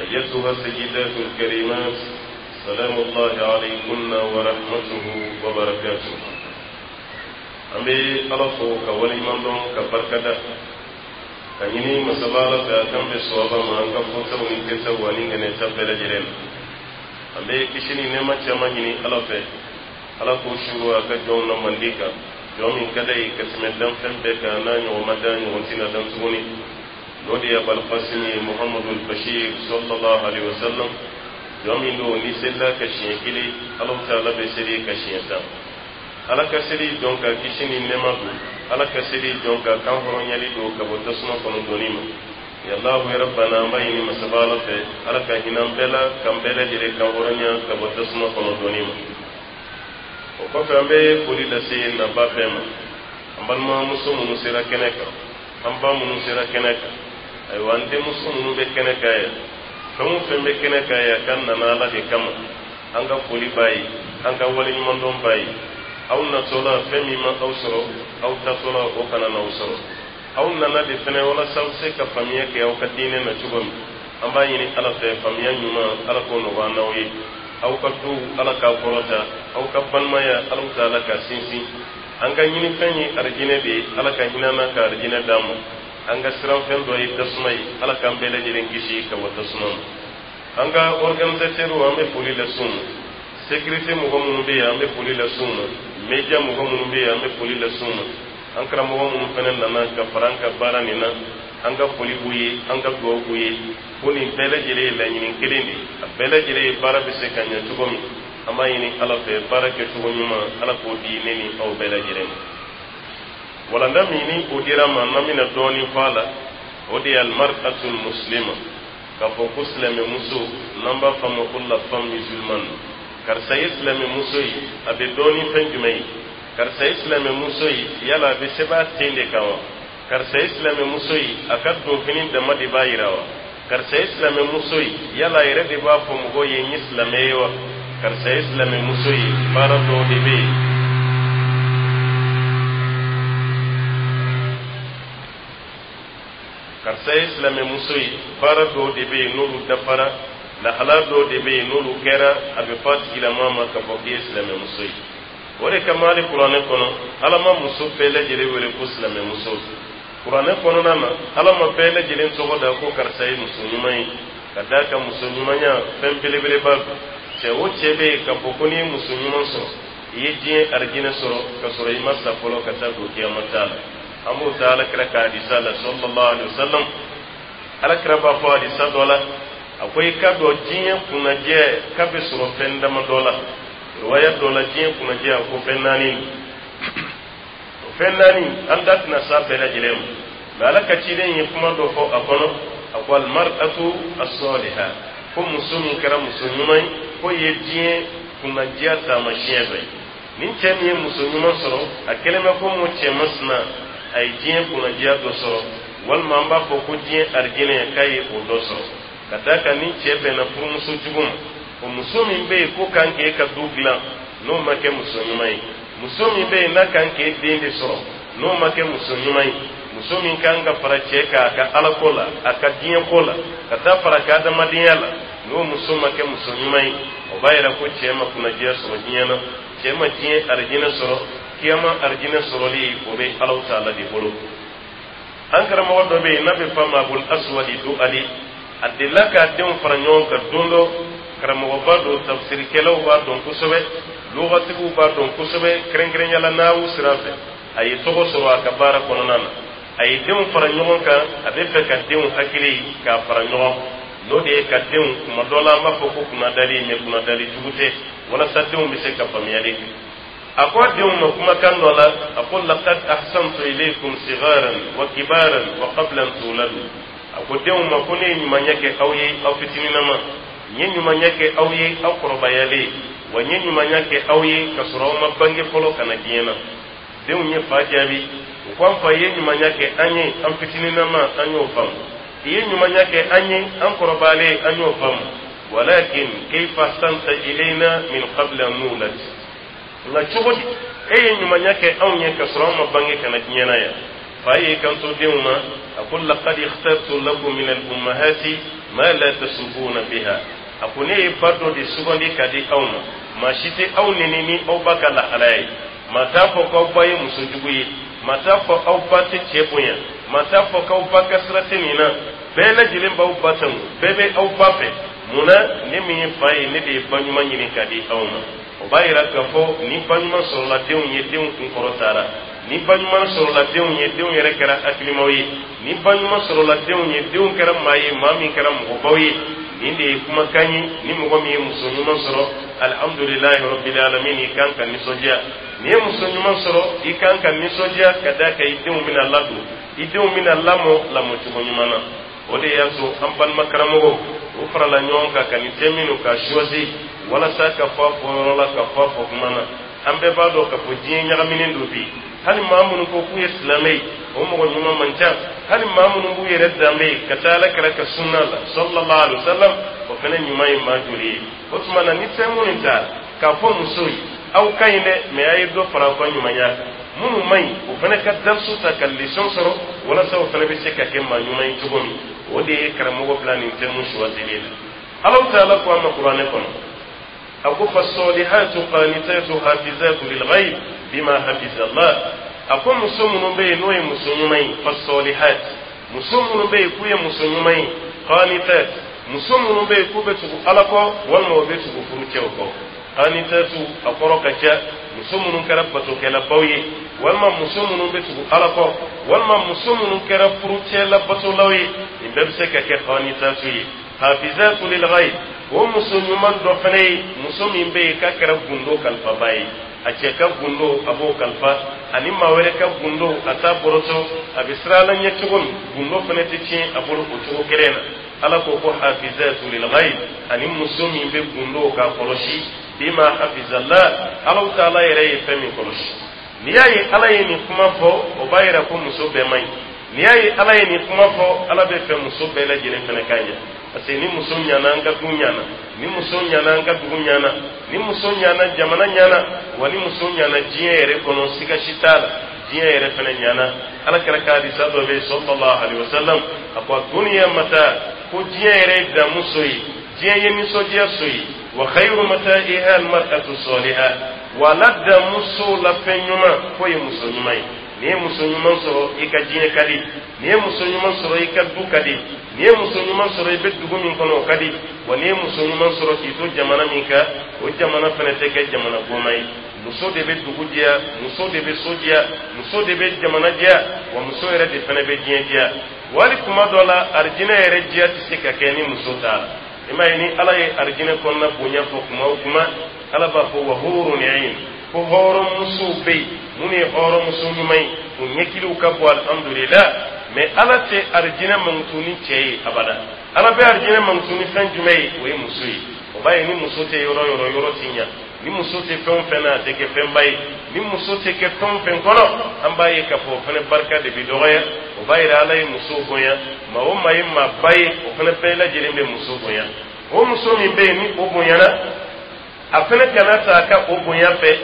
أيتها السيدات الكريمات، سلام الله عليكن ورحمته وبركاته. An bɛ Ala fo ka waleɲuman dɔn ka barika da ka ɲini masaba Ala fɛ a k'an bɛ sɔwaba ma an ka fɔtaw ni kɛtaw ani ŋɛnɛta bɛɛ lajɛlen na. An bɛ kisi ni nɛɛma caman ɲini Ala fɛ, Ala k'o suru a ka jɔnw na mandi kan, jɔn min ka d'a ye ka tɛmɛ danfɛn bɛɛ kan, n'a ɲɔgɔn ma dan, ɲɔgɔn tɛna dan tuguni, n'o de ye Abalkasimi ye Muhamadu Bashir sallallahu alaihi wasallam. Jɔn min don ni selila ka siɲɛ kelen, Alahu taala bɛ seli ka siɲɛ 10. Ala ka seli jɔn ka kisi ni nɛɛma don, Ala ka seli jɔn ka kan hɔrɔnyali don ka bɔ tasuma kɔnɔ donni ma. Yallahu ya rabbana, an b'a ɲini masaba Ala fɛ, Ala ka hinɛ an bɛɛ la, k'an bɛɛ lajɛlen kan hɔrɔnya ka bɔ tasuma kɔnɔ donni ma. O kɔfɛ, an bɛ foli lase naba bɛɛ ma, an balimamuso minnu sera kɛnɛ kan, an ba minnu sera kɛnɛ kan, ayiwa, an denmuso minnu bɛ kɛnɛ kan yan, fɛn o fɛn bɛ kɛnɛ kan yan k'an nana Ala de kama, an ka foli b'a ye, an ka waleɲumandɔn b'a ye. Aw natɔla, fɛn min ma aw sɔrɔ, aw tatɔla o kana n'aw sɔrɔ. Aw nana de fɛnɛ walasa aw se ka faamuya kɛ aw ka diinɛ na cogo min. An b'a ɲini Ala fɛ, faamuya ɲuman, Ala k'o nɔgɔya n'aw ye. Aw ka duw, Ala k'a kɔrɔta. Aw ka balimaya, Ala taala ka sinsin. An ka ɲinifɛn ye arijinɛ de ye, Ala ka hinɛ n'a ka arijinɛ d'an ma. An ka siranfɛn dɔ ye tasuma ye, Ala k'an bɛɛ lajɛlen kisi ka bɔ tasuma ma. An ka organisateur, an bɛ foli las'u ma. Sécurité mɔgɔ minnu bɛ yen, an bɛ foli las'u ma. Média mɔgɔ minnu bɛ yen, an bɛ foli las'u ma. An karamɔgɔ minnu fana nana ka fara an ka baara nin na, an ka foli b'u ye, an ka dugawu b'u ye, ko nin bɛɛ lajɛlen ye laɲini kelen de ye, a bɛɛ lajɛlen ye baara bɛ se ka ɲɛ cogo min. An b'a ɲini Ala fɛ, baara kɛcogo ɲuman, Ala k'o di ne ni aw bɛɛ lajɛlen ma. Walanda min ni o dira ma, n'an bɛna dɔɔnin fɔ a la, o de ye almar'atul muslima, k'a fɔ ko silamɛmuso, n'an b'a fɔ a ma ko la femme musulmane. Karisa ye silamɛmuso ye, a bɛ dɔn ni fɛn jumɛn ye? Karisa ye silamɛmuso ye, yala a bɛ sɛbɛn a ten de kan wa? Karisa ye silamɛmuso ye, a ka donfini dama de b'a yira wa? Karisa ye silamɛmuso ye, yala a yɛrɛ de b'a fɔ mɔgɔw ye n ye silamɛ ye wa? Karisa ye silamɛmuso ye, baara dɔw de bɛ yen. Karisa ye silamɛmuso ye, baara dɔw de bɛ yen n'olu dafara, lahala dɔw de bɛ yen n'olu kɛra, a bɛ fɔ a tigilama ma k'a fɔ k'i ye silamɛmuso ye. O de kama hali kuranɛ kɔnɔ, Ala ma muso bɛɛ lajɛlen wele ko silamɛmuso. Kuranɛ kɔnɔna na, Ala ma bɛɛ lajɛlen tɔgɔ da ko karisa ye muso ɲuman ye, ka d'a kan muso ɲumanya fɛn belebeleba don. Cɛ o cɛ bɛ yen k'a fɔ ko n'i ye muso ɲuman sɔrɔ, i ye diɲɛ arijinɛ sɔrɔ ka sɔrɔ i ma sa fɔlɔ ka taa don kiyama ta la. An b'o ta Ala kira ka hadisa la sallallahu alaihi wasallam. Ala kira b'a fɔ hadisa dɔ la, a ko i k'a dɔn diɲɛ kunnajɛ k'a bɛ sɔrɔ fɛn damadɔ la. Riwaya dɔ la, diɲɛ kunnajɛ, a ko fɛn naani. O fɛn naani, an da tɛna s'a bɛɛ lajɛlen ma, mɛ Ala ka ciden ye kuma dɔ fɔ a kɔnɔ. A ko almar'atu as-saliha, ko muso min kɛra muso ɲuman ye, k'o ye diɲɛ kunnadiya taamasiyɛn dɔ ye. Ni cɛ min ye muso ɲuman sɔrɔ, a kɛlen bɛ ko mo cɛ masina, a ye diɲɛ kunnadiya dɔ sɔrɔ, walima an b'a fɔ ko diɲɛ arijinɛ, k'a ye o dɔ sɔrɔ. Ka d'a kan ni cɛ bɛnna furumuso jugu ma, o muso min bɛ yen ko kan k'e ka du dilan, n'o ma kɛ muso ɲuman ye, muso min bɛ yen n'a kan k'e den de sɔrɔ, n'o ma kɛ muso ɲuman ye, muso min kan ka fara cɛ kan a ka alako la, a ka diɲɛko la, ka taa fara ka adamadenya la, n'o muso ma kɛ muso ɲuman ye, o b'a yira ko cɛ ma kunnadiya sɔrɔ diɲɛ na, cɛ ma diɲɛ arijinɛ sɔrɔ. Kiyama arijinɛ sɔrɔli, o bɛ Alahu taala de bolo. An karamɔgɔ dɔ bɛ yen n'a bɛ f'a ma Abul Aswadi Du'ali, a delila k'a denw fara ɲɔgɔn kan don dɔ. Karamɔgɔba don, tafsirikɛlaw b'a dɔn kosɛbɛ, lugatigiw b'a dɔn kosɛbɛ, kɛrɛnkɛrɛnya la nahu sira fɛ a ye tɔgɔ sɔrɔ a ka baara kɔnɔna na. A ye denw fara ɲɔgɔn kan, a bɛ fɛ ka denw hakili k'a fara ɲɔgɔn, n'o de ye ka denw, kuma dɔ la an b'a fɔ ko kunnadali, mɛ kunnadali jugu tɛ, walasa denw bɛ se ka faamuyali kɛ. A ko a denw ma kumakan dɔ la, a ko laqad ahsantu ilaykum sigharan wa kibaran wa qabla an tuladu. A ko denw ma ko ne ye ɲumanya kɛ aw ye aw fitininama, n ye ɲumanya kɛ aw ye aw kɔrɔbayalen, wa n ye ɲumanya kɛ aw ye ka sɔrɔ aw ma bange fɔlɔ ka na diɲɛ na. Denw ye fa jaabi, u ko an fa, ye ɲumanya kɛ an ye an fitininama, an y'o faamu. I ye ɲumanya kɛ an ye an kɔrɔbayalen, an y'o faamu. Walakin kayfa ahsanta ilayna min qabli an nulad? Nka cogo di e ye ɲumanya kɛ anw ye ka sɔrɔ an ma bange ka na diɲɛ na yan? Fa y'i kanto denw ma, a ko laqad ikhtartu lakum min al-ummahati Ma la tasubuna biha. A ko ne ye ba dɔ de sugandi ka di aw ma, maa si tɛ aw neni ni aw ba ka lahalaya ye. Maa t'a fɔ k'aw ba ye muso jugu ye, maa t'a fɔ aw ba tɛ cɛ bonya, maa t'a fɔ k'aw ba ka sira tɛ nin na. Bɛɛ lajɛlen b'aw ba tanu, bɛɛ bɛ aw ba fɛ. Mun na? Ne min ye fa ye, ne de ye ba ɲuman ɲini ka di aw ma. O b'a yira k'a fɔ ni ba ɲuman sɔrɔla denw ye, denw kun kɔrɔtara. Ni ba ɲuman sɔrɔla denw ye, denw yɛrɛ kɛra hakilimaw ye. Ni ba ɲuman sɔrɔla denw ye, denw kɛra maa ye, maa min kɛra mɔgɔbaw ye. Nin de ye kumakan ye. Ni mɔgɔ min ye muso ɲuman sɔrɔ, alhamdulilahi rabbil alamin, i kan ka nisɔndiya. N'i ye muso ɲuman sɔrɔ, i kan ka nisɔndiya ka d'a kan i denw bɛna ladon, i denw bɛna lamɔ lamɔcogo ɲuman na. O de y'a to an balima karamɔgɔw, u farala ɲɔgɔn kan ka nin thème ninnu ka choisi walasa ka fɔ a fɔyɔrɔ la, ka fɔ a fɔ kuma na. An bɛɛ b'a dɔn k'a fɔ diɲɛ ɲagaminen don bi. Hali maa minnu ko k'u ye silamɛ ye, o mɔgɔ ɲuman man ca. Hali maa minnu b'u yɛrɛ danbe ye ka taa Ala kira ka sunna la, sallallahu alaihi wasallam, o fana ɲuman ye maa joli ye? O tuma na, ni fɛn minnu ta k'a fɔ musow ye, aw ka ɲi dɛ, mɛ a ye dɔ fara aw ka ɲumanya kan. Minnu man ɲi, o fana ka darisu ta ka leçon sɔrɔ walasa o fana bɛ se ka kɛ maa ɲuman ye cogo min. O de ye karamɔgɔ bila nin thème choisili la. Alahu taala ko an ma Kuranɛ kɔnɔ, a ko: fasolihatu qanitatu hafizatu lilghayb bima hafizallah. A ko muso minnu bɛ yen, n'o ye muso ɲuman ye, fasolihat, muso minnu bɛ yen k'u ye muso ɲuman ye, qanitat, muso minnu bɛ yen k'u bɛ tugu Ala kɔ walima u bɛ tugu furucɛw kɔ. Qanitatu, a kɔrɔ ka ca: muso minnu kɛra batokɛlabaw ye, walima muso minnu bɛ tugu Ala kɔ, walima muso minnu kɛra furucɛ labatolaw ye, nin bɛɛ bɛ se ka kɛ qanitatu ye. Hafizatu lilghayb, o muso ɲuman dɔ fana ye muso min bɛ yen k'a kɛra gundo kalifaba ye. A cɛ ka gundo, a b'o kalifa, ani maa wɛrɛ ka gundo, a t'a bɔrɔtɔ. A bɛ siran Ala ɲɛ cogo min, gundo fana tɛ tiɲɛ a bolo o cogo kelen na. Ala ko ko hafizatu lilghayb, ani muso min bɛ gundo k'a kɔlɔsi, bima hafizallah, Alahu taala yɛrɛ ye fɛn min kɔlɔsi. N'i y'a ye Ala ye nin kuma fɔ, o b'a yira ko muso bɛɛ man ɲi. N'i y'a ye Ala ye nin kuma fɔ, Ala bɛ fɛ muso bɛɛ lajɛlen fana ka ɲɛ, parce que ni muso ɲana, an ka du ɲana. Ni muso ɲana, an ka dugu ɲana. Ni muso ɲana, jamana ɲana. Wa ni muso ɲana diɲɛ yɛrɛ kɔnɔ, siga si t'a la, diɲɛ yɛrɛ fana ɲana. Ala kira ka hadisa dɔ bɛ yen, sallallahu alaihi wasallam, a ko: duniya mata, ko diɲɛ yɛrɛ ye damu so ye, diɲɛ ye nisɔndiya so ye. Wa khayru mata'iha almar'atu salihah. Wa la damu so la fɛn ɲuman k'o ye muso ɲuman ye. N'i ye muso ɲuman sɔrɔ, i ka diɲɛ ka di. N'i ye muso ɲuman sɔrɔ, i ka du ka di. N'i ye muso ɲuman sɔrɔ, i bɛ dugu min kɔnɔ, o ka di. Wa n'i ye muso ɲuman sɔrɔ k'i to jamana min kan, o jamana fana tɛ kɛ jamana goma ye. Muso de bɛ dugu diya, muso de bɛ so diya, muso de bɛ jamana diya, wa muso yɛrɛ de fana bɛ diɲɛ diya. Wali kuma dɔ la, arijinɛ yɛrɛ diya tɛ se ka kɛ ni muso t'a la. I m'a ye, ni Ala ye arijinɛ kɔnɔna bonya fɔ kuma o kuma, Ala b'a fɔ: wa hurun ain, ko hɔrɔnmusow bɛ yen minnu ye hɔrɔnmuso ɲuman ye, u ɲɛkiliw ka bɔ, alhamdulillah. Mɛ Ala tɛ arijinɛ mankutu ni cɛ ye abada. Ala bɛ arijinɛ mankutu ni fɛn jumɛn ye? O ye muso ye. O b'a ye, ni muso tɛ yɔrɔ yɔrɔ, yɔrɔ ti ɲa. Ni muso tɛ fɛn o fɛn na, a tɛ kɛ fɛnba ye. Ni muso tɛ kɛ fɛn o fɛn kɔnɔ, an b'a ye k'a fɔ o fana barika de bɛ dɔgɔya. O b'a yira Ala ye muso bonya. Maa o maa ye maaba ye, o fana bɛɛ lajɛlen bɛ muso bonya. O muso min bɛ yen, ni o bonyana, a fana kana ta a ka o bonya fɛ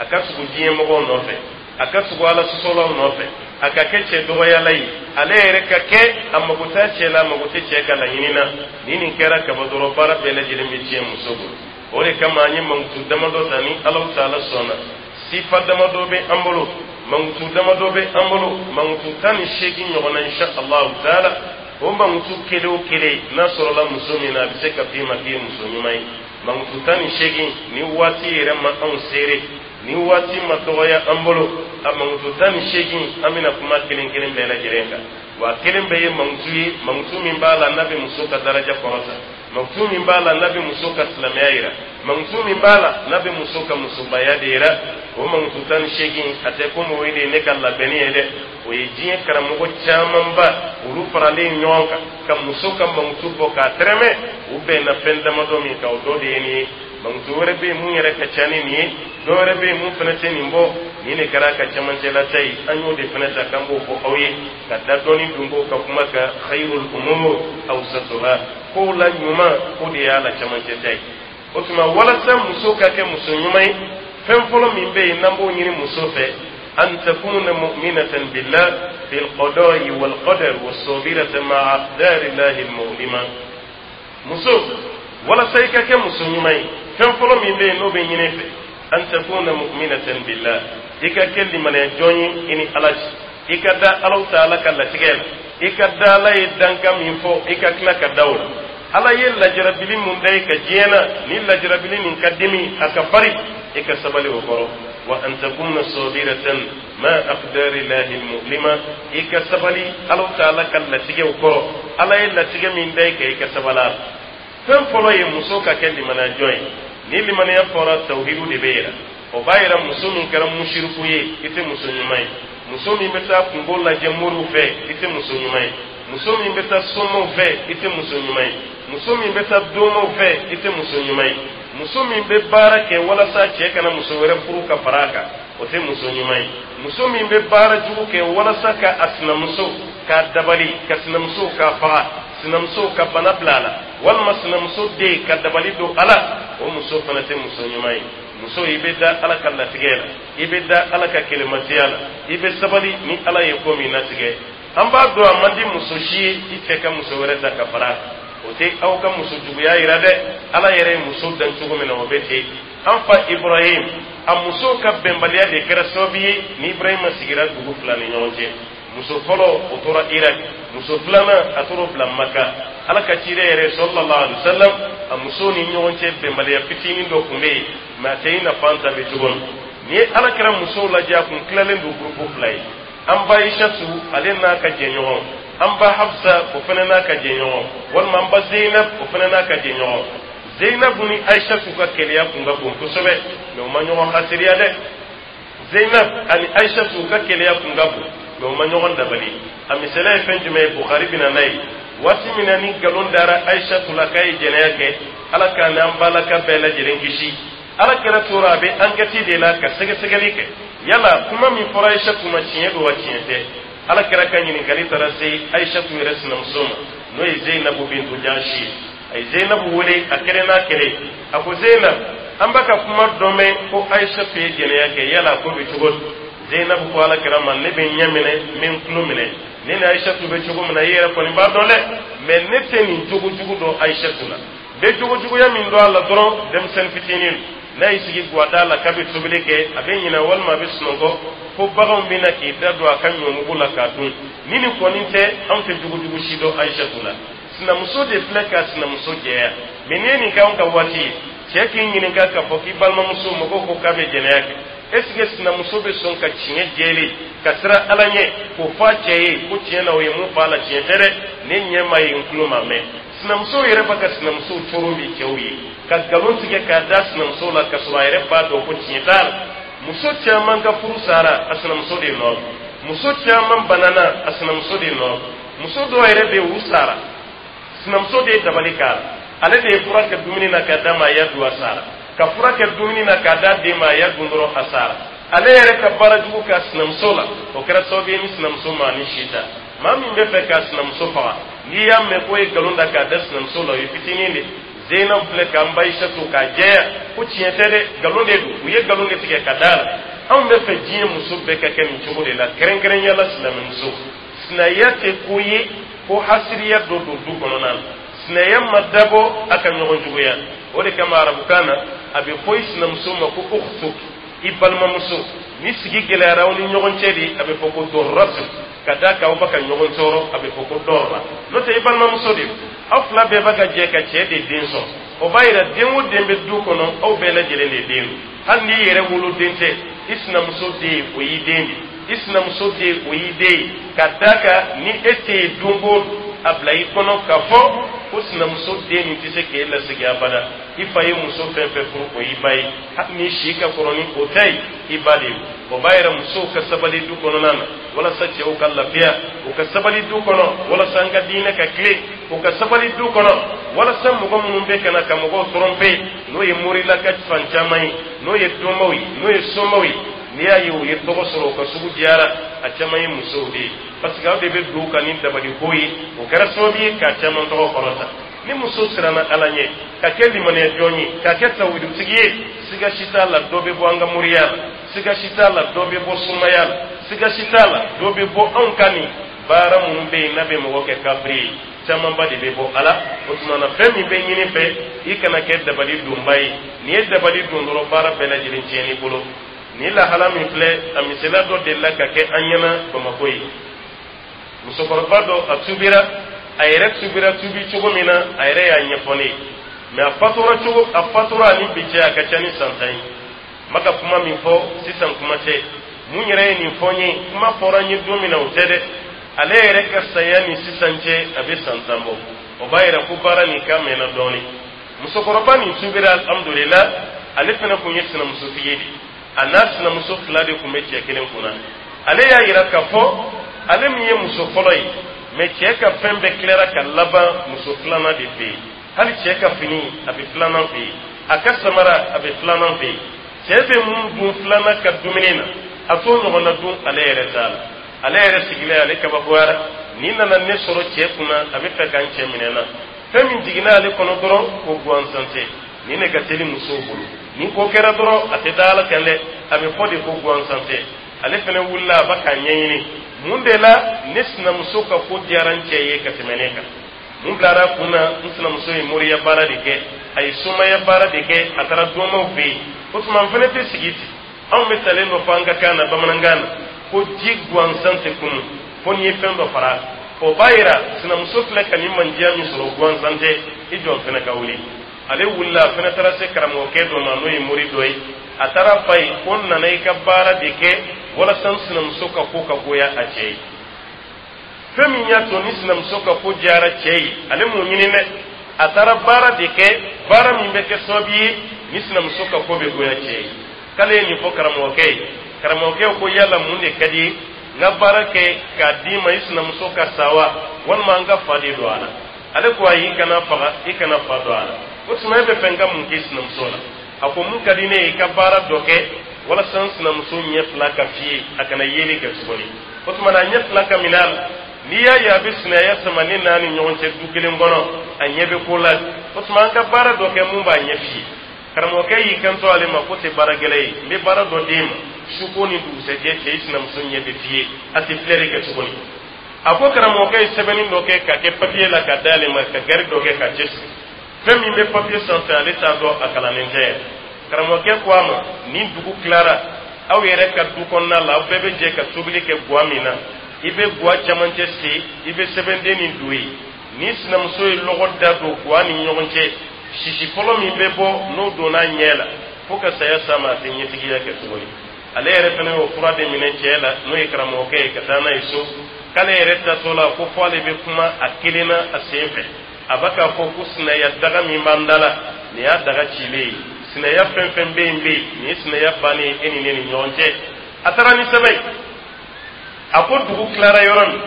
a ka tugu diɲɛ mɔgɔw nɔfɛ, a ka tugu Ala sɔsɔlaw nɔfɛ, a ka kɛ cɛ dɔgɔyala ye, ale yɛrɛ ka kɛ a mago t'a cɛ la, a mago tɛ cɛ ka laɲini na. Ni nin kɛra kaba dɔrɔn, baara bɛɛ lajɛlen bɛ tiɲɛ muso bolo. O de kama an ye mankutu damadɔ ta. Ni Alahu taala sɔnna, sifa damadɔ bɛ an bolo, mankutu damadɔ bɛ an bolo, mankutu 18 ɲɔgɔnna, insha Allahu taala. O mankutu kelen o kelen n'a sɔrɔla muso min na, a bɛ se ka f'i ma k'i ye muso ɲuman ye. Mankutu 18, ni waati yɛrɛ ma anw seere, ni waati ma dɔgɔya an bolo, a mankutu 18, an bɛna kuma kelen kelen bɛɛ lajɛlen kan. Wa kelen bɛɛ ye mankutu ye, mankutu min b'a la n'a bɛ muso ka daraja kɔrɔta, mankutu min b'a la n'a bɛ muso ka silamɛya yira, mankutu min b'a la n'a bɛ muso ka musobaya de yira. O mankutu 18, a tɛ komi o ye de ye ne ka labɛnni ye dɛ. O ye diɲɛ karamɔgɔ camanba, olu faralen ɲɔgɔn kan ka muso ka mankutu bɔ k'a tɛrɛmɛ. U bɛnna fɛn damadɔ min kan, o dɔ de ye nin ye. Mankutu wɛrɛ bɛ yen mun yɛrɛ ka ca ni nin ye, dɔ wɛrɛ bɛ yen mun fana tɛ nin bɔ. Nin de kɛra a ka cɛmancɛlata ye, an y'o de fana ta k'an b'o fɔ aw ye ka da dɔɔni dunko ka kuma kan. Khayrul umur awsatuha, kow la ɲuman, o de y'a la cɛmancɛ ta ye. O tuma, walasa muso ka kɛ muso ɲuman ye, fɛn fɔlɔ min bɛ yen n'an b'o ɲini muso fɛ, an takuna mu'minatan billah fil qada'i wal qadar was-sabirata ma'a aqdari llahi al-mu'lima. Muso, walasa i ka kɛ muso ɲuman ye, fɛn fɔlɔ min bɛ yen n'o bɛ ɲini fɛ, an takuna mu'minatan billah, i ka kɛ limaniya jɔn ye i ni Ala cɛ, i ka da Alahu Taala ka latigɛ la, i ka da Ala ye dankan min fɔ, i ka tila ka da o la. Ala ye lajarabili mun da i ka diɲɛ na, ni lajarabili nin ka dimi, a ka farin, i ka sabali o kɔrɔ. Wa an takuna sabiratan ma aqdari llahi almu'lima, i ka sabali Alahu Taala ka latigɛw kɔrɔ. Ala ye latigɛ min da i kan, i ka sabali a la. Fɛn fɔlɔ ye muso ka kɛ limaniya jɔn ye. Ni limaniya fɔra, tawhidu de bɛ yira. O b'a yira muso min kɛra musiriku ye, i tɛ muso ɲuman ye. Muso min bɛ taa kunko lajɛ moriw fɛ, i tɛ muso ɲuman ye. Muso min bɛ taa somaw fɛ, i tɛ muso ɲuman ye. Muso min bɛ taa domaw fɛ, i tɛ muso ɲuman ye. Muso min bɛ baara kɛ walasa cɛ kana muso wɛrɛ furu ka fara a kan, o tɛ muso ɲuman ye. Muso min bɛ baara jugu kɛ walasa ka a sinamuso k'a dabali, ka sinamuso k'a faga, sinamuso ka bana bila a la, walima sinamuso den ka dabali don a la, o muso fana tɛ muso ɲuman ye. Muso, i bɛ da Ala ka latigɛ la, i bɛ da Ala ka kelematiya la, i bɛ sabali ni Ala ye ko min latigɛ. An b'a dɔn a man di muso si ye i cɛ ka muso wɛrɛ ta ka fara a kan. O tɛ aw ka muso juguya yira dɛ. Ala yɛrɛ ye muso dan cogo min na, o bɛ ten. An fa Ibrahim, a muso ka bɛnbaliya de kɛra sababu ye ni Ibrahima sigira dugu fila ni ɲɔgɔn cɛ. Muso fɔlɔ, o tora Irak. Muso filanan, a tora bila Maka. Ala ka ciden yɛrɛ, sallallahu alaihi wasallam, a muso ni ɲɔgɔn cɛ bɛnbaliya fitinin dɔ tun bɛ yen, mɛ a tɛ i n'a fɔ an ta bɛ cogo min. N'i ye Ala kɛra musow lajɛ, a kun tilalen don gurupu fila ye. An ba Aishatu, ale n'a ka jɛɲɔgɔn. An ba Hafsa, o fana n'a ka jɛɲɔgɔn, walima an ba Zeinab, o fana n'a ka jɛɲɔgɔn. Zeinabu ni Aishatu ka keleya kun ka bon kosɛbɛ, mɛ u ma ɲɔgɔn hasiriya dɛ. Zeinab ani Aishatu ka keleya kun ka bon, mɛ u ma ɲɔgɔn dabali. A misaliya ye fɛn jumɛn ye? Bukhari bɛna n'a ye. Waati min na ni nkalon dara Aishatu la k'a ye jɛnɛya kɛ, Ala k'an n'an balaka bɛɛ lajɛlen kisi, Ala kɛra tora a bɛ ankɛti de la ka sɛgɛsɛgɛli kɛ, yala kuma min fɔra Aishatu ma, tiɲɛ don wa, tiɲɛ tɛ? Ala kɛra ka ɲininkali taara se Aishatu yɛrɛ sinamuso ma, n'o ye Zeinabu bintu Jahshi ye. A ye Zeinabu wele a kelen n'a kelen. A ko: "Zeinab, an b'a ka kuma dɔ mɛn ko Aishatu ye jɛnɛya kɛ, yala ko bɛ cogo di?" Zeinabu ko Ala kɛra ma: "Ne bɛ ɲɛ minɛ, n bɛ n tulo minɛ. Ne ni Aishatu bɛ cogo min na, i yɛrɛ kɔni b'a dɔn dɛ, mɛ ne tɛ nin jogo jugu dɔn Aishatu la. N bɛ jogo juguya min dɔn a la dɔrɔn, denmisɛnnin fitinin n'a y'i sigi guwada la k'a bɛ tobili kɛ, a bɛ ɲinɛ walima a bɛ sunɔgɔ fo baganw bɛ na k'i da don a ka ɲɔmugu la k'a dun. Ni nin kɔni tɛ, anw tɛ jogojugu si dɔn Aishatu la." Sinamuso de filɛ ka sinamuso jɛya. Mɛ n'i ye nin kɛ anw ka waati ye, cɛ k'i ɲininka k'a fɔ k'i balimamuso, mɔgɔw ko k'a bɛ jɛnɛya kɛ, est ce que sinamuso bɛ sɔn ka tiɲɛ jɛlen ka siran Ala ɲɛ k'o fɔ a cɛ ye ko tiɲɛ na, o ye mun fɔ a la, tiɲɛ tɛ dɛ, ne ɲɛ ma ye, n tulo ma mɛn? Sinamuso yɛrɛ b'a ka sinamuso coro bi cɛw ye ka nkalon tigɛ k'a da sinamuso la, ka sɔrɔ a yɛrɛ b'a dɔn ko tiɲɛ t'a la. Muso caman ka furu sara a sinamuso de nɔ. Muso caman banana a sinamuso de nɔ. Muso dɔw yɛrɛ bɛ yen, u sara, sinamuso de ye dabali k'a la. Ale de ye fura kɛ dumuni na k'a d'a ma, a y'a dun, a sara. Ka fura kɛ dumuni na k'a d'a den ma, a y'a dun dɔrɔn, a sara. Ale yɛrɛ ka baara jugu k'a sinamuso la, o kɛra sababu ye ni sinamuso ma ni si ta. Maa min bɛ fɛ k'a sinamuso faga, n'i y'a mɛn k'o ye nkalon da k'a da sinamuso la, o ye fitinin de. Zeynab filɛ k'an ba Aïssatu k'a jɛya ko tiɲɛ tɛ dɛ, nkalon de don, u ye nkalon de tigɛ ka d'a la. Anw bɛ fɛ diɲɛ muso bɛɛ ka kɛ nin cogo de la, kɛrɛnkɛrɛnya la silamɛmuso. Sinaya tɛ ko ye ko hasiriya dɔ don du kɔnɔna na. Sinaya ma dabɔ a ka ɲɔgɔn juguya. O de kama arabukan na, a bɛ fɔ i sinamuso ma ko ukhtuk, i balimamuso. Ni sigi gɛlɛyara aw ni ɲɔgɔn cɛ de, a bɛ fɔ ko dɔrɔtu, ka d'a kan aw bɛ ka ɲɔgɔn tɔɔrɔ, a bɛ fɔ ko dɔrɔra. N'o tɛ, i balimamuso de don. Aw fila bɛɛ b'a ka jɛ ka cɛ de den sɔn. O b'a yira den o den bɛ du kɔnɔ, aw bɛɛ lajɛlen de den don. Hali n'i yɛrɛ woloden tɛ, i sinamuso den, o y'i den de. I sinamuso den, o y'i den ye. Ka d'a kan ni e tɛ yen don o don, a bila i kɔnɔ k'a fɔ ko sinamuso den nin tɛ se k'e lasegin abada. I fa ye muso fɛn fɛn furu, o y'i ba ye. Hali ni si ka kɔrɔ ni o ta ye, i ba de ye. O b'a yira musow ka sabali du kɔnɔna na walasa cɛw ka lafiya. U ka sabali du kɔnɔ walasa an ka diinɛ ka tilen. U ka sabali du kɔnɔ walasa mɔgɔ minnu bɛ ka na ka mɔgɔw tromper, n'o ye morilaka fan caman ye, n'o ye domaw ye, n'o ye somaw ye. N'i y'a ye u ye tɔgɔ sɔrɔ, u ka sugu diyara, a caman ye musow de ye, parce que aw de bɛ don u kan ni dabaliko ye. O kɛra sababu ye k'a caman tɔgɔ kɔrɔta. Ni muso siranna Ala ɲɛ, ka kɛ limaniya jɔn ye, ka kɛ tawhidutigi ye, siga si t'a la dɔ bɛ bɔ an ka moriya la, siga si t'a la dɔ bɛ bɔ sumaya la, siga si t'a la dɔ bɛ bɔ anw ka nin baara minnu bɛ yen n'a bɛ mɔgɔ kɛ kafiri ye. Camanba de bɛ bɔ a la. O tuma na, fɛn min bɛ ɲini fɛ, i kana kɛ dabali donba ye. N'i ye dabali don dɔrɔn, baara bɛɛ lajɛlen tiɲɛn'i bolo. Nin lahala min filɛ, a misaliya dɔ delila ka kɛ an ɲɛna Bamakɔ ye. Musokɔrɔba dɔ, a tubira. A yɛrɛ tubira tubi cogo min na, a yɛrɛ y'a ɲɛfɔ ne ye. Mɛ a fatura cogo, a fatura ani bi cɛ, a ka ca ni san 10 ye. N bɛ ka kuma min fɔ sisan, kuma tɛ mun yɛrɛ ye nin fɔ n ye. Kuma fɔra n ye don min na, o tɛ dɛ. Ale yɛrɛ ka saya ni sisan cɛ, a bɛ san 10 bɔ. O b'a yira ko baara nin ka mɛnna dɔɔnin. Musokɔrɔba nin tubira, alhamdulila. Ale fana tun ye sinamusotigi ye de. A n'a sinamuso fila de tun bɛ cɛ kelen kunna. Ale y'a yira k'a fɔ ale min ye muso fɔlɔ ye, mɛ cɛ ka fɛn bɛɛ tilara ka laban muso filanan de fɛ yen. Hali cɛ ka fini, a bɛ filanan fɛ yen. A ka samara, a bɛ filanan fɛ yen. Cɛ bɛ mun dun filanan ka dumuni na, a t'o ɲɔgɔnna dun ale yɛrɛ t'a la. Ale yɛrɛ sigilen, ale kabakoyara: nin nana ne sɔrɔ cɛ kunna, a bɛ fɛ ka n cɛ minɛ na. Fɛn min jiginna ale kɔnɔ dɔrɔn, ko gansan tɛ. Nin de ka teli musow bolo. Ni ko kɛra dɔrɔn, a tɛ da Ala kan dɛ, a bɛ fɔ de ko gansan tɛ. Ale fana wulila, a bɛ k'a ɲɛɲini mun de la ne sinamuso ka ko diyara n cɛ ye ka tɛmɛ ne kan. Mun bilara kun na? N sinamuso ye moriya baara de kɛ, a ye somaya baara de kɛ, a taara dɔnmaw fɛ yen. O tuma, n fana tɛ sigi ten. Anw bɛ talen dɔ fɔ an ka kan na, bamanankan na, ko ji gansan tɛ kunu fo n'i ye fɛn dɔ fara. O b'a yira sinamuso filɛ ka nin mandiya min sɔrɔ, gansan tɛ. I jɔ fana ka wuli. Ale wulila, a fana taara se karamɔgɔkɛ dɔ ma, n'o ye mori dɔ ye. A taara fa ye ko n nana i ka baara de kɛ walasa n sinamuso ka ko ka goya a cɛ ye. Fɛn min y'a to ni sinamuso ka ko diyara cɛ ye, ale m'o ɲini dɛ. A taara baara de kɛ, baara min bɛ kɛ sababu ye ni sinamuso ka ko bɛ goya cɛ ye. K'ale ye nin fɔ karamɔgɔkɛ ye. Karamɔgɔkɛ ko: yala mun de ka di ye, n ka baara kɛ k'a d'i ma, i sinamuso ka sa wa, walima an ka fa de don a la? Ale ko: ayi, i kana faga, i kana fa don a la. O tuma, e bɛ fɛ n ka mun k'i sinamuso la? A ko: mun ka di ne ye, i ka baara dɔ kɛ walasa n sinamuso ɲɛ fila ka fiyɛ, a kana yeli kɛ tuguni. O tuma na, a ɲɛ fila ka minɛ a la. N'i y'a ye a bɛ sinaya sama ne n'a ni ɲɔgɔn cɛ du kelen kɔnɔ, a ɲɛ bɛ ko la. O tuma, an ka baara dɔ kɛ mun b'a ɲɛ fiyɛ. Karamɔgɔkɛ y'i kanto ale ma ko tɛ baara gɛlɛn ye, n bɛ baara dɔ d'e ma, su ko ni dugusɛjɛ cɛ, i sinamuso ɲɛ bɛ fiyɛ, a tɛ filɛri kɛ tuguni. A ko karamɔgɔkɛ ye sɛbɛnni dɔ kɛ ka kɛ papiye la ka d'ale ma, ka gari dɔ kɛ ka cɛsiri. Fɛn min bɛ papiye sanfɛ, ale t'a dɔn, a kalannen tɛ yɛrɛ. Karamɔgɔkɛ ko a ma: ni dugu tilara, aw yɛrɛ ka du kɔnɔna la, aw bɛɛ bɛ jɛ ka tobili kɛ guwa min na, i bɛ guwa camancɛ sen, i bɛ sɛbɛnden nin don yen. Ni sinamuso ye lɔgɔ da don guwa ni ɲɔgɔn cɛ, sisi fɔlɔ min bɛ bɔ, n'o donna ɲɛ la, fo ka saya s'a ma, a tɛ ɲɛtigiya kɛ tuguni. Ale yɛrɛ fana y'o fura de minɛ cɛ la, n'o ye karamɔgɔkɛ ye, ka taa n'a ye so. K'ale yɛrɛ tatɔ la, ko fɔ ale bɛ kuma a kelen na a sen fɛ, a bɛ k'a fɔ ko sinaya daga min b'an da la, nin y'a daga cilen ye. Sinaya fɛn fɛn bɛ yen bɛ yen, nin ye sinaya bannen ye e ni ne ni ɲɔgɔn cɛ. A taara ni sɛbɛn ye. A ko dugu tilara yɔrɔ min,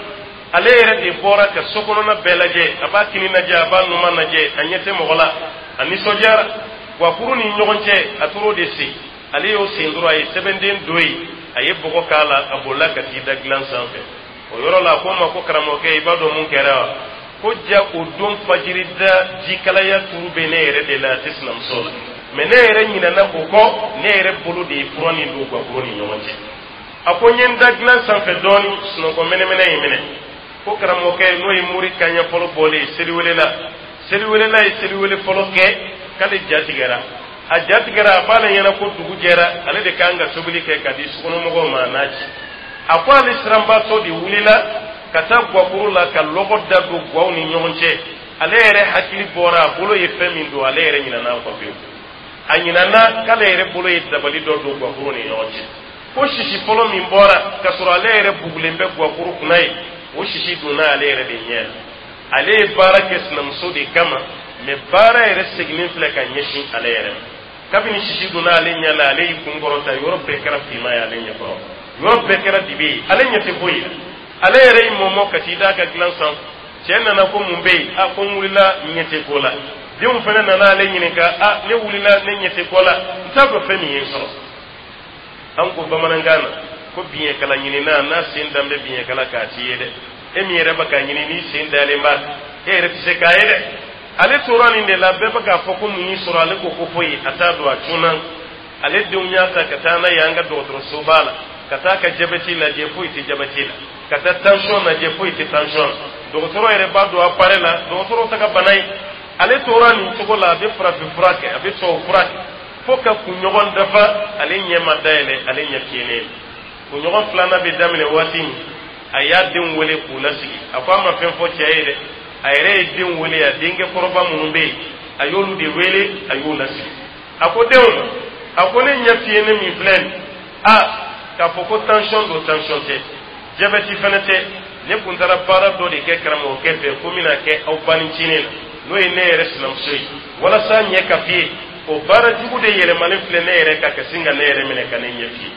ale yɛrɛ de bɔra ka so kɔnɔna bɛɛ lajɛ. A b'a kini lajɛ, a b'a numan lajɛ, a ɲɛ tɛ mɔgɔ la. A nisɔndiyara. Guwakuru ni ɲɔgɔn cɛ, a tor'o de sen. Ale y'o sen dɔrɔn, a ye sɛbɛnden don yen, a ye bɔgɔ k'a la, a bolila ka t'i da dilan sanfɛ. O yɔrɔ la, a ko n ma ko: karamɔgɔkɛ, i b'a dɔn mun kɛra wa? Ko ja, o don fajiri da, jikalaya turu bɛ ne yɛrɛ de la, a tɛ sinamuso la. Mɛ ne yɛrɛ ɲinɛna o kɔ, ne yɛrɛ bolo de ye fura nin don guwakuru ni ɲɔgɔn cɛ. A ko n ye n da dilan sanfɛ dɔɔni, sunɔgɔ mɛnɛmɛnɛ ye minɛ. Ko karamɔgɔkɛ, n'o ye mori kaɲɛ fɔlɔ bɔlen ye seliwelela, seliwelela ye seliwele fɔlɔ kɛ, k'ale ja tigɛra. A ja tigɛra, a b'ale ɲɛna ko dugu jɛra, ale de kan ka tobili kɛ ka di sokɔnɔmɔgɔw ma, a n'a ci. A ko ale siranbaatɔ de wulila ka taa guwakuru la ka lɔgɔ da don guwaw ni ɲɔgɔn cɛ. Ale yɛrɛ hakili bɔra, a bolo ye fɛn min don, ale yɛrɛ ɲinana kɔ pewu. A ɲinana k'ale yɛrɛ bolo ye dabali dɔ don guwakuru ni ɲɔgɔn cɛ. Ko sisi fɔlɔ min bɔra, k'a sɔrɔ ale yɛrɛ bugulen bɛ guwakuru kunna ye, o sisi donna ale yɛrɛ de ɲɛ la. Ale ye baara kɛ sinamuso de kama, mɛ baara yɛrɛ seginnen filɛ ka ɲɛsin ale yɛrɛ ma. Kabini sisi donna ale ɲɛ la, ale y'i kun kɔrɔta, yɔrɔ bɛɛ kɛra finman ye ale ɲɛkɔrɔ, yɔrɔ bɛɛ kɛra dibi ye, ale ɲɛ tɛ foyi la. Ale yɛrɛ y'i mɔmɔ ka t'i da a ka dilan sanfɛ. Cɛ nana ko: mun bɛ yen? A ko: n wulila, n ɲɛ tɛ ko la. Denw fana nana ale ɲininka: a ne wulila, ne ɲɛ tɛ ko la, n t'a dɔn fɛn min ye n sɔrɔ. An ko bamanankan na ko biɲɛkala ɲinina, n'a sen dan bɛ biɲɛkala k'a ti ye dɛ. E min yɛrɛ bɛ k'a ɲini, n'i sen dalen b'a kan, e yɛrɛ tɛ se k'a ye dɛ. Ale tora nin de la, bɛɛ bɛ k'a fɔ ko mun y'i sɔrɔ? Ale ko ko foyi, a t'a dɔn, a cunna. Ale denw y'a ta ka taa n'a ye an ka dɔgɔtɔrɔsoba la, ka taa ka jabɛti lajɛ, foyi tɛ jabɛti la. Ka taa tension lajɛ, foyi tɛ tension la. Dɔgɔtɔrɔ yɛrɛ b'a don appareil la, dɔgɔtɔrɔw ta ka bana ye. Ale tora nin cogo la, a bɛ farafin fura kɛ, a bɛ tubabu fura kɛ, fo ka kunɲɔgɔn dafa, ale ɲɛ ma dayɛlɛ, ale ɲɛ fiyennen. Kunɲɔgɔn filanan bɛ daminɛ waati min, a y'a denw wele k'u lasigi. A ko a ma fɛn fɔ cɛ ye dɛ, a yɛrɛ ye denw wele, a denkɛ kɔrɔba minnu bɛ yen, a y'olu de wele, a y'u lasigi. A ko denw ma, a ko ne ɲɛ fiyennen min filɛ nin, a k'a fɔ ko tension don, tension tɛ, jabɛti fana tɛ. Ne kun taara baara dɔ de kɛ karamɔgɔkɛ fɛ ko n bɛna kɛ aw banicinin na, n'o ye ne yɛrɛ sinamuso ye, walasa ɲɛ ka fiye. O baara jugu de yɛlɛmalen filɛ ne yɛrɛ kan ka sin ka ne yɛrɛ minɛ ka ne ɲɛ fiye.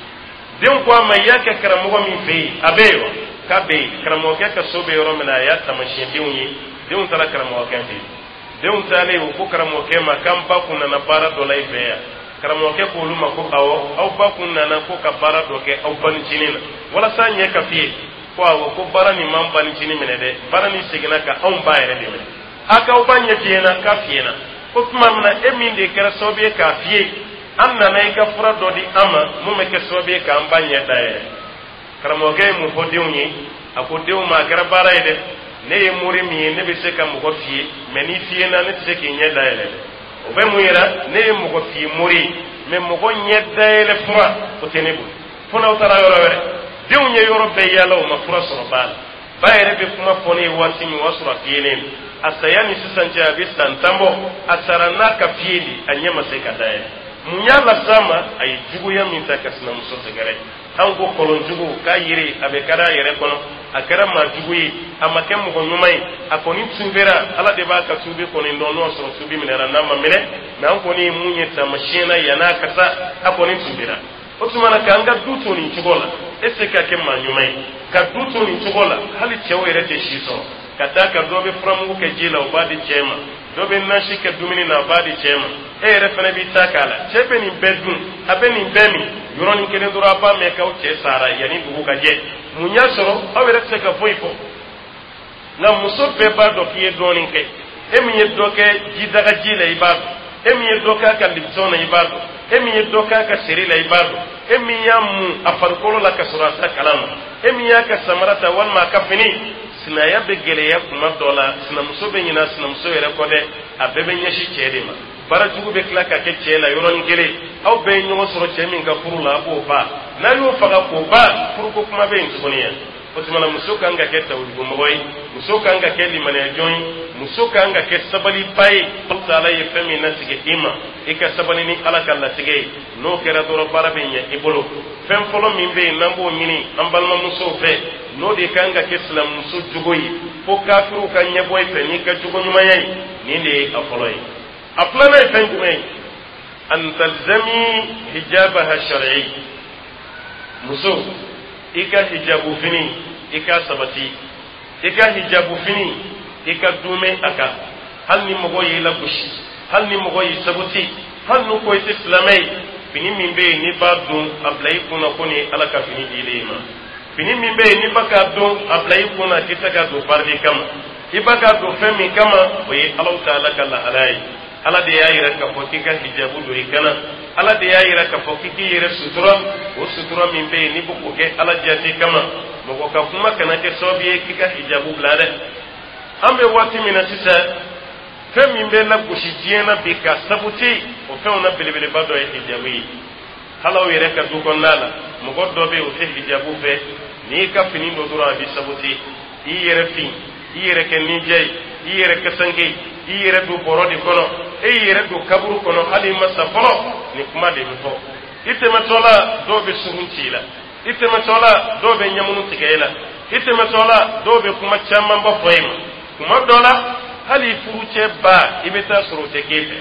Denw ko a ma, i y'a kɛ karamɔgɔ min fɛ yen, a bɛ yen wa? K'a bɛ yen. Karamɔgɔkɛ ka so bɛ yɔrɔ min na, a y'a taamasiyɛn denw ye. Denw taara karamɔgɔkɛ fɛ yen. Denw taalen, u ko karamɔgɔkɛ ma k'an ba kun nana baara dɔ la i fɛ yan. Karamɔgɔkɛ k'olu ma ko awɔ, aw ba kun nana ko ka baara dɔ kɛ aw banicinin na walasa ɲɛ ka fiye. Ko awɔ, ko baara nin m'an banicinin minɛ dɛ, baara nin seginna ka anw ba yɛrɛ de minɛ. A k'aw ba ɲɛ fiyena? K'a fiyena. Ko tuma min na e min de kɛra sababu ye k'a fiye, an nana i ka fura dɔ di an ma mun bɛ kɛ sababu ye k'an ba ɲɛ dayɛlɛ. Karamɔgɔkɛ ye mun fɔ denw ye? A ko denw ma, a kɛra baara ye dɛ, ne ye mori min ye, ne bɛ se ka mɔgɔ fiye, mɛ n'i fiyena, ne tɛ se k'i ɲɛ dayɛlɛ dɛ. O bɛ mun yira? Ne ye mɔgɔ fiye mori ye, mɛ mɔgɔ ɲɛ dayɛlɛ fura, o tɛ ne bolo, fo n'aw taara yɔrɔ wɛrɛ. Denw ye yɔrɔ bɛɛ yaala, o ma fura sɔrɔ ba la. Ba yɛrɛ bɛ kuma fɔ ne ye waati min, o y'a sɔrɔ a fiyelen don. A saya ni sisan cɛ, a bɛ san 10 bɔ. A sara n'a ka fiye de, a ɲɛ ma se ka dayɛlɛ. Mun y'a las'a ma? A ye juguya min ta ka sinamuso sɛgɛrɛ. An ko kɔlɔnjugu k'a yiri a bɛ kari a yɛrɛ kɔnɔ. A kɛra maa jugu ye, a ma kɛ mɔgɔ ɲuman ye, a kɔni tubera. Ala de b'a ka tubi kɔni dɔn, n'o y'a sɔrɔ tubi minɛra, n'a ma minɛ. Mɛ an kɔni ye mun ye taamasiyɛn na, yann'a ka sa, a kɔni tubera. O tuma na, k'an ka du to nin cogo la, e se ka kɛ maa ɲuman ye ka du to nin cogo la? Hali cɛw yɛrɛ tɛ si sɔrɔ, ka d'a kan dɔ bɛ furamugu kɛ ji la, o b'a di cɛ ma, dɔ bɛ nasi kɛ dumuni na, a b'a di cɛ ma, e yɛrɛ fana b'i ta k'a la. Cɛ bɛ nin bɛɛ dun, a bɛ nin bɛɛ min, yɔrɔnin kelen dɔrɔn, a b'a mɛn k'aw cɛ sara yanni dugu ka jɛ. Mun y'a sɔrɔ? Aw yɛrɛ tɛ se ka foyi fɔ, nka muso bɛɛ b'a dɔn k'i ye dɔɔnin kɛ. E min ye dɔ kɛ jidagaji la, i b'a dɔn. E min ye dɔ k'a ka Lipton na, i b'a dɔn. E min ye dɔ k'a ka seri la, i b'a dɔn. E min y'a mun a farikolo la ka sɔrɔ a t'a kalama, e min y'a ka samara ta walima a ka fini. Sinaya bɛ gɛlɛya kuma dɔ la, sinamuso bɛ ɲinɛ sinamuso yɛrɛ kɔ dɛ, a bɛɛ bɛ ɲɛsin cɛ de ma. Baara jugu bɛ tila ka kɛ cɛ la yɔrɔnin kelen. Aw bɛɛ ye ɲɔgɔn sɔrɔ cɛ min ka furu la, a b'o ba. N'a y'o faga k'o ba, furuko kuma bɛ yen tuguni yan. O tuma na, muso kan ka kɛ tawudugumɔgɔ ye, muso kan ka kɛ limaniyajɔn ye, muso kan ka kɛ sabaliba ye. Ala ye fɛn min latigɛ i ma, i ka sabali ni Ala ka latigɛ ye. N'o kɛra dɔrɔn, baara bɛ ɲɛ i bolo. Fɛn fɔlɔ min bɛ yen n'an b'o ɲini an balimamusow fɛ, n'o de kan ka kɛ silamɛmuso jogo ye fo kafiriw ka ɲɛbɔ i fɛ n'i ka jogo ɲumanya ye, nin de ye a fɔlɔ ye. A filanan ye fɛn jumɛn ye? An talzami hijabaha shar'i. Muso, i ka hijabu fini, i ka sabati. I ka hijabu fini, i ka duumɛ a kan, hali ni mɔgɔ y'i lagosi, hali ni mɔgɔ y'i sabuti, hali n'u ko i tɛ silamɛ ye. Fini min bɛ yen n'i b'a don, a bila i kunna ko nin ye Ala ka fini dilen i ma. Fini min bɛ yen n'i b'a k'a don, a bila i kunna k'i tɛ ka don farili kama, i b'a k'a don fɛn min kama, o ye Alahu taala ka lahalaya ye. Ala de y'a yira k'a fɔ k'i ka hijabu don i kana. Ala de y'a yira k'a fɔ k'i k'i yɛrɛ sutura. O sutura min bɛ yen n'i bɛ k'o kɛ Ala jate kama, mɔgɔ ka kuma kana kɛ sababu ye k'i ka hijabu bila dɛ. An bɛ waati min na sisan, fɛn min bɛ lagosi diɲɛ na bi ka sabuti, o fɛnw na belebeleba dɔ ye hijabu ye. Hali aw yɛrɛ ka du kɔnɔna la, mɔgɔ dɔ bɛ yen, o tɛ hijabu fɛ. N'i ka fini don dɔrɔn, a bɛ sabuti. I yɛrɛ fin, i yɛrɛ kɛ ninja ye, i yɛrɛ kasanke, i yɛrɛ don bɔrɔ de kɔnɔ, e y'i yɛrɛ don kaburu kɔnɔ, hali i ma sa fɔlɔ, nin kuma de bɛ fɔ. I tɛmɛtɔ la, dɔw bɛ surun ci i la. I tɛmɛtɔ la, dɔw bɛ ɲɛmunu tigɛ i la. I tɛmɛtɔ la, dɔw bɛ kuma camanba fɔ i ma. Kuma dɔ la, hali i furucɛ ba, i bɛ taa sɔrɔ o tɛ k'e fɛ,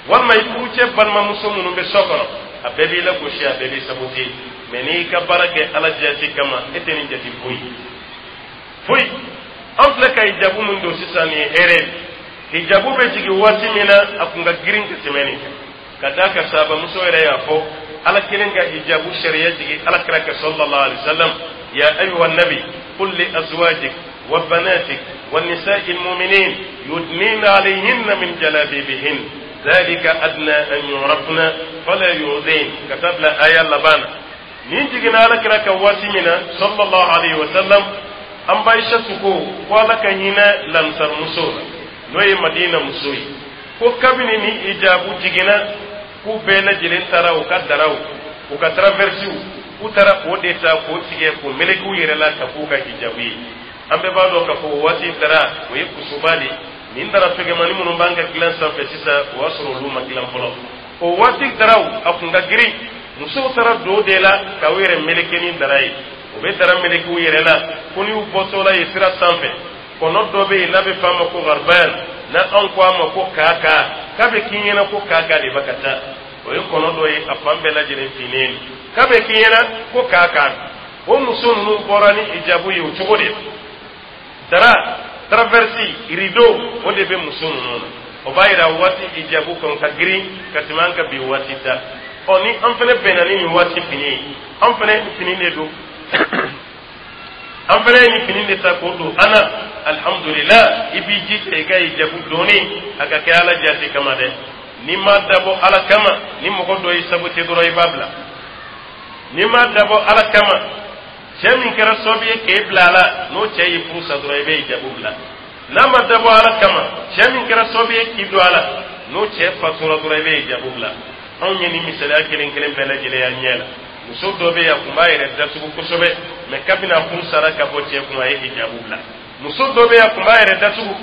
walima i furucɛ balimamuso minnu bɛ so kɔnɔ, a bɛɛ b'i lagosi, a bɛɛ b'i sabote. Mɛ n'i ka baara kɛ Ala jate kama, e tɛ nin jate foyi foyi. An filɛ ka hijabu min don sisan, nin ye hɛrɛ ye. Hijabu bɛ jigin waati min na, a kun ka girin ka tɛmɛ nin kan, ka d'a kan sahabamuso yɛrɛ y'a fɔ, Ala kelen ka hijabu sariya jigin Ala kira ka sallallahu alaihi wasallam: ya ayyuha nabi qul li azwajik wa banatik wa nisa'il mu'minin yudnina alayhinna min jalabibihin dhalika adna an yu'rafna fala yu'dhin, ka taa bila aya laban na. Nin jiginna Ala kira ka waati min na sallallahu alaihi wasallam, An ba Aisatu ko ko Ala ka hinɛ lansarimuso la, n'o ye Madina muso ye, ko kabini ni hijabu jiginna, k'u bɛɛ lajɛlen taara u ka daraw, u ka traversiw, k'u taara o de ta k'o tigɛ k'o meleke u yɛrɛ la ka k'u ka hijabu ye. An bɛɛ b'a dɔn k'a fɔ o waati dara, o ye kusuba de. Nin dara fɛgɛmani minnu b'an ka dilan sanfɛ sisan, o y'a sɔrɔ olu ma dilan fɔlɔ. O waati daraw a kun ka girin. Musow taara don o de la ka u yɛrɛ meleke ni dara ye. U bɛ dara meleke u yɛrɛ la ko n'u bɔtɔ la ye sira sanfɛ, kɔnɔ dɔ bɛ yen n'a bɛ f'a ma ko gariban, na anw ko a ma ko kaka, k'a bɛ k'i ɲɛna ko kaka de bɛ ka taa. O ye kɔnɔ dɔ ye, a fan bɛɛ lajɛlen finnen, k'a bɛ k'i ɲɛna ko kaka. O muso ninnu bɔra ni hijabu ye o cogo de. Dara, traversi, rideau, o de bɛ muso ninnu na. O b'a yira waati hijabu kan ka girin ka tɛmɛ an ka bi waati ta. Ɔ, ni an fana bɛnna ni nin waati fini ye, an fana fini de don, an fana ye nin fini de ta k'o don an na. Alihamudulila, i b'i jija i ka hijabu donni a ka kɛ Ala jati kama dɛ. N'i m'a dabɔ Ala kama, ni mɔgɔ dɔ y'i sabote dɔrɔn, i b'a bila. N'i m'a dabɔ Ala kama, cɛ min kɛra sababu ye k'e bila a la, n'o cɛ y'i furu sa dɔrɔn, i bɛ hijabu bila. N'a ma dabɔ Ala kama, cɛ min kɛra sababu ye k'i don a la, n'o cɛ fatura dɔrɔn, i bɛ hijabu bila. Anw ye nin misaliya kelen kelen bɛɛ lajɛlen y'an ɲɛ la. Muso dɔ bɛ yen, a tun b'a yɛrɛ datugu kosɛbɛ, mɛ kabini a furu sara ka bɔ cɛ kun, a ye hijabu bila. Muso dɔ bɛ yen, a tun b'a yɛrɛ datugu,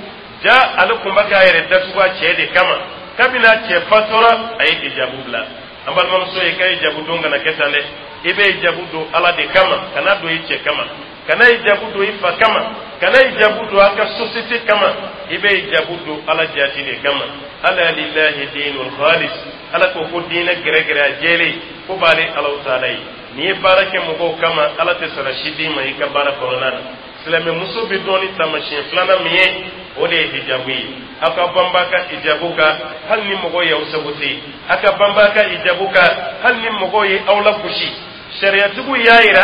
ja ale tun bɛ k'a yɛrɛ datugu a cɛ de kama. Kabini a cɛ fatura, a ye hijabu bila. An balimamuso ye, ka hijabu don kana kɛ tan dɛ. I bɛ hijabu don Ala de kama, kana don i cɛ kama, kana hijabu don i fa kama, kana hijabu don a ka société kama. I bɛ hijabu don Ala jati de kama. Ala lillahi dinul khalis. Ala ko ko diinɛ gɛrɛgɛrɛ a jɛlen ko b'ale Alahu taala ye. N'i ye baara kɛ mɔgɔw kama, Ala tɛ sara si d'i ma i ka baara kɔnɔna na. Silamɛmuso bɛ dɔn ni taamasiyɛn filanan min ye, o de ye hijabu ye. Aw ka banba ka hijabu kan hali ni mɔgɔw y'aw sabote. Aw ka banba ka hijabu kan hali ni mɔgɔw ye aw lagosi. Sariyatigiw y'a yira,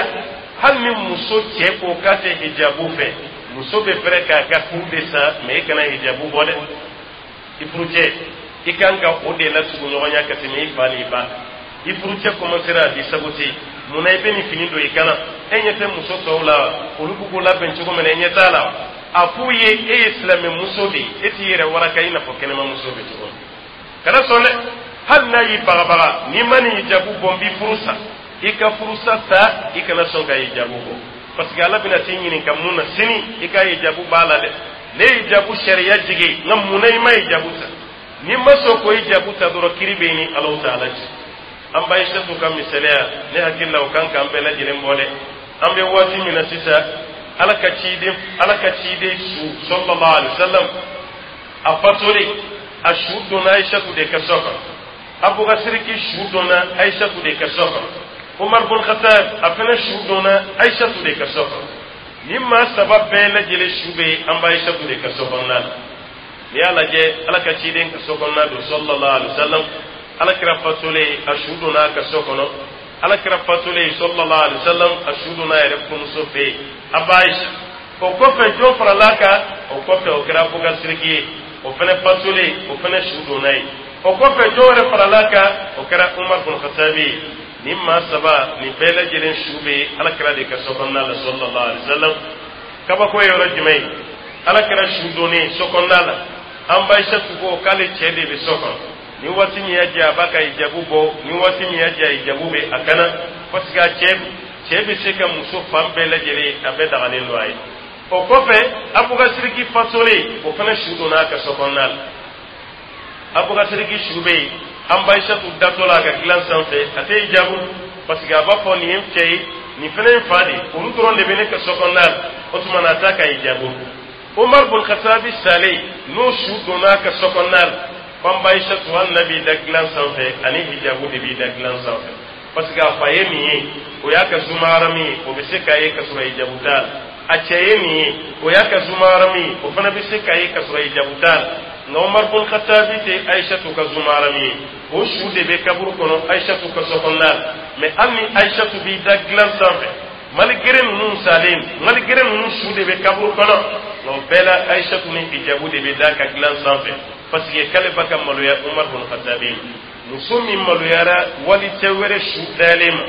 hali ni muso cɛ ko k'a tɛ hijabu fɛ, muso bɛ fɛrɛ k'a ka furu de sa, mɛ e kana hijabu bɔ dɛ. I furucɛ, i kan ka o de latugu ɲɔgɔnya ka tɛmɛ i fa n'i ba. I furucɛ kɔmansera a b'i sabote: munna i bɛ nin fini don i kana? E ɲɛ tɛ muso tɔw la, olu b'u k'u labɛn cogo min na, e ɲɛ t'a la? A f'u ye e ye silamɛmuso de ye, e t'i yɛrɛ waraka i n'a fɔ kɛnɛmamuso bɛ cogo min. Kana sɔn dɛ. Hali n'a y'i bagabaga, n'i ma nin hijabu bɔ, n b'i furu sa. I ka furusa ta, i kana sɔn ka hijabu bɔ, parce que Ala bɛna t'i ɲininka mun na sini? I ka hijabu b'a la dɛ. Ne ye hijabu sariya jigin, nka mun na i ma hijabu ta? N'i ma sɔn k'o hijabu ta dɔrɔn, kiri bɛ ni Alahu taala cɛ. An ba Aisatu ka misaliya, ne hakili la, o kan k'an bɛɛ lajɛlen bɔ dɛ. An bɛ waati min na sisan, Ala ka ciden su, sallallahu alaihi wasallam, a fatolen, a su donna Aisatu de ka so kɔnɔ. Abubakar Siriki su donna Aisatu de ka so kɔnɔ. Umar bun Khattab, a fana su donna Aisatu de ka so kɔnɔ. Ni maa saba bɛɛ lajɛlen su bɛ an ba Aisatu de ka so kɔnɔna na. N'i y'a lajɛ, Ala ka ciden ka so kɔnɔna don, sallallahu alaihi wasallam, Ala kira fatolen, a su donna a ka so kɔnɔ. Ala kira fatolen, sallallahu alaihi wasallam, a su donna a yɛrɛ furumuso fɛ yen, a ba Aisha. O kɔfɛ, jɔn farala a kan? O kɔfɛ, o kɛra Abubakar Siriki ye. O fana fatolen, o fana su donna yen. O kɔfɛ, jɔn wɛrɛ farala a kan? O kɛra Umar bun Khattabi ye. Nin maa saba nin bɛɛ lajɛlen su bɛ Ala kira de ka so kɔnɔna la, sallallahu alaihi wasallam. Kabako ye yɔrɔ jumɛn ye? Ala kira su donnen so kɔnɔna la, an ba Aisatu ko k'ale cɛ de bɛ so kɔnɔ. Ni waati min y'a diya, a b'a ka hijabu bɔ. Ni waati min y'a diya, hijabu bɛ a kana, parce que a cɛ bɛ se ka muso fan bɛɛ lajɛlen, a bɛɛ dagalen don a ye. O kɔfɛ, Abubakar Siriki fatolen, o fana su donna a ka so kɔnɔna la. Abubakar Siriki su bɛ yen, an ba Aisatu datɔ la a ka dilan sanfɛ, a tɛ hijabu, parce que a b'a fɔ nin ye n cɛ ye, nin fana ye n fa de ye, olu dɔrɔn de bɛ ne ka so kɔnɔna la. O tuma na, a t'a ka hijabu. Umar bun Khattabi salen, n'o su donna a ka so kɔnɔna la, f'an ba Aisatu, hali n'a b'i da dilan sanfɛ, ani hijabu de b'i da dilan sanfɛ, parce que a fa ye nin ye, o y'a ka zumaharami ye, o bɛ se k'a ye ka sɔrɔ hijabu t'a la. A cɛ ye nin ye, o y'a ka zumaharami ye, o fana bɛ se k'a ye ka sɔrɔ hijabu t'a la. Nka Umar bun Khattabi tɛ Aisatu ka zumaharami ye, o su de bɛ kaburu kɔnɔ Aisatu ka so kɔnɔna la. Mɛ hali ni Aisatu b'i da dilan sanfɛ, malgré ninnu salen, malgré ninnu su de bɛ kaburu kɔnɔ, nka o bɛɛ la, Aisatu ni hijabu de bɛ da ka dilan sanfɛ, parce que k'ale ba ka maloya Umar bun Khattabi. Muso min maloyara wali cɛ wɛrɛ su dalen ma,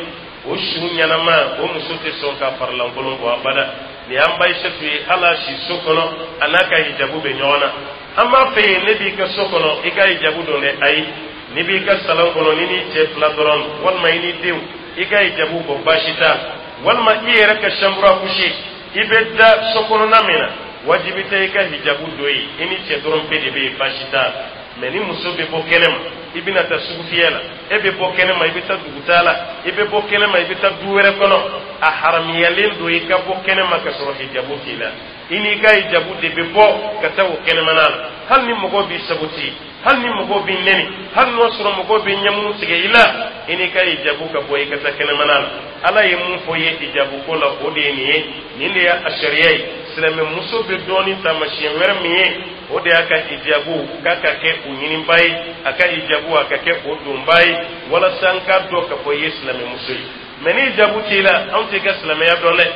o su ɲɛnama, o muso tɛ sɔn ka farilankolon bɔ abada. Nin y'an ba Ayisatu ye, hali a si so kɔnɔ, a n'a ka hijabu bɛ ɲɔgɔn na. An b'a fɛ yen, ne b'i ka so kɔnɔ, i ka hijabu don dɛ. Ayi, n'i b'i ka salon kɔnɔ, ni n'i cɛ fila dɔrɔn, walima i n'i denw, i ka hijabu bɔ, baasi t'a. Walima i yɛrɛ ka chambre à coucher, i bɛ da so kɔnɔna min na, wajibi tɛ i ka hijabu don yen. I ni cɛ dɔrɔn pe de bɛ yen, baasi t'a. Mɛ ni muso bɛ bɔ kɛnɛ ma, i bɛna taa sugufiyɛ la, e bɛ bɔ kɛnɛ ma, i bɛ taa dugutaa la, i bɛ bɔ kɛnɛ ma, i bɛ taa du wɛrɛ kɔnɔ, a haramuyalen don i ka bɔ kɛnɛ ma ka sɔrɔ hijabu t'i la. I n'i ka hijabu de bɛ bɔ ka taa o kɛnɛmana la. Hali ni mɔgɔw b'i saboter, hali ni mɔgɔw b'i nɛni, hali n'o sɔrɔ mɔgɔw bɛ ɲɛmunu tigɛ i la, i n'i ka hijabu ka bɔ, i ka taa kɛnɛmana la. Ala ye mun fɔ i ye hijabu ko la, o de ye nin ye. Nin de y'a sariya ye. Silamɛmuso bɛ dɔn ni taamasiyɛn wɛrɛ min ye, o de y'a ka hijabu k'a ka kɛ o ɲiniba ye, a ka hijabu a ka kɛ o donba ye, walasa an k'a dɔn k'a fɔ i ye silamɛmuso ye. Mɛ ni hijabu t'i la, anw t'i ka silamɛya dɔn dɛ.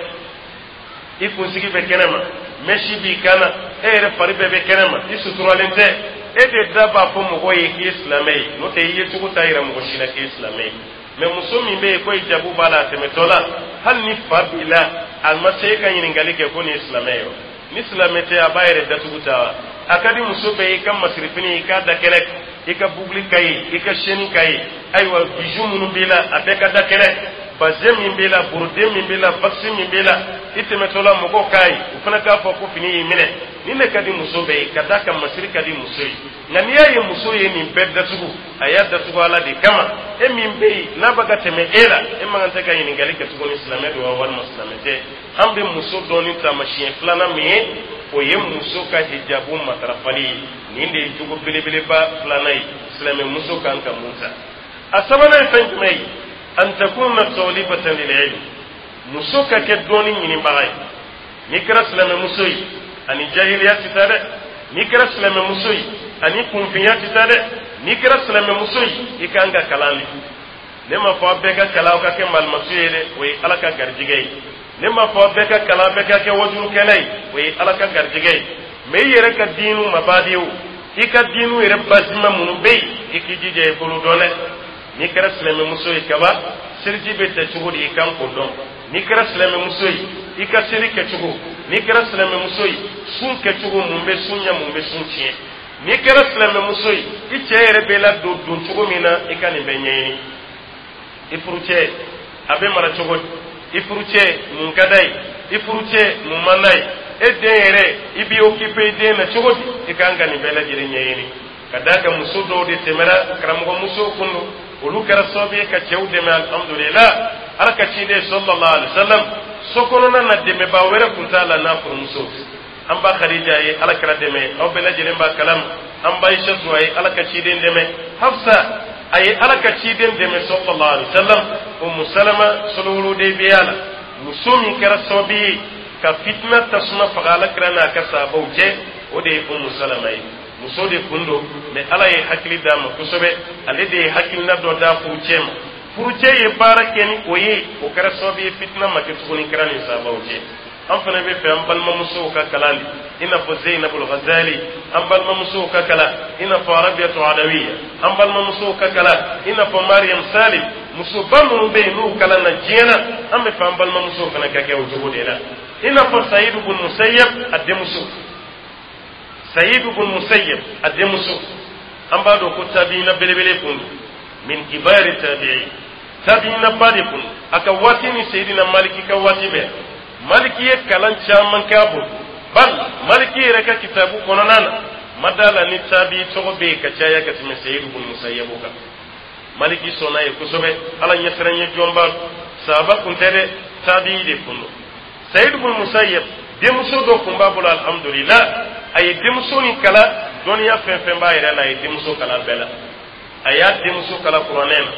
I kunsigi bɛ kɛnɛ ma, mèche b'i kan na, e yɛrɛ fari bɛɛ bɛ kɛnɛ ma, i suturalen tɛ. E de da b'a fɔ mɔgɔw ye k'i ye silamɛ ye, n'o tɛ i ye cogo t'a yira mɔgɔ si la k'i ye silamɛ ye. Mɛ muso min bɛ yen ko hijabu b'a la, a tɛmɛtɔ la, hali ni fa b'i la, a ma se e ka ɲininkali kɛ ko nin ye silamɛ ye wa. Ni silamɛ tɛ, a b'a yɛrɛ datugu ta wa. A ka di muso bɛɛ ye i ka masirifini, i k'a da kɛnɛ, i ka boucle ka ye, i ka chaîne ka ye, ayiwa, bijou minnu b'i la, a bɛɛ ka da kɛnɛ, bazin min b'i la, brodé min b'i la, wax min b'i la, i tɛmɛtɔ la, mɔgɔw k'a ye, u fana k'a fɔ ko fini y'i minɛ. Nin de ka di muso bɛɛ ye, ka d'a kan masiri ka di muso ye. Nka n'i y'a ye muso ye nin bɛɛ datugu, a y'a datugu Ala de kama. E min bɛ yen n'a bɛ ka tɛmɛ e la, e man kan tɛ ka ɲininkali kɛ tuguni silamɛ don wa walima silamɛ tɛ. An bɛ muso dɔn ni taamasiyɛn filanan min ye, o ye muso ka hijabu matarafali ye. Nin de ye jogo belebeleba filanan ye silamɛ muso kan ka mun ta. A sabanan ye fɛn jumɛn ye? An takuna talibatan lil ilm, muso ka kɛ dɔɔni ɲinibaga ye. N'i kɛra silamɛmuso ye, ani jahiliya tɛ taa dɛ. N'i kɛra silamɛmuso ye, ani kunfinya tɛ taa dɛ. N'i kɛra silamɛmuso ye, i kan ka kalan de. Ne ma fɔ aw bɛɛ ka kalan aw ka kɛ malimatu ye dɛ, o ye Ala ka garijɛgɛ ye. Ne ma fɔ aw bɛɛ ka kalan, bɛɛ ka kɛ wajulukɛla ye, o ye Ala ka garijɛgɛ ye. Mɛ i yɛrɛ ka diinu mabadiw, i ka diinu yɛrɛ basima minnu bɛ yen, i k'i jija i bolo dɔn dɛ. N'i kɛra silamɛmuso ye kaba, seliji bɛ ta cogo di, i kan k'o dɔn. N'i kɛra silamɛmuso ye, i ka seli kɛcogo. N'i kɛra silamɛmuso ye, sun kɛcogo, mun bɛ sun ɲɛ, mun bɛ sun tiɲɛ. N'i kɛra silamɛmuso ye, i cɛ yɛrɛ bɛ ladon don cogo min na, i ka nin bɛɛ ɲɛɲini. I furucɛ a bɛ mara cogo di? I furucɛ mun ka d'a ye? I furucɛ mun man d'a ye? E den yɛrɛ, i b'i occuper i den na cogo di? I kan ka nin bɛɛ lajɛlen ɲɛɲini, ka d'a kan muso dɔw de tɛmɛra, karamɔgɔ musow kun don, olu kɛra sababu ye ka cɛw dɛmɛ. Alhamdulillah, Ala ka ciden sallallahu alaihi wasallam, so kɔnɔna na, dɛmɛbaa wɛrɛ kun t'a la n'a furumuso. An ba Khadija ye Ala kira dɛmɛ, aw bɛɛ lajɛlen b'a kalama. An ba Aisatu, a ye Ala ka ciden dɛmɛ. Hafsa, a ye Ala ka ciden dɛmɛ sallallahu alaihi wasallam. Umu Salama, sulhul Hudaybiya la, muso min kɛra sababu ye ka fitina tasuma faga Ala kira n'a ka sahabaw cɛ, o de ye Umu Salama ye. Muso de kun don, mɛ Ala ye hakili d'a ma kosɛbɛ. Ale de ye hakilina dɔ d'a furucɛ ma, furucɛ ye baara kɛ ni o ye, o kɛra sababu ye fitina ma kɛ tuguni kira ni sahabaw cɛ. An fana bɛ fɛ an balimamusow ka kalan de, i n'a fɔ Zeinabul Ghazali. An balimamusow ka kalan i n'a fɔ Arabiyatu Adawiya. An balimamusow ka kalan i n'a fɔ Mariam Salim. Musoba minnu bɛ yen n'u kalan na diɲɛ na, an bɛ fɛ an balimamusow fana ka kɛ o cogo de la, i n'a fɔ Sayidu bun Musayyab a denmuso. Sayidu bun Musayyab a denmuso, an b'a dɔn ko tabiina belebele kun don, min kibari tabi'i, tabiina ba de kun. A ka waati ni Seyidina Maliki ka waati bɛɛ, Maliki ye kalan caman kɛ a bolo. Bal Maliki yɛrɛ ka kitabu kɔnɔna na, ma da la ni tabi tɔgɔ bɛ yen ka caya ka tɛmɛ Seyidu bun Musayyabu kan. Maliki sɔnna ye kosɛbɛ, Ala ɲɛsiran ye jɔnba. Sahaba kun tɛ dɛ, tabi de kun don. Sayidu bun Musayyab denmuso dɔ kun b'a bolo. Alhamdulillah, a ye denmuso nin kalan dɔnniya fɛn fɛn b'a yɛrɛ la, a ye denmuso kalan bɛɛ la. A y'a denmuso kalan kuranɛ na,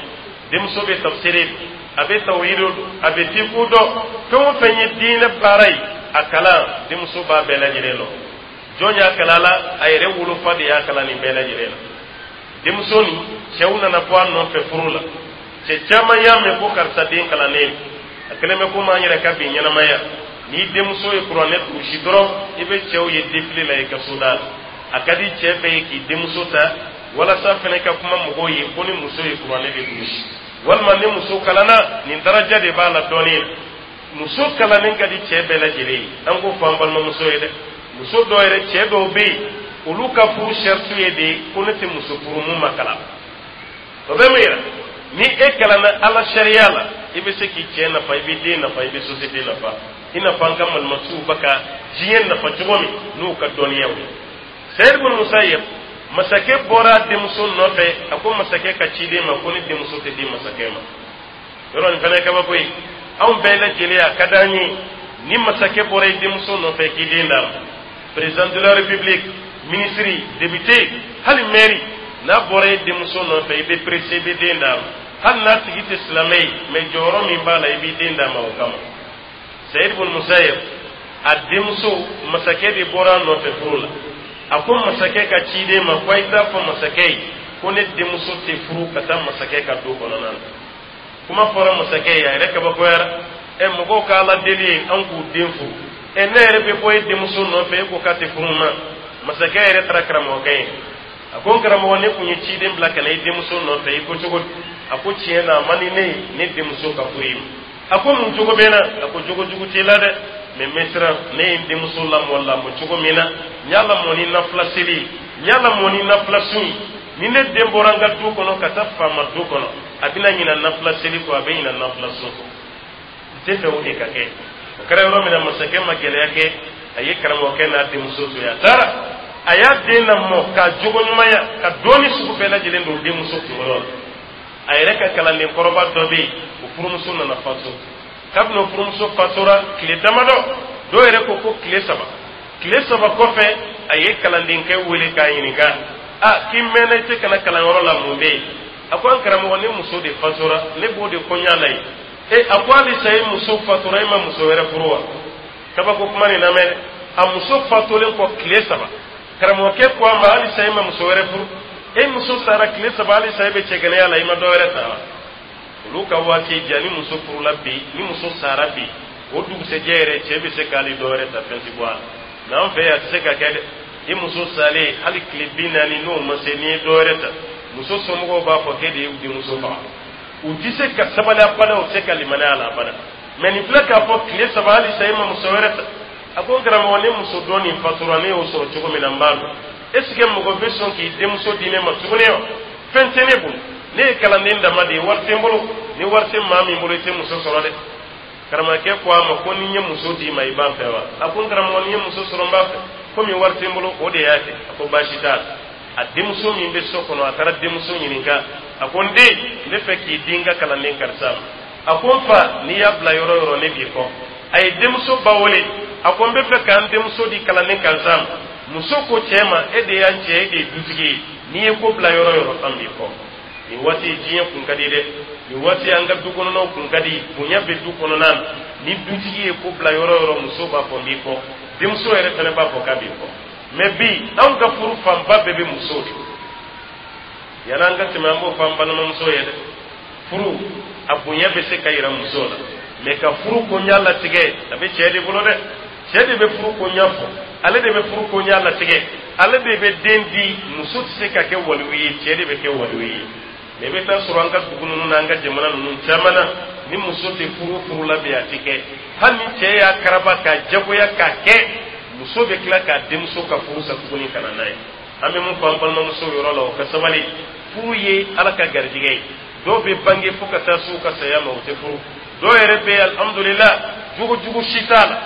denmuso bɛ tafsiri, a bɛ tawhidu dɔn, a bɛ fiqhu dɔn, fɛn o fɛn ye diinɛ baara ye, a kalan denmuso b'a bɛɛ lajɛlen lɔ. Jɔn y'a kalan la? A yɛrɛ wolofa de y'a kalan nin bɛɛ lajɛlen na. Denmuso nin, cɛw nana bɔ a nɔfɛ furu la. Cɛ caman y'a mɛn ko karisa den kalannen, a kɛlen bɛ komi an yɛrɛ ka bi ɲɛnamaya. N'i denmuso ye kuranɛ durusi dɔrɔn, i bɛ cɛw ye défilé la i ka soda la. A ka di cɛ bɛɛ ye k'i denmuso ta, walasa fɛnɛ ka kuma mɔgɔw ye ko ni muso ye kuranɛ de durusi, walima ni muso kalanna, nin daraja de b'a la dɔɔnin. Muso kalannen ka di cɛ bɛɛ lajɛlen ye. An k'o fɔ an balimamuso ye dɛ. Muso dɔw yɛrɛ, cɛ dɔw bɛ yen, olu ka furu sɛritu ye de ko ne tɛ muso furu mun ma kalan. O bɛ mun yira? Ni e kalanna Ala sariya la, i bɛ se k'i cɛ nafa, i bɛ den nafa, i bɛ société nafa, i n'a fɔ an ka malimasiw bɛ ka diɲɛ nafa cogo min n'u ka dɔnniyaw ye. Seyid bin Musayyib, masakɛ bɔra a denmuso nɔfɛ. A ko masakɛ ka ciden ma ko ne denmuso tɛ di masakɛ ma. Yɔrɔ nin fana ye kabako ye. Anw bɛɛ lajɛlen, a ka d'an ye ni masakɛ bɔra i denmuso nɔfɛ k'i den d'a ma. Président de la République, ministre, député, hali maire, n'a bɔra i denmuso nɔfɛ, i bɛ pressé, i bɛ den d'a ma, hali n'a tigi tɛ silamɛ ye. Mais jɔyɔrɔ min b'a la, i b'i den d'a ma o kama. Sayid bun Musayib, a denmuso, masakɛ de bɔra a nɔfɛ furu la. A ko masakɛ ka ciden ma ko a ye taa fɔ masakɛ ye ko ne denmuso tɛ furu ka taa masakɛ ka du kɔnɔna na. Kuma fɔra masakɛ ye, a yɛrɛ kabakoyara. Ɛ, mɔgɔw ka Ala deli ye an k'u den furu. Ɛ, ne yɛrɛ bɛ bɔ e denmuso nɔfɛ, e ko k'a tɛ furu ma. Masakɛ yɛrɛ taara karamɔgɔkɛ ye. A ko n karamɔgɔ, ne kun ye ciden bila ka na i denmuso nɔfɛ, i ko cogo di? A ko tiɲɛ na, a man di ne ye ne denmuso ka furu i ma. A ko mun cogo bɛ n na? A ko jogo jugu t'i la dɛ, mais n bɛ siran. Ne ye n denmuso lamɔ lamɔ cogo min na, n y'a lamɔ ni nafila seli ye, n y'a lamɔ ni nafila sun ye. Ni ne den bɔra n ka du kɔnɔ ka taa faama du kɔnɔ, a bɛna ɲina nafila seli kɔ, a bɛ ɲina nafila sun kɔ. N tɛ fɛ o de ka kɛ. O kɛra yɔrɔ min na, masakɛ ma gɛlɛya kɛ, a ye karamɔgɔkɛ n'a denmuso to yen, a taara. A y'a den lamɔ k'a jogo ɲumanya, ka dɔɔni sugu bɛɛ lajɛlen don denmuso kunkolo la. A yɛrɛ ka kalanden kɔrɔba dɔ bɛ yen, o furumuso nana faso. Kabini o furumuso fatora tile damadɔ, dɔw yɛrɛ ko ko tile 3, tile 3 kɔfɛ, a ye kalandenkɛ wele k'a ɲininka: a k'i mɛnna i tɛ ka na kalanyɔrɔ la, mun bɛ yen? A ko an karamɔgɔ, ne muso de fatora, ne b'o de kɔɲa la yen. E, a ko halisa e muso fatora, e ma muso wɛrɛ furu wa? Kabako kuma nin lamɛn dɛ. A muso fatolen kɔ tile 3, karamɔgɔkɛ ko a ma: halisa e ma muso wɛrɛ furu? E muso sara tile 3, halisa e bɛ cɛgɛnɛya la, i ma dɔ wɛrɛ ta wa? Olu ka waati ja, ni muso furula bi, ni muso sara bi, o dugusɛjɛ yɛrɛ, cɛ bɛ se k'ale dɔ wɛrɛ ta, fɛn ti bɔ a la. Mɛ an fɛ yan, a tɛ se ka kɛ dɛ. I muso salen, hali tile 40 n'o ma se, n'i ye dɔ wɛrɛ ta, muso somɔgɔw b'a fɔ k'e de ye denmuso faga. U tɛ se ka sabali abada, u tɛ se ka limaniya a la abada. Mɛ nin filɛ k'a fɔ tile 3, halisa e ma muso wɛrɛ ta. A ko n karamɔgɔ, ne muso dɔ nin fatura, ne y'o sɔrɔ cogo min na, n b'a dɔn. Est ce que mɔgɔ bɛ sɔn k'i denmuso di ne ma tuguni wa? Fɛn tɛ ne bolo, ne ye kalanden dama de ye, wari tɛ n bolo. Ni wari tɛ maa min bolo, i tɛ muso sɔrɔ dɛ. Karamɔgɔkɛ ko a ma ko ni n ye muso d'i ma, i b'a fɛ wa? A ko n karamɔgɔ, ni n ye muso sɔrɔ, n b'a fɛ. Komi wari tɛ n bolo, o de y'a kɛ. A ko baasi t'a la. A denmuso min bɛ so kɔnɔ, a taara denmuso ɲininka. A ko n den, n bɛ fɛ k'i di n ka kalanden karisa ma. A ko n fa, n'i y'a bila yɔrɔ o yɔrɔ, ne b'i kɔ. A ye denmuso ba wele. A ko n bɛ fɛ k'an denmuso di kalanden karisa ma. Muso ko cɛ ma: e de y'an cɛ, e de ye dutigi ye, n'i ye ko bila yɔrɔ o yɔrɔ, an b'i kɔ. Nin waati diɲɛ kun ka di dɛ. Nin waati an ka du kɔnɔnaw kun ka di, bonya bɛ du kɔnɔna na. Ni dutigi ye ko bila yɔrɔ o yɔrɔ, muso b'a fɔ n b'i kɔ, denmuso yɛrɛ fana b'a fɔ k'a b'i kɔ. Mɛ bi, anw ka furu fanba bɛɛ bɛ musow de. Yan'an ka tɛmɛ, an b'o fɔ an balimamuso ye dɛ. Furu a bonya bɛ se ka yira muso la, mɛ ka furu koɲa latigɛ, a bɛ cɛ de bolo dɛ. Cɛ de bɛ furu koɲa fɔ, ale de bɛ furu koɲa latigɛ, ale de bɛ den di. Muso tɛ se ka kɛ waliyu ye, cɛ de bɛ kɛ waliyu ye. Mɛ i bɛ taa sɔrɔ an ka dugu ninnu n'an ka jamana ninnu caman na, ni muso tɛ furu furu la bi, a tɛ kɛ. Hali ni cɛ y'a karaba k'a jagoya k'a kɛ, muso bɛ tila k'a denmuso ka furu sa tuguni ka na n'a ye. An bɛ mun fɔ an balimamusow yɔrɔ la? O ka sabali. Furu ye Ala ka garijɛgɛ ye. Dɔw bɛ bange fo ka taa s'u ka saya ma, u tɛ furu. Dɔw yɛrɛ bɛ yen, alhamdulillah, jogo jugu si t'a la,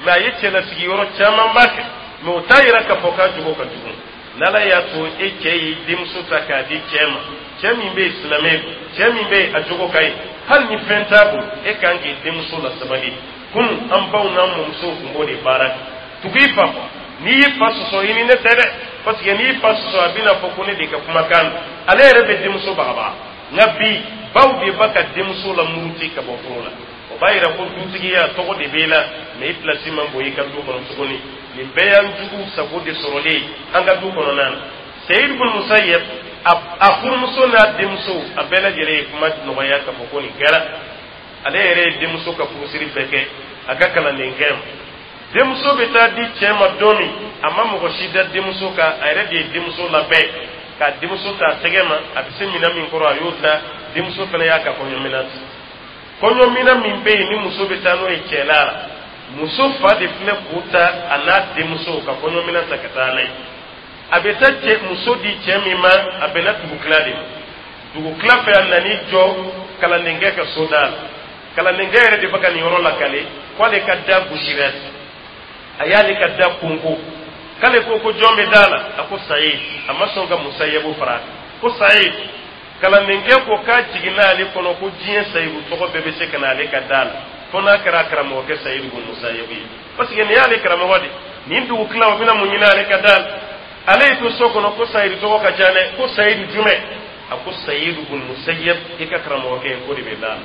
mɛ a ye cɛlasigi yɔrɔ camanba kɛ, mɛ o t'a yira k'a fɔ k'a jogo ka jugu. N'Ala y'a to e cɛ y'i denmuso ta k'a di cɛ ma, cɛ min bɛ yen silamɛ don, cɛ min bɛ yen a jogo ka ɲi, hali ni fɛn t'a bolo, e kan k'i denmuso la sabali. Kunun, an baw n'an mɔmusow tun b'o de baara kɛ. Tugu i fa kɔ. N'i y'i fa sɔsɔ, i ni ne tɛ dɛ, parce que n'i y'i fa sɔsɔ, a bɛna fɔ ko ne de ka kumakan don. Ale yɛrɛ bɛ denmuso bagabaga. Nka bi, baw de ba ka denmuso la muruti ka bɔ furu la. O b'a yira ko dutigiya tɔgɔ de b'e la, mɛ i pilasi man bon i ka du kɔnɔ tuguni. Nin bɛɛ y'an jugu sago de sɔrɔlen ye an ka du kɔnɔna na. Seyid bin Musayyib, a furumuso n'a denmuso, a bɛɛ lajɛlen ye kuma nɔgɔya k'a fɔ ko nin kɛra. Ale yɛrɛ ye denmuso ka furusiri bɛɛ kɛ a ka kalandenkɛ ma. Denmuso bɛ taa di cɛ ma don min, a ma mɔgɔ si da denmuso kan. A yɛrɛ de ye denmuso labɛn ka denmuso ta a tɛgɛ ma. A bɛ se minɛn min kɔrɔ, a y'o ta. Denmuso fana y'a ka kɔɲɔminɛn ta. Kɔɲɔmina min bɛ yen ni muso bɛ taa n'o ye cɛla la, muso fa de filɛ k'o ta, a n'a denmuso ka kɔɲɔmina ta ka taa n'a ye. A bɛ taa cɛ muso di cɛ min ma, a bɛnna dugutila de ma. Dugutila fɛ, a nan'i jɔ kalandenkɛ ka so da la. Kalandenkɛ yɛrɛ de bɛ ka nin yɔrɔ lakale k'ale ka da gosira, a y'ale ka da konko. K'ale ko ko jɔn bɛ da la? A ko Sayid. A ma sɔn ka Musayabu fara, ko Sayid. Kalandenkɛ ko k'a jiginna ale kɔnɔ ko diɲɛ Sayidu tɔgɔ bɛɛ bɛ se ka na ale ka da la, fo n'a kɛra karamɔgɔkɛ Sayidu ko Musayabu ye, parce que nin y'ale karamɔgɔ de. Nin dugutila, o bɛna mun ɲini ale ka da la? Ale y'i to so kɔnɔ ko Sayidu tɔgɔ ka ca dɛ. Ko Sayidu jumɛn? A ko Sayidu bun Musayab, i ka karamɔgɔkɛ, ko de bɛ da la.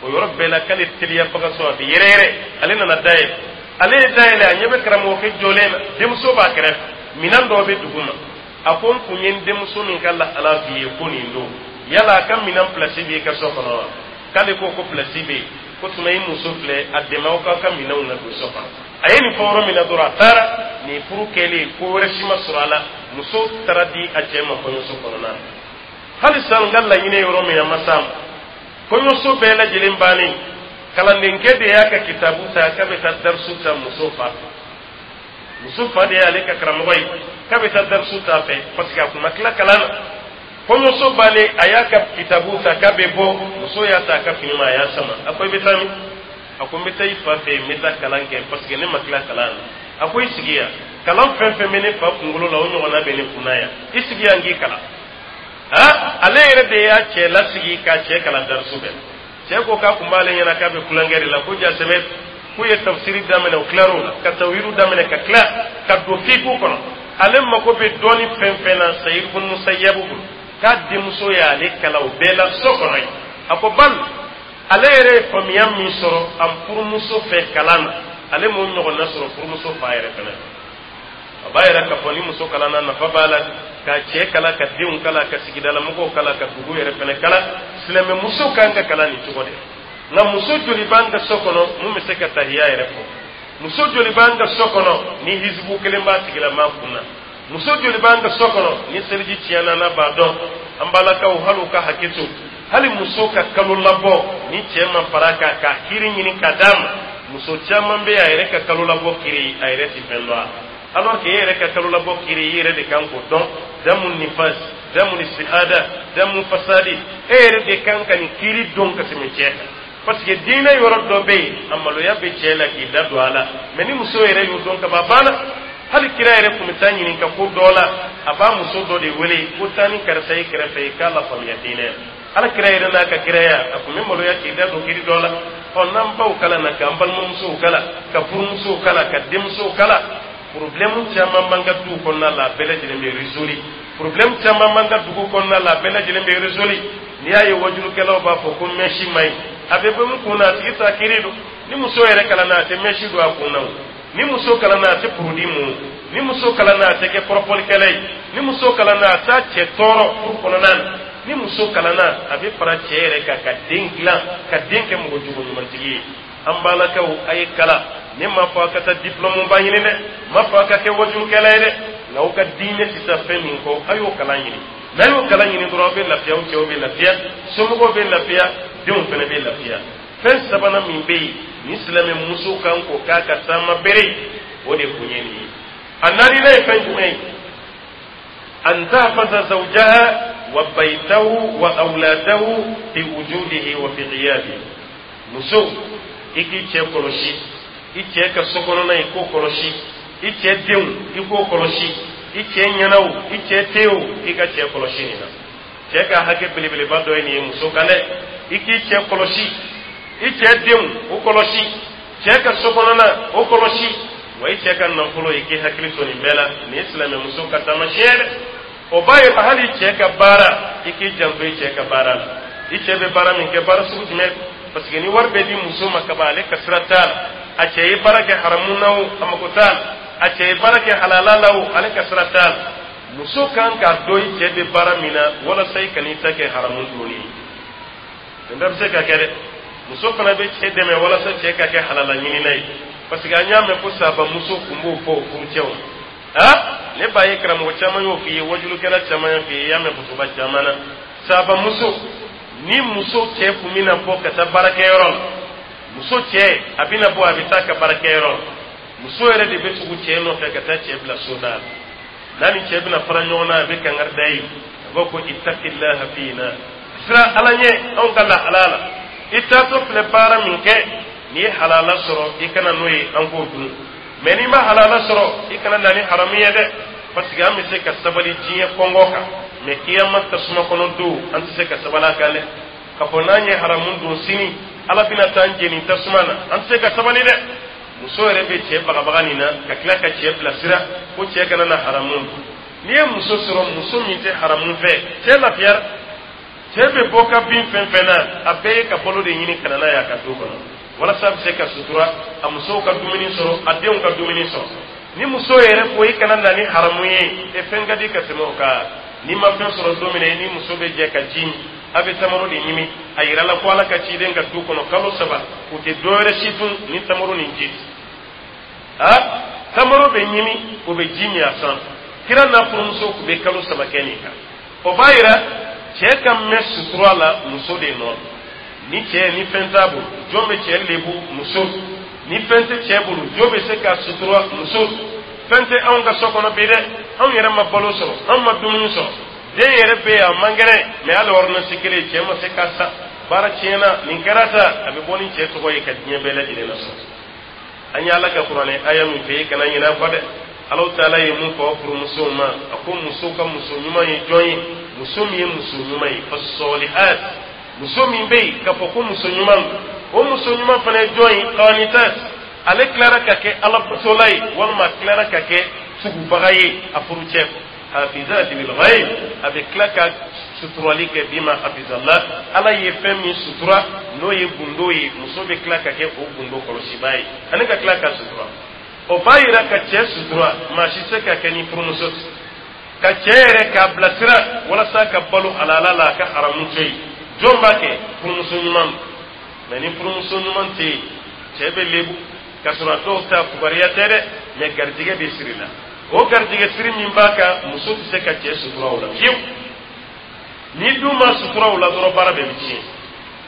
O yɔrɔ bɛɛ la, k'ale teliyabagatɔ, a bɛ yɛrɛyɛrɛ, ale nana da yɛlɛ. Ale ye da yɛlɛ, a ɲɛ bɛ karamɔgɔkɛ jɔlen na, denmuso b'a kɛrɛfɛ, minɛn dɔw bɛ dugu ma. A ko n kun ye n denmuso min ka lahala f'i ye ko nin don, yala a ka minɛn pilasi b'i ka so kɔnɔ wa? K'ale ko ko pilasi bɛ yen. Ko tuma i muso filɛ, a dɛmɛ aw k'aw ka minɛnw na don so kɔnɔ. A ye nin fɔ yɔrɔ min na dɔrɔn, a taara. Nin furu kɛlen, ko wɛrɛ si ma sɔrɔ a la. Muso taara di a cɛ ma kɔɲɔso kɔnɔna na. Halisa n ka laɲini yɔrɔ min, a ma s'a ma. Kɔɲɔso bɛɛ lajɛlen bannen, kalandenkɛ de y'a ka kitabu ta k'a bɛ taa darisu ta muso fa fɛ. Muso fa de y'ale ka karamɔgɔ ye, k'a bɛ taa darisu ta fɛ, parce que a kun ma tila kalan na. Kɔɲɔso bannen, a y'a ka kitabu ta k'a bɛ bɔ, muso y'a ta a ka fini ma, a y'a sama. A ko i bɛ taa min? A ko n bɛ taa i fa fɛ yen, n bɛ taa kalan kɛ, parce que ne ma tila kalan na. A ko i sigi yan, kalan fɛn fɛn bɛ ne fa kunkolo la, o ɲɔgɔnna bɛ ne kunna yan. I sigi yan k'i kalan. Ha, ale yɛrɛ de y'a cɛ lasigi k'a cɛ kalan darisu bɛɛ. Cɛ ko k'a kun b'ale ɲɛna k'a bɛ tulonkɛ de la, ko ja sɛbɛ k'u ye tafsiri daminɛ, u tilar'o la ka tawhidu daminɛ, ka tila ka don fiku kɔnɔ. Ale mako bɛ dɔɔni fɛn fɛn na Sayid bun Musayabu bolo, k'a denmuso y'ale kalan o bɛɛ la so kɔnɔ yen. A ko bali ale yɛrɛ ye faamuya min sɔrɔ a furumuso fɛ kalan na, ale m'o ɲɔgɔnna sɔrɔ furumuso fa yɛrɛ fɛnɛ. A b'a yɛrɛ k'a fɔ ni muso kalanna, nafa b'a la, ka cɛ kalan, ka denw kalan, ka sigidalamɔgɔw kalan, ka dugu yɛrɛ fɛnɛ kalan. Silamɛmuso kan ka kalan nin cogo de. Nka muso joli b'an ka so kɔnɔ mun bɛ se ka tahiya yɛrɛ fɔ? Muso joli b'an ka so kɔnɔ ni hisibu kelen b'a tigilama kun na? Muso joli b'an ka so kɔnɔ ni seliji tiɲɛna n'a b'a dɔn? An balakaw, hali u ka hakɛ to, hali muso ka kalo labɔ ni cɛ ma fara kan k'a kiri ɲini ka d'a ma, muso caman bɛ a yɛrɛ ka kalo labɔ kiri, a yɛrɛ ti fɛn dɔn a. Alors que e yɛrɛ ka kalo labɔ kiri, i yɛrɛ de kan k'o dɔn. Damu nifas, damu istihada, damu fasadi, e yɛrɛ de kan ka nin kiri dɔn ka tɛmɛ cɛ kan, parce que diinɛ yɔrɔ dɔ bɛ yen, a maloya bɛ cɛ la k'i da don a la. Mais ni muso yɛrɛ y'o dɔn ka ban, a banna. Hali kira yɛrɛ tun bɛ taa ɲininka ko dɔ la, a b'a muso dɔ de wele ko taa ni karisa ye kɛrɛfɛ ye k'a lafaamuya diinɛ. Ala kira yɛrɛ n'a ka kiraya, a tun bɛ maloya k'i da don kiri dɔ la. Ɔ, n'an baw kalan na, k'an balimamusow kalan, ka furumusow kalan, ka denmusow kalan, problème caman b'an ka duw kɔnɔna la, a bɛɛ lajɛlen bɛ résolu. Problème caman b'an ka dugu kɔnɔna la, a bɛɛ lajɛlen bɛ résolu. N'i y'a ye wajulukɛlaw b'a fɔ ko mèche man ɲi, a bɛ bɔ min kun na, a tigi t'a kiri don. Ni muso yɛrɛ kalanna, a tɛ mèche don a kun na o. Ni muso kalanna, a tɛ produit mun. Ni muso kalanna, a tɛ kɛ kɔrɔfɔlikɛla ye. Ni muso kalanna, a t'a cɛ tɔɔrɔ furu kɔnɔna na. Ni muso kalanna, a bɛ fara cɛ yɛrɛ kan ka den dilan, ka den kɛ mɔgɔ jogo ɲumantigi ye. An balakaw, a ye kalan. Ne m'a fɔ a ka taa diplôme ba ɲini dɛ, n m'a fɔ a ka kɛ wajulukɛla ye dɛ, nka aw ka diinɛ tɛ taa fɛn min kɔ, a y'o kalan ɲini. N'a y'o kalan ɲini dɔrɔn, aw bɛ lafiya, aw cɛw bɛ lafiya, somɔgɔw bɛ lafiya, denw fana bɛ lafiya. Fɛn sabanan min bɛ yen ni silamɛ muso kan k'o k'a ka taama bere, o de kun ye nin ye. A naaninan ye fɛn jumɛn ye? An tahfaza zawjaha wa baytahu wa awladahu fi wujudihi wa fi ghiyabihi. Muso, i k'i cɛ kɔlɔsi, i cɛ ka so kɔnɔna, i k'o kɔlɔsi, i cɛ denw, i k'o kɔlɔsi, i cɛ ɲɛna o, i cɛ tɛ o, i ka cɛ kɔlɔsi nin na. Cɛ ka hakɛ belebeleba dɔ ye nin ye muso kan dɛ. I k'i cɛ kɔlɔsi, i cɛ denw, o kɔlɔsi, cɛ ka so kɔnɔna, o kɔlɔsi, wa i cɛ ka nafolo, i k'i hakili to nin bɛɛ la. Nin ye silamɛmuso ka taamasiyɛn dɛ. O b'a yira hali cɛ ka baara, i k'i janto i cɛ ka baara la. I cɛ bɛ baara min kɛ, baara sugu jumɛn? Parce que ni wari bɛ di muso ma ka ban, ale ka sira t'a la. A cɛ ye baara kɛ haramu na o, a mako t'a la. A cɛ ye baara kɛ halala la o, ale ka sira t'a la. Muso kan k'a dɔn i cɛ bɛ baara min na, walasa i kan'i ta kɛ haramu donni ye. Nin bɛɛ bɛ se ka kɛ dɛ. Muso fana bɛ cɛ dɛmɛ walasa cɛ ka kɛ halala ɲinina ye, parce que an y'a mɛn ko sabamuso kun b'o fɔ o furucɛw ha. Ne b'a ye karamɔgɔ caman y'o f'i ye, wajulukɛla caman y'a f'i ye, i y'a mɛn kutuba caman na. Sabamuso Ni muso cɛ kun bɛna bɔ ka taa baarakɛyɔrɔ la, muso cɛ a bɛna bɔ, a bɛ taa ka baarakɛyɔrɔ la, muso yɛrɛ de bɛ tugu cɛ nɔfɛ ka taa cɛ bila soda la. N'a ni cɛ bɛna fara ɲɔgɔn na, a bɛ kangari da ye, a b'a ko: "Ittaqillaha fina, siran Ala ɲɛ anw ka lahala la. I taatɔ filɛ baara min kɛ, n'i ye halala sɔrɔ, i kana n'o ye, an k'o dun. Mɛ n'i ma halala sɔrɔ, i kana na ni haramu ye dɛ, parce que an bɛ se ka sabali diɲɛ kɔngɔ kan, mɛ kiyama tasuma kɔnɔ don, an tɛ se ka sabali a kan dɛ. K'a fɔ n'an ye haramu dun sini, Ala bɛna taa an jeni tasuma na, an tɛ se ka sabali dɛ." Muso yɛrɛ bɛ cɛ bagabaga nin na ka tila ka cɛ bilasira ko cɛ kana na haramu dun. N'i ye muso sɔrɔ, muso min tɛ haramu fɛ, cɛ lafiyara. Cɛ bɛ bɔ ka bin fɛn fɛn na, a bɛɛ ye ka balo de ɲini ka na n'a ye a ka du kɔnɔ, walasa a bɛ se ka sutura, a musow ka dumuni sɔrɔ, a denw ka dumuni sɔrɔ. Ni muso yɛrɛ ko i kana na ni haramu ye, e fɛn ka di ka tɛmɛ o kan. N'i ma fɛn sɔrɔ don min na, i ni muso bɛ jɛ ka ji min, a bɛ tamaro de ɲimi. A yirala ko Ala ka ciden ka du kɔnɔ, kalo 3, u tɛ dɔwɛrɛ si dun ni tamaro ni ji. A tamaro bɛ ɲimi, o bɛ ji min a sanfɛ. Kira n'a furumuso tun bɛ kalo 3 kɛ nin kan. O b'a yira cɛ ka mɛn sutura la muso de nɔ. Ni cɛ ni fɛn t'a bolo, jɔn bɛ cɛ lebu? Muso. Ni fɛn tɛ cɛ bolo, jɔn bɛ se ka sutura? Muso. Fɛn tɛ anw ka so kɔnɔ bi dɛ, anw yɛrɛ ma balo sɔrɔ, anw ma dumuni sɔrɔ, den yɛrɛ bɛ yen, a man kɛnɛ, mɛ hali ordonnance kelen cɛ ma se ka san, baara tiɲɛna, nin kɛra ta, a bɛ bɔ ni cɛ tɔgɔ ye ka diɲɛ bɛɛ lajɛlen lasɔrɔ. An ye Ala ka Kuranɛ aya min fɛ, i kana ɲinɛ a kɔ dɛ. Alahu Taala ye mun fɔ furumusow ma? A ko muso ka muso ɲuman ye jɔn ye? Muso min ye muso ɲuman ye, fasɔlihat, muso min bɛ yen k'a fɔ ko muso ɲuman, o muso ɲuman fana ye jɔn ye? Qanitat, ale tilara ka kɛ Ala batola ye, walima a tilara ka kɛ tugubaga ye a furucɛ. Hafizat bil ghaib, a bɛ tila ka suturali kɛ. Bima hafizallah, Ala ye fɛn min sutura, n'o ye gundo ye, muso bɛ tila ka kɛ o gundo kɔlɔsibaa ye ani ka tila ka sutura. O b'a yira ka cɛ sutura, maa si tɛ se ka kɛ ni furumuso tɛ. Ka cɛ yɛrɛ k'a bilasira walasa ka balo halala la, a ka haramu to yen, jɔn b'a kɛ? Furumuso ɲuman. Mɛ ni furumuso ɲuman tɛ yen, cɛ bɛ lebu k'a sɔrɔ a dɔw ta fugariya tɛ dɛ, mɛ garijɛgɛ de siri la. O garijɛgɛ siri min b'a kan, muso tɛ se ka cɛ sutura o la fiyewu. Ni dun ma sutura o la dɔrɔn, baara bɛɛ bɛ tiɲɛ.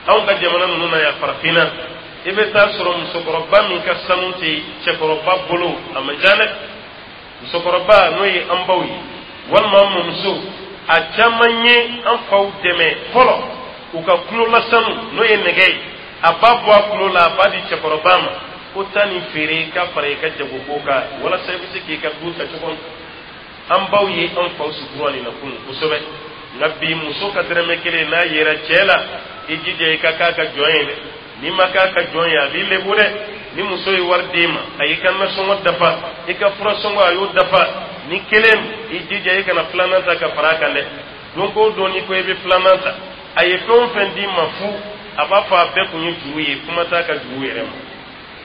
Anw ka jamana ninnu na yan, farafinna, i bɛ taa sɔrɔ musokɔrɔba min ka sanu tɛ cɛkɔrɔba bolo, a man ca dɛ. Musokɔrɔba, n'o ye an baw ye walima an mɔmuso, a caman ye an faw dɛmɛ fɔlɔ u ka kulola sanu, n'o ye nɛgɛ ye, a b'a bɔ a kulo la, a b'a di cɛkɔrɔba ma ko taa nin feere ka fara i ka jagoko kan, walasa i bɛ se k'i ka du ta cogo min. An baw ye an faw sutura nin na kunun kosɛbɛ. Nka bi, muso ka dɔrɔmɛ 1 n'a yera cɛ la, i jija i ka k'a ka jɔn ye dɛ. N'i ma k'a ka jɔn ye, a b'i lebu dɛ. Ni muso ye wari d'i ma, a y'i ka nasɔngɔ dafa, i ka furasɔngɔ a y'o dafa, ni kelen, i jija i kana filanan ta ka fara a kan dɛ. Don o don n'i ko i bɛ filanan ta, a ye fɛn o fɛn d'i ma fu, a b'a fɔ a bɛɛ kun ye juru ye, kuma t'a ka juru yɛrɛ ma.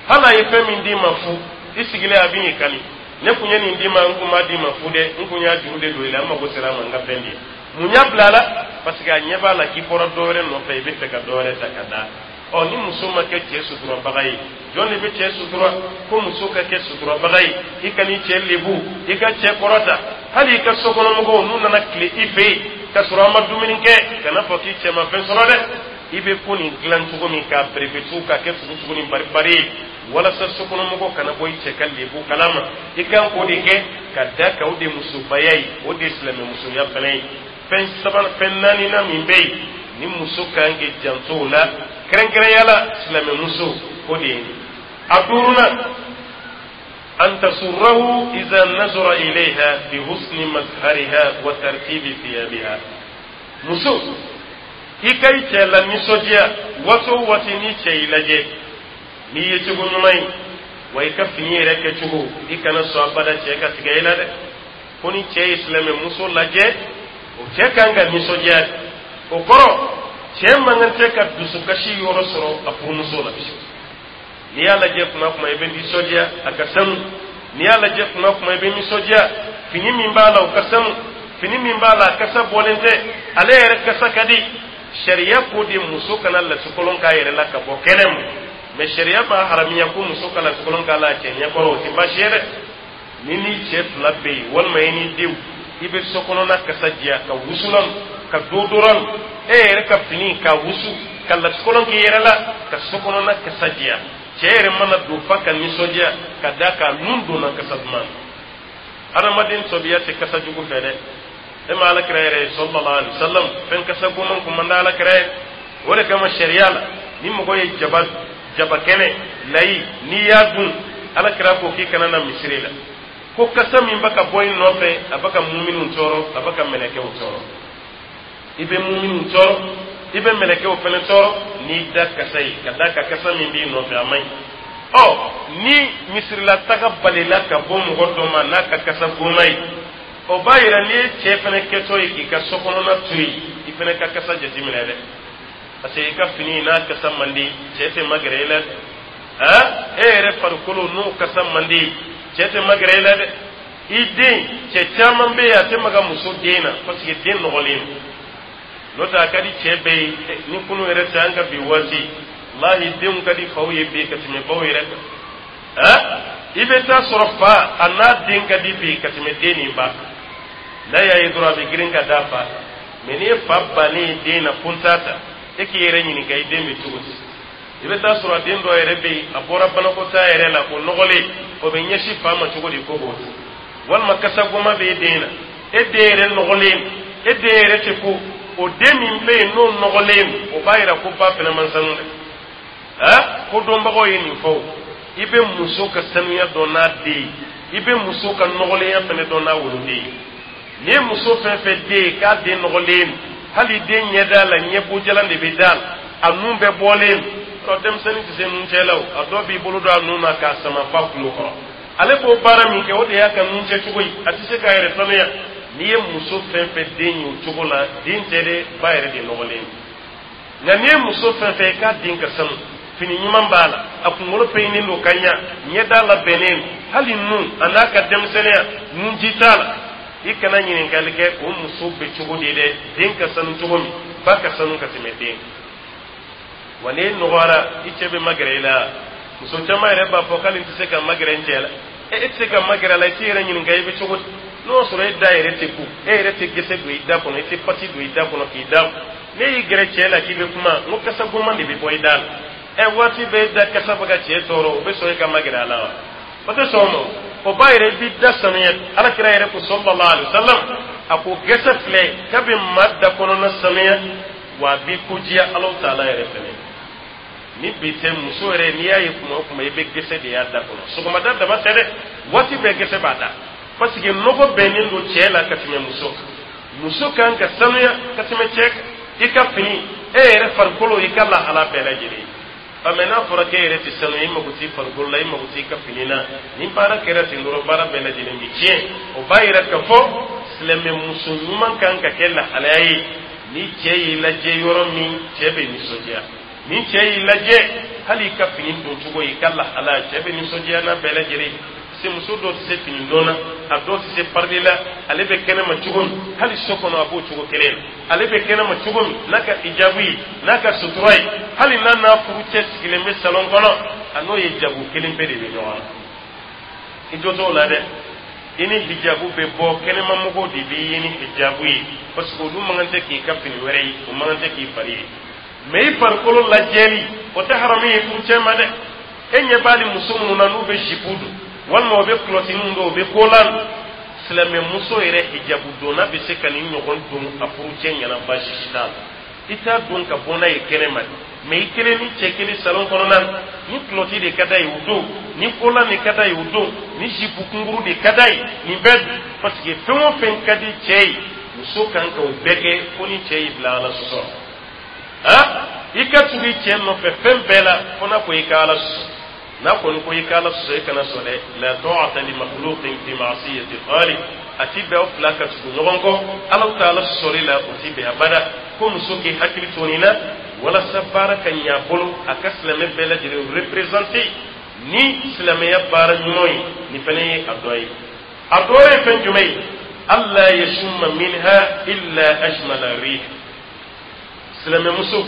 Hali a ye fɛn min d'i ma fu, i sigilen a bɛ n'i kali: "Ne kun ye nin d'i ma, n kun b'a d'i ma fu dɛ, n kun y'a juru de don i la, n mago sera a ma, n ka fɛn di." Mun y'a bila a la? Parce que a ɲɛ b'a la k'i bɔra dɔ wɛrɛ nɔfɛ, i bɛ fɛ ka dɔ wɛrɛ ta ka da. Ɔ ni muso ma kɛ cɛ suturabaga ye, jɔn de bɛ cɛ sutura? Ko muso ka kɛ suturabaga ye, i ka n'i cɛ lebu, i ka cɛ kɔrɔta. Hali i ka sokɔnɔmɔgɔw, n'u nana tile i fɛ yen ka sɔrɔ an ma dumuni kɛ, kana fɔ k'i cɛ ma fɛn sɔrɔ dɛ. I bɛ ko nin dilan cogo min k'a berebetu, k'a kɛ tugu ni baribari ye, walasa sokɔnɔmɔgɔw kana bɔ i cɛ ka lebu kalama, i kan k'o de kɛ ka da kan. O de musobaya ye, o de ye silamɛmusoya fana ye. Fɛn saba, fɛn naaninan min bɛ yen ni muso kan k'i janto o la, kɛrɛnkɛrɛnya la silamɛmuso, o de ye nin. A duurunan: an tasurrahu iza nazara ilayha bi husni mazhariha wa tartibi thiyabiha. Muso, i ka i cɛ la nisɔndiya waati o waati ni cɛ y'i lajɛ n'i ye cogo ɲuman ye, wa i ka fini yɛrɛ kɛcogo, i kana sɔn abada cɛ ka tigɛ i la dɛ. Ko ni cɛ ye silamɛmuso lajɛ, o cɛ kan ka nisɔndiya de. O kɔrɔ, cɛ man kan tɛ ka dusukasi yɔrɔ sɔrɔ a furumuso la. N'i y'a lajɛ kuma kuma, i bɛ nisɔndiya, a ka sanu. N'i y'a lajɛ kuma kuma, i bɛ nisɔndiya, fini min b'a la, o ka sanu. Fini min b'a la, a kasa bɔlen tɛ, ale yɛrɛ kasa ka di. Sariya ko de muso kana lasikolon k'a yɛrɛ la ka bɔ kɛnɛ ma, mɛ sariya b'a haramiya ko muso ka lasikolon k'a la a cɛ ɲɛkɔrɔ, o tɛ baasi ye dɛ. Ni ni cɛ fila bɛ yen, walima i ni denw, i bɛ so kɔnɔna kasa diya ka wusulan, ka deodorant, E yɛrɛ ka fini ka wusu, ka latikɔlɔn k'i yɛrɛ la, ka so kɔnɔna kasa diya. Cɛ yɛrɛ mana don fa ka nisɔndiya ka d'a kan nun donna kasa duman na. Adamaden tɔbiya tɛ kasa jugu fɛ dɛ. E ma Ala kira yɛrɛ ye, sallallahu alaihi wasallam, fɛn kasa goman kun man di Ala kira ye. O de kama sariya la, ni mɔgɔ ye jaba, jaba kɛnɛ layi, n'i y'a dun, Ala kira ko k'i kana na misiri la, ko kasa min bɛ ka bɔ i nɔfɛ, a bɛ ka muminiw tɔɔrɔ, a bɛ ka mɛlɛkɛw tɔɔrɔ. I bɛ muminiw tɔɔrɔ, i bɛ mɛlɛkɛw fɛnɛ tɔɔrɔ n'i da kasa ye, ka d'a kan kasa min b'i nɔfɛ, a man ɲi. Ɔ ni misirila taga balila ka bɔ mɔgɔ dɔ ma n'a ka kasa goma ye, o b'a yira n'i ye cɛ fɛnɛ kɛtɔ ye k'i ka so kɔnɔna to yen, i fɛnɛ ka kasa jateminɛ dɛ, parce que i ka fini n'a kasa man di, cɛ tɛ magɛrɛ i la dɛ. E yɛrɛ farikolo n'o kasa man di, cɛ tɛ magɛrɛ i la dɛ. I den, cɛ caman bɛ yen, a tɛ maga muso den na, parce que den nɔgɔlen don. N'o tɛ, a ka di cɛ bɛɛ ye. Ni kunu yɛrɛ tɛ, an ka bi waati, walahi, denw ka di faw ye bi ka tɛmɛ baw yɛrɛ kan. I bɛ taa sɔrɔ fa a n'a den ka di bi ka tɛmɛ den ni ba. N'a y'a ye dɔrɔn, a bɛ girin ka d'a fa. Mɛ n'i ye fa bannen ye den na, ko n t'a ta, e k'i yɛrɛ ɲininka, i den bɛ cogo di? I bɛ taa sɔrɔ a den dɔ yɛrɛ bɛ yen, a bɔra banakɔtaa yɛrɛ la, o nɔgɔlen, o bɛ ɲɛsin fa ma cogo di ko b'o dun? Walima kasagoma bɛ e den na, e den yɛrɛ nɔgɔlen, e den yɛrɛ tɛ ko o den min bɛ yen n'o nɔgɔlen, o b'a yira ko ba fana man sanu dɛ. Ko dɔnbagaw ye nin fɔ o. I bɛ muso ka sanuya dɔn n'a den ye, i bɛ muso ka nɔgɔlenya fana dɔn n'a woloden ye. N'i ye muso fɛn fɛn den ye k'a den nɔgɔlen, hali den ɲɛ da la, ɲɛbojalan de bɛ da la, a nun bɛɛ bɔlen, ɔ denmisɛnnin tɛ se nun cɛ la o. A dɔw b'i bolo don a nun na k'a sama fa kulo kɔrɔ. Ale b'o baara min kɛ, o de y'a ka nun cɛ cogo ye, a tɛ se k'a yɛrɛ sanuya. N'i ye muso fɛn fɛn den ye o cogo la, den tɛ dɛ, ba yɛrɛ de nɔgɔlen. Nka n'i ye muso fɛn fɛn ye k'a den ka sanu, fini ɲuman b'a la, a kunkolo peɲinen don ka ɲa, ɲɛda labɛnnen, hali nun a n'a ka denmisɛnninya nunji t'a la, i kana ɲininkali kɛ o muso bɛ cogo di dɛ. Den ka sanu cogo min, ba ka sanu ka tɛmɛ den. Wa n'e nɔgɔyara, i cɛ bɛ magɛrɛ i la. Muso caman yɛrɛ b'a fɔ k'ale tɛ se ka magɛrɛ n cɛ la. E tɛ se ka magɛrɛ a la, i t'i yɛrɛ ɲininka i bɛ cogo di? N'o y'a sɔrɔ e da yɛrɛ tɛ ko, e yɛrɛ tɛ gɛsɛ don i da kɔnɔ, i tɛ pati don i da kɔnɔ k'i da, ne y'i gɛrɛ cɛ la k'i bɛ kuma, n ko kasa goman de bɛ bɔ i da la. Ɛ, waati bɛɛ e da kasa bɛ ka cɛ tɔɔrɔ, o bɛ sɔn e ka magɛrɛ a la wa? O tɛ sɔn o ma. O b'a yɛrɛ i b'i da sanuya. Ala kira yɛrɛ ko, sallallahu alaihi wasallam, a ko gɛsɛ filɛ k'a bɛ maa da kɔnɔna sanuya, wa a b'i ko diya Alahu taala yɛrɛ fɛnɛ. Ni bi tɛ, muso yɛrɛ, n'i y'a ye kuma o kuma, i bɛ gɛsɛ de y'a da kɔnɔ. Sɔgɔmada dama tɛ dɛ, waati bɛɛ gɛsɛ b'a da, parce que nɔgɔ bɛnnen don cɛ la ka tɛmɛ muso kan. Muso kan ka sanuya ka tɛmɛ cɛ kan. I ka fini, e yɛrɛ farikolo, i ka lahala bɛɛ lajɛlen. Ɔ mɛ n'a fɔra k'e yɛrɛ tɛ sanu, i mago t'i farikolo la, i mago t'i ka fini na, ni baara kɛra ten dɔrɔn, baara bɛɛ lajɛlen bɛ tiɲɛ. O b'a yira k'a fɔ silamɛ muso ɲuman kan ka kɛ lahalaya ye, ni cɛ y'i lajɛ yɔrɔ min, cɛ bɛ nisɔndiya. Ni cɛ y'i lajɛ, hali i ka fini don cogo, i ka lahalaya, cɛ bɛ nisɔndiya n'a bɛɛ lajɛlen. Se muso dɔw tɛ se fini don na, a dɔw tɛ se parili la. Ale bɛ kɛnɛma cogo min, hali so kɔnɔ a b'o cogo kelen na. Ale bɛ kɛnɛma cogo min n'a ka hijabu ye, n'a ka sutura ye, hali n'a n'a furu cɛ sigilen bɛ salon kɔnɔ, a n'o ye jago kelen pe de bɛ ɲɔgɔn na. I jo t'o la dɛ. I ni hijabu bɛ bɔ, kɛnɛmamɔgɔw de b'i ye ni hijabu ye, parce que olu man kan tɛ k'i ka fini wɛrɛ ye, o man kan tɛ k'i fari ye. Mɛ i farikolo lajɛli, o tɛ haramu ye furucɛ ma dɛ. E ɲɛ b'ale muso minnu na, n'u bɛ jupe don, walima u bɛ kulɔtiniw don, u bɛ kolan. Silamɛmuso yɛrɛ hijabu donna bɛ se ka nin ɲɔgɔn don a furucɛ ɲɛna, baasi si t'a la. I t'a don ka bɔ n'a ye kɛnɛ ma, mɛ i kelen ni cɛ kelen salon kɔnɔna na, ni kulɔti de ka d'a ye, o don, ni kolan de ka d'a ye, o don, ni jupe kunkuru de ka d'a ye, nin bɛɛ dun, parce que fɛn o fɛn ka di cɛ ye, muso kan ka o bɛɛ kɛ, fo ni cɛ y'i bila Ala sɔsɔ. I ka tugu i cɛ nɔfɛ fɛn bɛɛ la, fo n'a ko i ka Ala sɔsɔ. N'a kɔni ko i ka Ala sɔsɔ, i kana sɔn dɛ. La ta'ata li makhluqin fi ma'siyati khaliq. A ti bɛn aw fila ka tugu ɲɔgɔn kɔ Ala ta'ala sɔsɔli la, o ti bɛn abada. Ko muso k'i hakili to nin na walasa baara ka ɲɛ a bolo, a ka silamɛ bɛɛ lajɛlen représenter ni silamɛya baara ɲuman ye. Nin fana ye a dɔ ye. A dɔ wɛrɛ ye fɛn jumɛn ye? Alla yashumma minha illa ajmala rih. Silamɛmuso,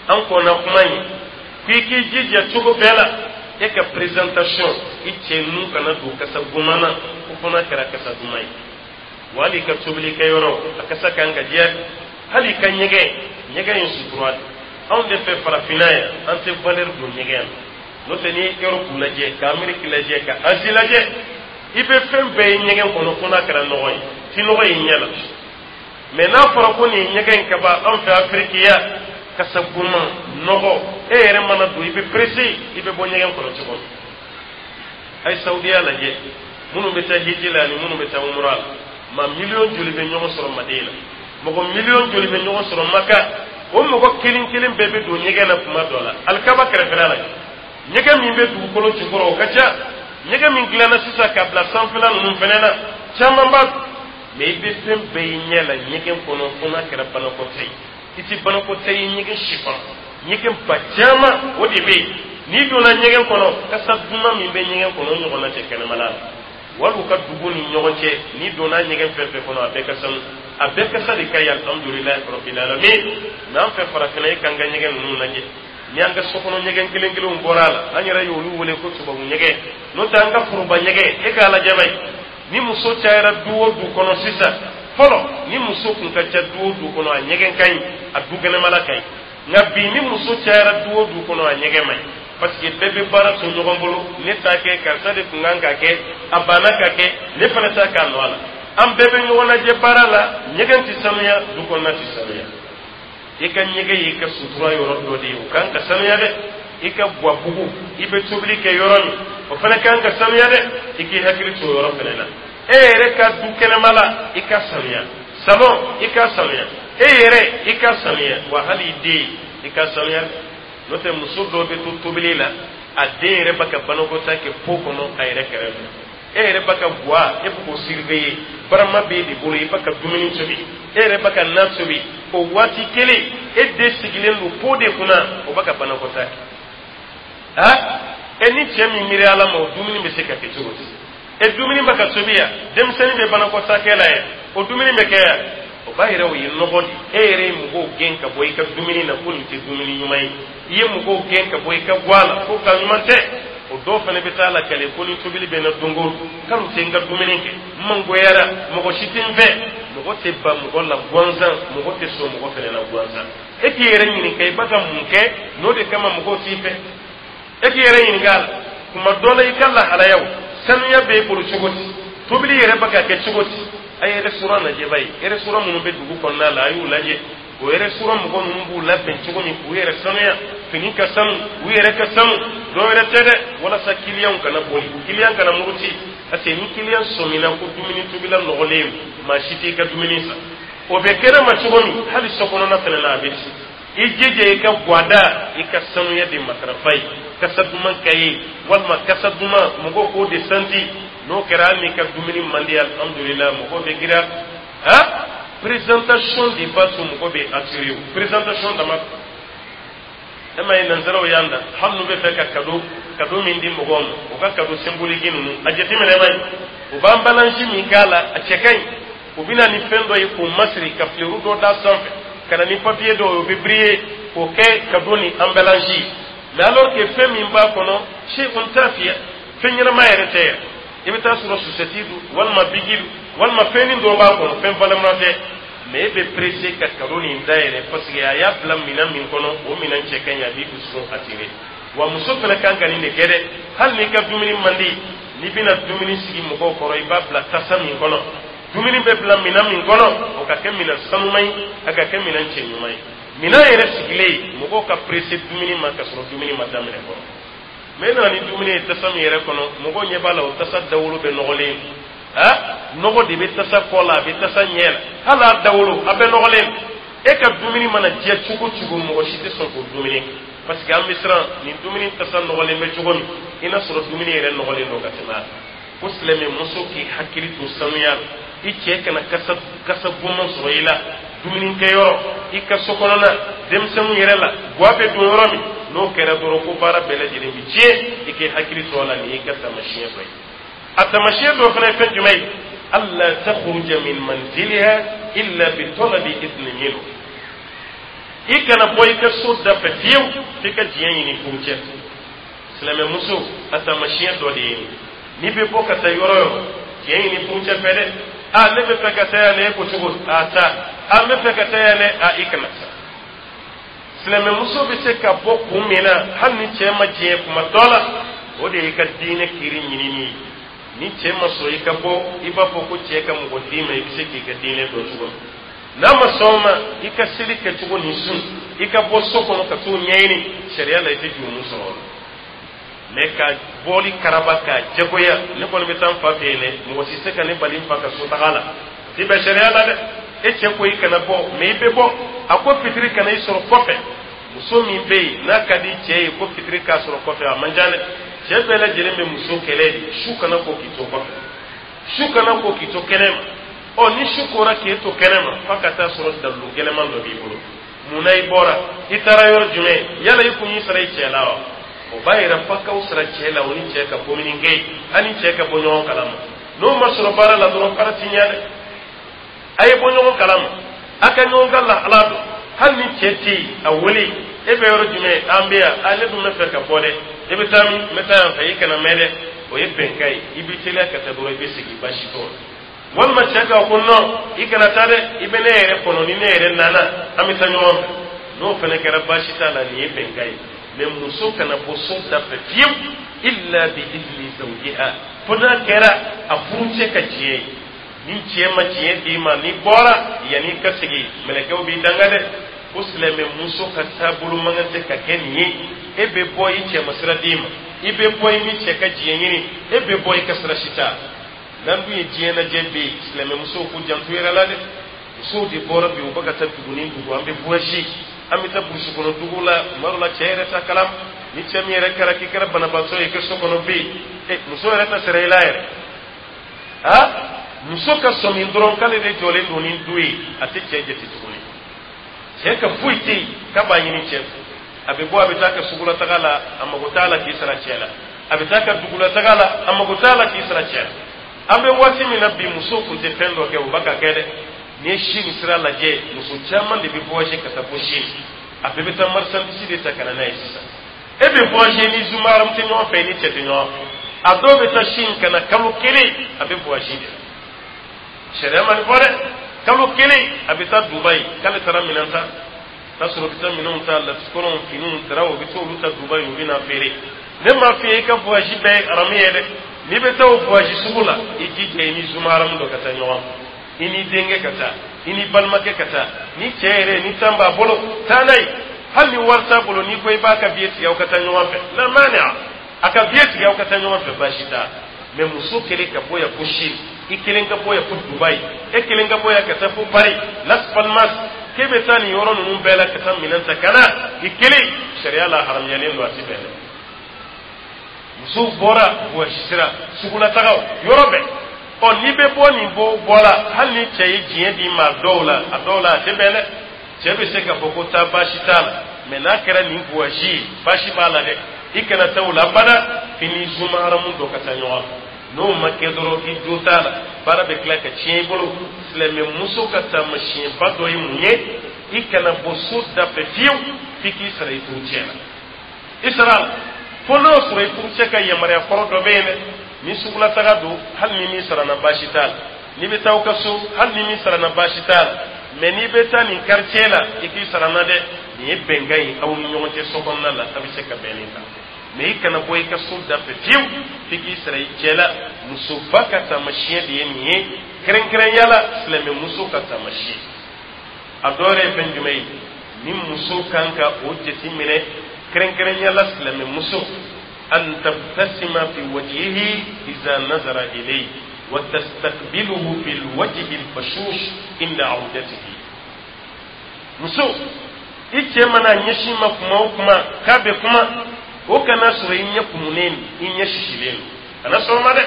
an kɔnna kuma ye ko i k'i jija cogo bɛɛ la, e ka présentation, i cɛ nun kana don kasa goman na, ko fo n'a kɛra kasa duman ye. Wa hali i ka tobilikɛyɔrɔ, a kasa kan ka diya. Hali i ka ɲɛgɛn, Ɲɛgɛn ye sutura de. Anw de fɛ farafinna yan, an tɛ valeur don ɲɛgɛn na. N'o tɛ, n'i ye Europe lajɛ, ka Amérique lajɛ, ka Asie lajɛ, i bɛ fɛn bɛɛ ye ɲɛgɛn kɔnɔ fo n'a kɛra nɔgɔ ye, ti nɔgɔ ye ɲɛ la. Mais n'a fɔra ko nin ye ɲɛgɛn in ka ban, anw fɛ Afiriki yan, kasa goman, nɔgɔ, e yɛrɛ mana don, i bɛ pressé, i bɛ bɔ ɲɛgɛn kɔnɔ cogo min. A ye Saudiya lajɛ, minnu bɛ taa hiji la ani minnu bɛ taa umura la, maa miliyɔn joli bɛ ɲɔgɔn sɔrɔ Madina, mɔgɔ miliyɔn joli bɛ ɲɔgɔn sɔrɔ Maka? O mɔgɔ kelen kelen bɛɛ bɛ don ɲɛgɛn na tuma dɔ la. Alikaba kɛrɛfɛla la, ɲɛgɛn min bɛ dugukolo jukɔrɔ, o ka ca. Ɲɛgɛn min dilanna sisan ka bila sanfɛla ninnu fɛnɛ na, caman b'a. Mais i bɛ fɛn bɛɛ ye ɲɛ la ɲɛgɛn kɔnɔ fo n'a kɛra banakɔta ye. I ti banakɔta ye ɲɛgɛn si kɔnɔ. Ɲɛgɛn ba caman o de bɛ yen. N'i donna ɲɛgɛn kɔnɔ, kasa duman min bɛ ɲɛgɛn kɔnɔ, o ɲɔgɔnna tɛ kɛnɛmana la wali u ka dugu ni ɲɔgɔn cɛ. N'i donna ɲɛgɛn fɛn fɛn kɔnɔ, a bɛɛ ka sanu, a bɛɛ kasa de ka ɲi, alhamdulilayi rabbil alamin. Mais an fɛ farafinna, e k'an ka ɲɛgɛn ninnu lajɛ. Ni an ka sokɔnɔ ɲɛgɛn kelen kelenw bɔra a la, an yɛrɛ y'olu wele ko tubabu ɲɛgɛn. N'o tɛ, an ka foroba ɲɛgɛn, e k'a lajɛ ba ye. Ni muso cayara du o du kɔnɔ sisan, fɔlɔ ni muso kun ka ca du o du kɔnɔ, a ɲɛgɛn ka ɲi, a du kɛnɛmala ka ɲi. Nka bi, ni muso cayara du o du kɔnɔ, a ɲɛgɛn man ɲi, parce que bɛɛ bɛ baara to ɲɔgɔn bolo. Ne t'a kɛ, karisa de kun kan k'a kɛ, a banna ka kɛ, ne fana t'a k'a nɔ la. An bɛɛ bɛ ɲɔgɔn lajɛ baara la, ɲɛgɛn tɛ sanuya, du kɔnɔna tɛ sanuya. I ka ɲɛgɛn y'i ka sutura yɔrɔ dɔ de ye, o kan ka sanuya dɛ. I ka buwabugu, i bɛ tobili kɛ yɔrɔ min, o fana kan ka sanuya dɛ. I k'i hakili to o yɔrɔ fana na. E yɛrɛ ka du kɛnɛma la, i ka sanuya. Salon, i ka sanuya. E yɛrɛ, i ka sanuya. Wa hali i den, i ka sanuya. N'o tɛ, muso dɔw bɛ to tobili la, a den yɛrɛ bɛ ka banakɔtaa kɛ pot kɔnɔ a yɛrɛ kɛrɛfɛ. E yɛrɛ bɛ ka guwa, e bɛ k'o surveiller. Barama b'e de bolo, i bɛ ka dumuni tobi, e yɛrɛ bɛ ka na tobi. O waati kelen, e den sigilen don pot de kunna, o bɛ ka banakɔtaa kɛ. Ha, e ni cɛ min miiri ala ma, o dumuni bɛ se ka kɛ cogo di? E dumuni bɛ ka tobi yan, denmisɛnnin bɛ banakɔtaa kɛ la yan, o dumuni bɛ kɛ yan, o b'a yɛrɛ o ye nɔgɔ de. E yɛrɛ ye mɔgɔw gɛn ka bɔ i ka dumuni na ko nin tɛ dumuni ɲuman ye. I ye mɔgɔw gɛn ka bɔ i ka guwa la ko ka ɲuman tɛ. O dɔw fana bɛ taa lakale ko ni tobili bɛ na don o don, k'ale tɛ n ka dumuni kɛ, n mangoyara, mɔgɔ si tɛ n fɛ. Mɔgɔ tɛ ban mɔgɔ la gansan, mɔgɔ tɛ sɔn mɔgɔ fana la gansan. E k'i yɛrɛ ɲininka, i b'a ka mun kɛ n'o de kama mɔgɔw t'i fɛ? E k'i yɛrɛ ɲininka a la. Kuma dɔ la, i ka lahalayaw, sanuya b'e bolo cogo di? Tobili yɛrɛ bɛ ka kɛ cogo di? A ye restaurant lajɛ ba ye, restaurant minnu bɛ dugu kɔnɔna la, a y'u lajɛ. O restaurant mɔgɔ ninnu b'u labɛn cogo min k'u yɛrɛ sanuya, fini ka sanu, u yɛrɛ ka sanu, dɔ wɛrɛ tɛ dɛ, walasa kiliyanw kana boli, kiliyan kana muruti. Parce que ni kiliyan sɔmina ko dumuni tobila nɔgɔlen, maa si t'i ka dumuni san. O bɛ kɛnɛ ma cogo min, hali so kɔnɔna fana na, a bɛ ten. I jija i ka guwada, i ka sanuya de matarafa ye, kasa duman ka ye walima kasa duman mɔgɔw k'o de santi. N'o kɛra, hali n'i ka dumuni man di, alhamdulillah, mɔgɔw bɛ gira. Ha, présentation de b'a to mɔgɔ bɛ attirer. O présentation dama, e ma ye, nanzaraw y'an da. Hali n'u bɛ fɛ ka cadeau min di mɔgɔw ma, u ka cadeau symbolique ninnu, a jateminɛ ma ye, u b'an emballage min k'a la, a cɛ ka ɲi. U bɛ na ni fɛn dɔ ye k'o masiri, ka fleur dɔ d'a sanfɛ, ka na ni papier dɔw ye, o bɛ briller, k'o kɛ cadeau ni emballage. Mais alors que fɛn min b'a kɔnɔ, shay'un tafiya, fɛn ɲɛnama yɛrɛ tɛ yɛrɛ. I bɛ taa sɔrɔ sucette don, walima bic don, walima fɛnnin dɔ b'a kɔnɔ, fɛn valeur tɛ. Mais e bɛ pressé ka cadeau nin dayɛlɛ, parce que a y'a bila minɛn min kɔnɔ, o minɛn cɛ ka ɲi, a b'i dusukun attiré. Wa muso fana kan ka nin de kɛ dɛ. Hali n'i ka dumuni man di, n'i bɛna dumuni sigi mɔgɔw kɔrɔ, i b'a bila tasa min kɔnɔ, dumuni bɛ bila minɛn min kɔnɔ, o ka kɛ minɛn sanuman ye, a ka kɛ minɛn cɛ ɲuman ye. Minɛn yɛrɛ sigilen, mɔgɔw ka pressé dumuni ma ka sɔrɔ dumuni ma daminɛ fɔlɔ. Mais e nana ni dumuni ye tasa min yɛrɛ kɔnɔ, mɔgɔw ɲɛ b'a la, o tasa dawolo bɛ nɔgɔlen. Ha, nɔgɔ de bɛ tasa kɔ la, a bɛ tasa ɲɛ la, hali a dawolo a bɛɛ nɔgɔlen. E ka dumuni mana diya cogo cogo, mɔgɔ si tɛ sɔn k'o dumuni kɛ, parce que an bɛ siran. Nin dumuni tasa nɔgɔlen bɛ cogo min, i n'a sɔrɔ dumuni yɛrɛ nɔgɔlen don ka tɛmɛ a kan. Ko silamɛ muso k'i hakili to sanuya la. I cɛ kana kasa goman sɔrɔ i la dumunikɛyɔrɔ, i ka so kɔnɔna, denmisɛnninw yɛrɛ la, guwa bɛ don yɔrɔ min. N'o kɛra dɔrɔn, ko baara bɛɛ lajɛlen bɛ tiɲɛ. I k'i hakili to a la. Nin y'i ka taamasiyɛn dɔ ye. A taamasiyɛn dɔ fana ye fɛn jumɛn ye? Alla takhruja min manziliha illa bi talabi idni minhu. I kana bɔ i ka so da fɛ fiyewu f'i ka diɲɛ ɲini furucɛ. Silamɛmuso, a taamasiyɛn dɔ de ye nin. N'i bɛ bɔ ka taa yɔrɔ yɔrɔ, diɲɛ ɲini furucɛ fɛ dɛ. A, ne bɛ fɛ ka taa yan dɛ. E ko cogo? A, taa. A, n bɛ fɛ ka taa yan dɛ. A, i kana taa. Silamɛmuso bɛ se ka bɔ kun min na hali ni cɛ ma diɲɛ kuma dɔ la, o de y'i ka diinɛ kiri ɲinini ye. Ni cɛ ma sɔn i ka bɔ, i b'a fɔ ko cɛ ka mɔgɔ d'i ma, i bɛ se k'i ka diinɛ dɔn cogo min. N'a ma sɔn o ma, i ka seli kɛcogo ni sun, i ka bɔ so kɔnɔ ka t'o ɲɛɲini, sariya la i tɛ jurumu sɔrɔ o la. Mɛ ka bɔli karaba k'a jagoya, ne kɔni bɛ taa n fa fɛ yen dɛ, mɔgɔ si tɛ se ka ne bali n fa ka so taga la, ti bɛn sariya la dɛ. E cɛ ko i kana bɔ, mɛ i bɛ bɔ. A ko fitiri kana i sɔrɔ kɔfɛ. Muso min bɛ yen n'a ka di cɛ ye ko fitiri k'a sɔrɔ kɔfɛ, a man ca dɛ. Cɛ bɛɛ lajɛlen bɛ muso kɛlɛ de, su kana ko k'i to kɔfɛ, su kana ko k'i to kɛnɛ ma. Ɔ, ni su kora k'e to kɛnɛ ma, f'a ka taa sɔrɔ dalilu gɛlɛman dɔ b'i bolo. Mun na i bɔra? I taara yɔrɔ jumɛn? Yala i kun y'i sara i cɛ la wa? O b'a yira f'a k'aw sara cɛ la, o ni cɛ ka communiquer, a ni cɛ ka bɔ ɲɔgɔn kalama. N'o ma sɔrɔ baara la dɔrɔn, baara ti ɲɛ dɛ. A ye bɔ ɲɔgɔn kalama, a ka ɲɔgɔn ka lahala dɔn. Hali ni cɛ tɛ yen, a wele: e bɛ yɔrɔ jumɛn? An bɛ yan. A, ne dun bɛ fɛ ka bɔ dɛ. E bɛ taa min? N bɛ taa yan fɛ. I kana mɛn dɛ. O ye bɛnkan ye. I bɛ teliya ka taa dɔrɔn, i bɛ segin, baasi t'o la. Walima cɛ k'a ko non, i kana taa dɛ, i bɛ ne yɛrɛ kɔnɔ, ni ne yɛrɛ nana, an bɛ taa ɲɔgɔn fɛ. N'o fana kɛra, baasi t'a la. Nin ye bɛnkan ye. Mɛ muso kana bɔ so da fɛ fiyewu illa bi izni zawjiha, fo n'a kɛra a furucɛ ka diɲɛ ye. Ni cɛ ma diɲɛ d'i ma, n'i bɔra, yanni i ka segin, mɛlɛkɛw b'i danga dɛ. Ko silamɛ muso ka taabolo man kan tɛ ka kɛ nin ye. E bɛ bɔ, i cɛ ma sira d'i ma. I bɛ bɔ, i ni cɛ ka diɲɛ ɲini. E bɛ bɔ, i ka sira si t'a n'an dun ye. Diɲɛ lajɛ bɛ yen, silamɛmusow k'u janto yɛrɛ la dɛ. Musow de bɔra bi, u bɛ ka taa dugu ni dugu. An bɛ voyage, an bɛ taa burusi kɔnɔ dugu la. Tuma dɔ la, cɛ yɛrɛ ta kalam ni cɛ min yɛrɛ kɛra k'i kɛra banabaatɔ ye, i ka so kɔnɔ bɛ yen, e muso yɛrɛ ta sara i la yɛrɛ. Ha, muso ka sɔmi dɔrɔn k'ale de jɔlen don ni du ye, a tɛ cɛ jate tuguni. Cɛ ka foyi tɛ yen k'a b'a ɲini cɛ fɛ. A bɛ bɔ, a bɛ taa ka sugulataga la, a mago t'a la k'i sara cɛ la. A bɛ taa ka dugulataga la, a mago t'a la k'i sara cɛ la. An bɛ waati min na bi, musow tun tɛ fɛn dɔ kɛ, u b'a ka kɛ dɛ. N'i ye Chine sira lajɛ, muso caman de bɛ voyager ka taa fo Chine. A bɛɛ bɛ taa marchandise de ta ka na n'a ye. Sisan e bɛ voyager ni zumaram tɛ ɲɔgɔn fɛ, ni cɛ tɛ ɲɔgɔn fɛ. A dɔw bɛ taa Chine ka na, kalo kelen a bɛ voyage de la. Sariya ma nin fɔ dɛ. Kalo kelen a bɛ taa Dubayi k'ale taara minɛn ta. T'a sɔrɔ u bɛ taa minɛnw ta, latikɔlɔnw, finiw, daraw, u bɛ taa olu ta Dubayi, u bɛ na feere. Ne m'a f'i ye i ka voyage bɛɛ ye haramu ye dɛ. N'i bɛ taa o voyage sugu la, i jija i ni zumaramu dɔ ka taa ɲɔgɔn fɛ, i n'i denkɛ ka taa, i n'i balimakɛ ka taa, ni cɛ yɛrɛ ni tan b'a bolo, taa n'a ye. Hali ni wari t'a bolo, n'i ko i b'a ka billet tigɛ, aw ka taa ɲɔgɔn fɛ, la mani a ka billet tigɛ, aw ka taa ɲɔgɔn fɛ, baasi t'a. Mɛ muso kelen ka bɔ yan fo Chine, i kelen ka bɔ yan fo Dubayi, e kelen ka bɔ yan ka taa fo Paris, Las Palmas, k'e bɛ taa nin yɔrɔ ninnu bɛɛ la ka taa minɛn ta ka na i kelen, sariya la haramuyalen don, a ti bɛn dɛ. Musow bɔra voyage sira, sugulatagaw, yɔrɔ bɛɛ. Ɔ, n'i bɛ bɔ nin bɔ bɔra, hali ni cɛ ye diɲɛ d'i ma, a dɔw la, a dɔw la a tɛ bɛn dɛ. Cɛ bɛ se k'a fɔ ko taa, baasi t'a la. Mɛ n'a kɛra nin voyage ye, baasi b'a la dɛ. I kana taa o la abada f'i ni zuma haramu dɔ ka taa ɲɔgɔn fɛ. N'o ma kɛ dɔrɔn, k'i jo t'a la, baara bɛ tila ka tiɲɛ i bolo. Silamɛmuso ka taamasiyɛnba dɔ ye mun ye? I kana bɔ so da fɛ fiyewu f'i k'i sara i furucɛ la. I sara la fo n'o sɔrɔ i furucɛ ka yamaruya kɔrɔ dɔ bɛ yen dɛ. Ni sugulataga don, hali ni min sara na, baasi t'a la. N'i bɛ taa aw ka so, hali ni min sara na, baasi t'a la. Mɛ n'i bɛ taa nin quartier la, i k'i sara na dɛ. Nin ye bɛnkan ye aw ni ɲɔgɔn cɛ so kɔnɔna la, a bɛ se ka bɛn nin kan. Mɛ i kana bɔ i ka so da fɛ fiyewu f'i k'i sara i cɛ la. Musoba ka taamasiyɛn de ye nin ye, kɛrɛnkɛrɛnya la silamɛmuso ka taamasiyɛn. A dɔ yɛrɛ ye fɛn jumɛn ye ni muso kan ka o jateminɛ, kɛrɛnkɛrɛnya la silamɛmuso? An tabtasima fi wajhihi iza nazara ilayhi wa tastaqbiluhu bil wajhi al bashush inda awdatihi. Muso, i cɛ mana ɲɛsin ma kuma o kuma k'a bɛ kuma, o kana sɔrɔ i ɲɛ kumunen, i ɲɛ sisilen don. Kana sɔrɔ ma dɛ.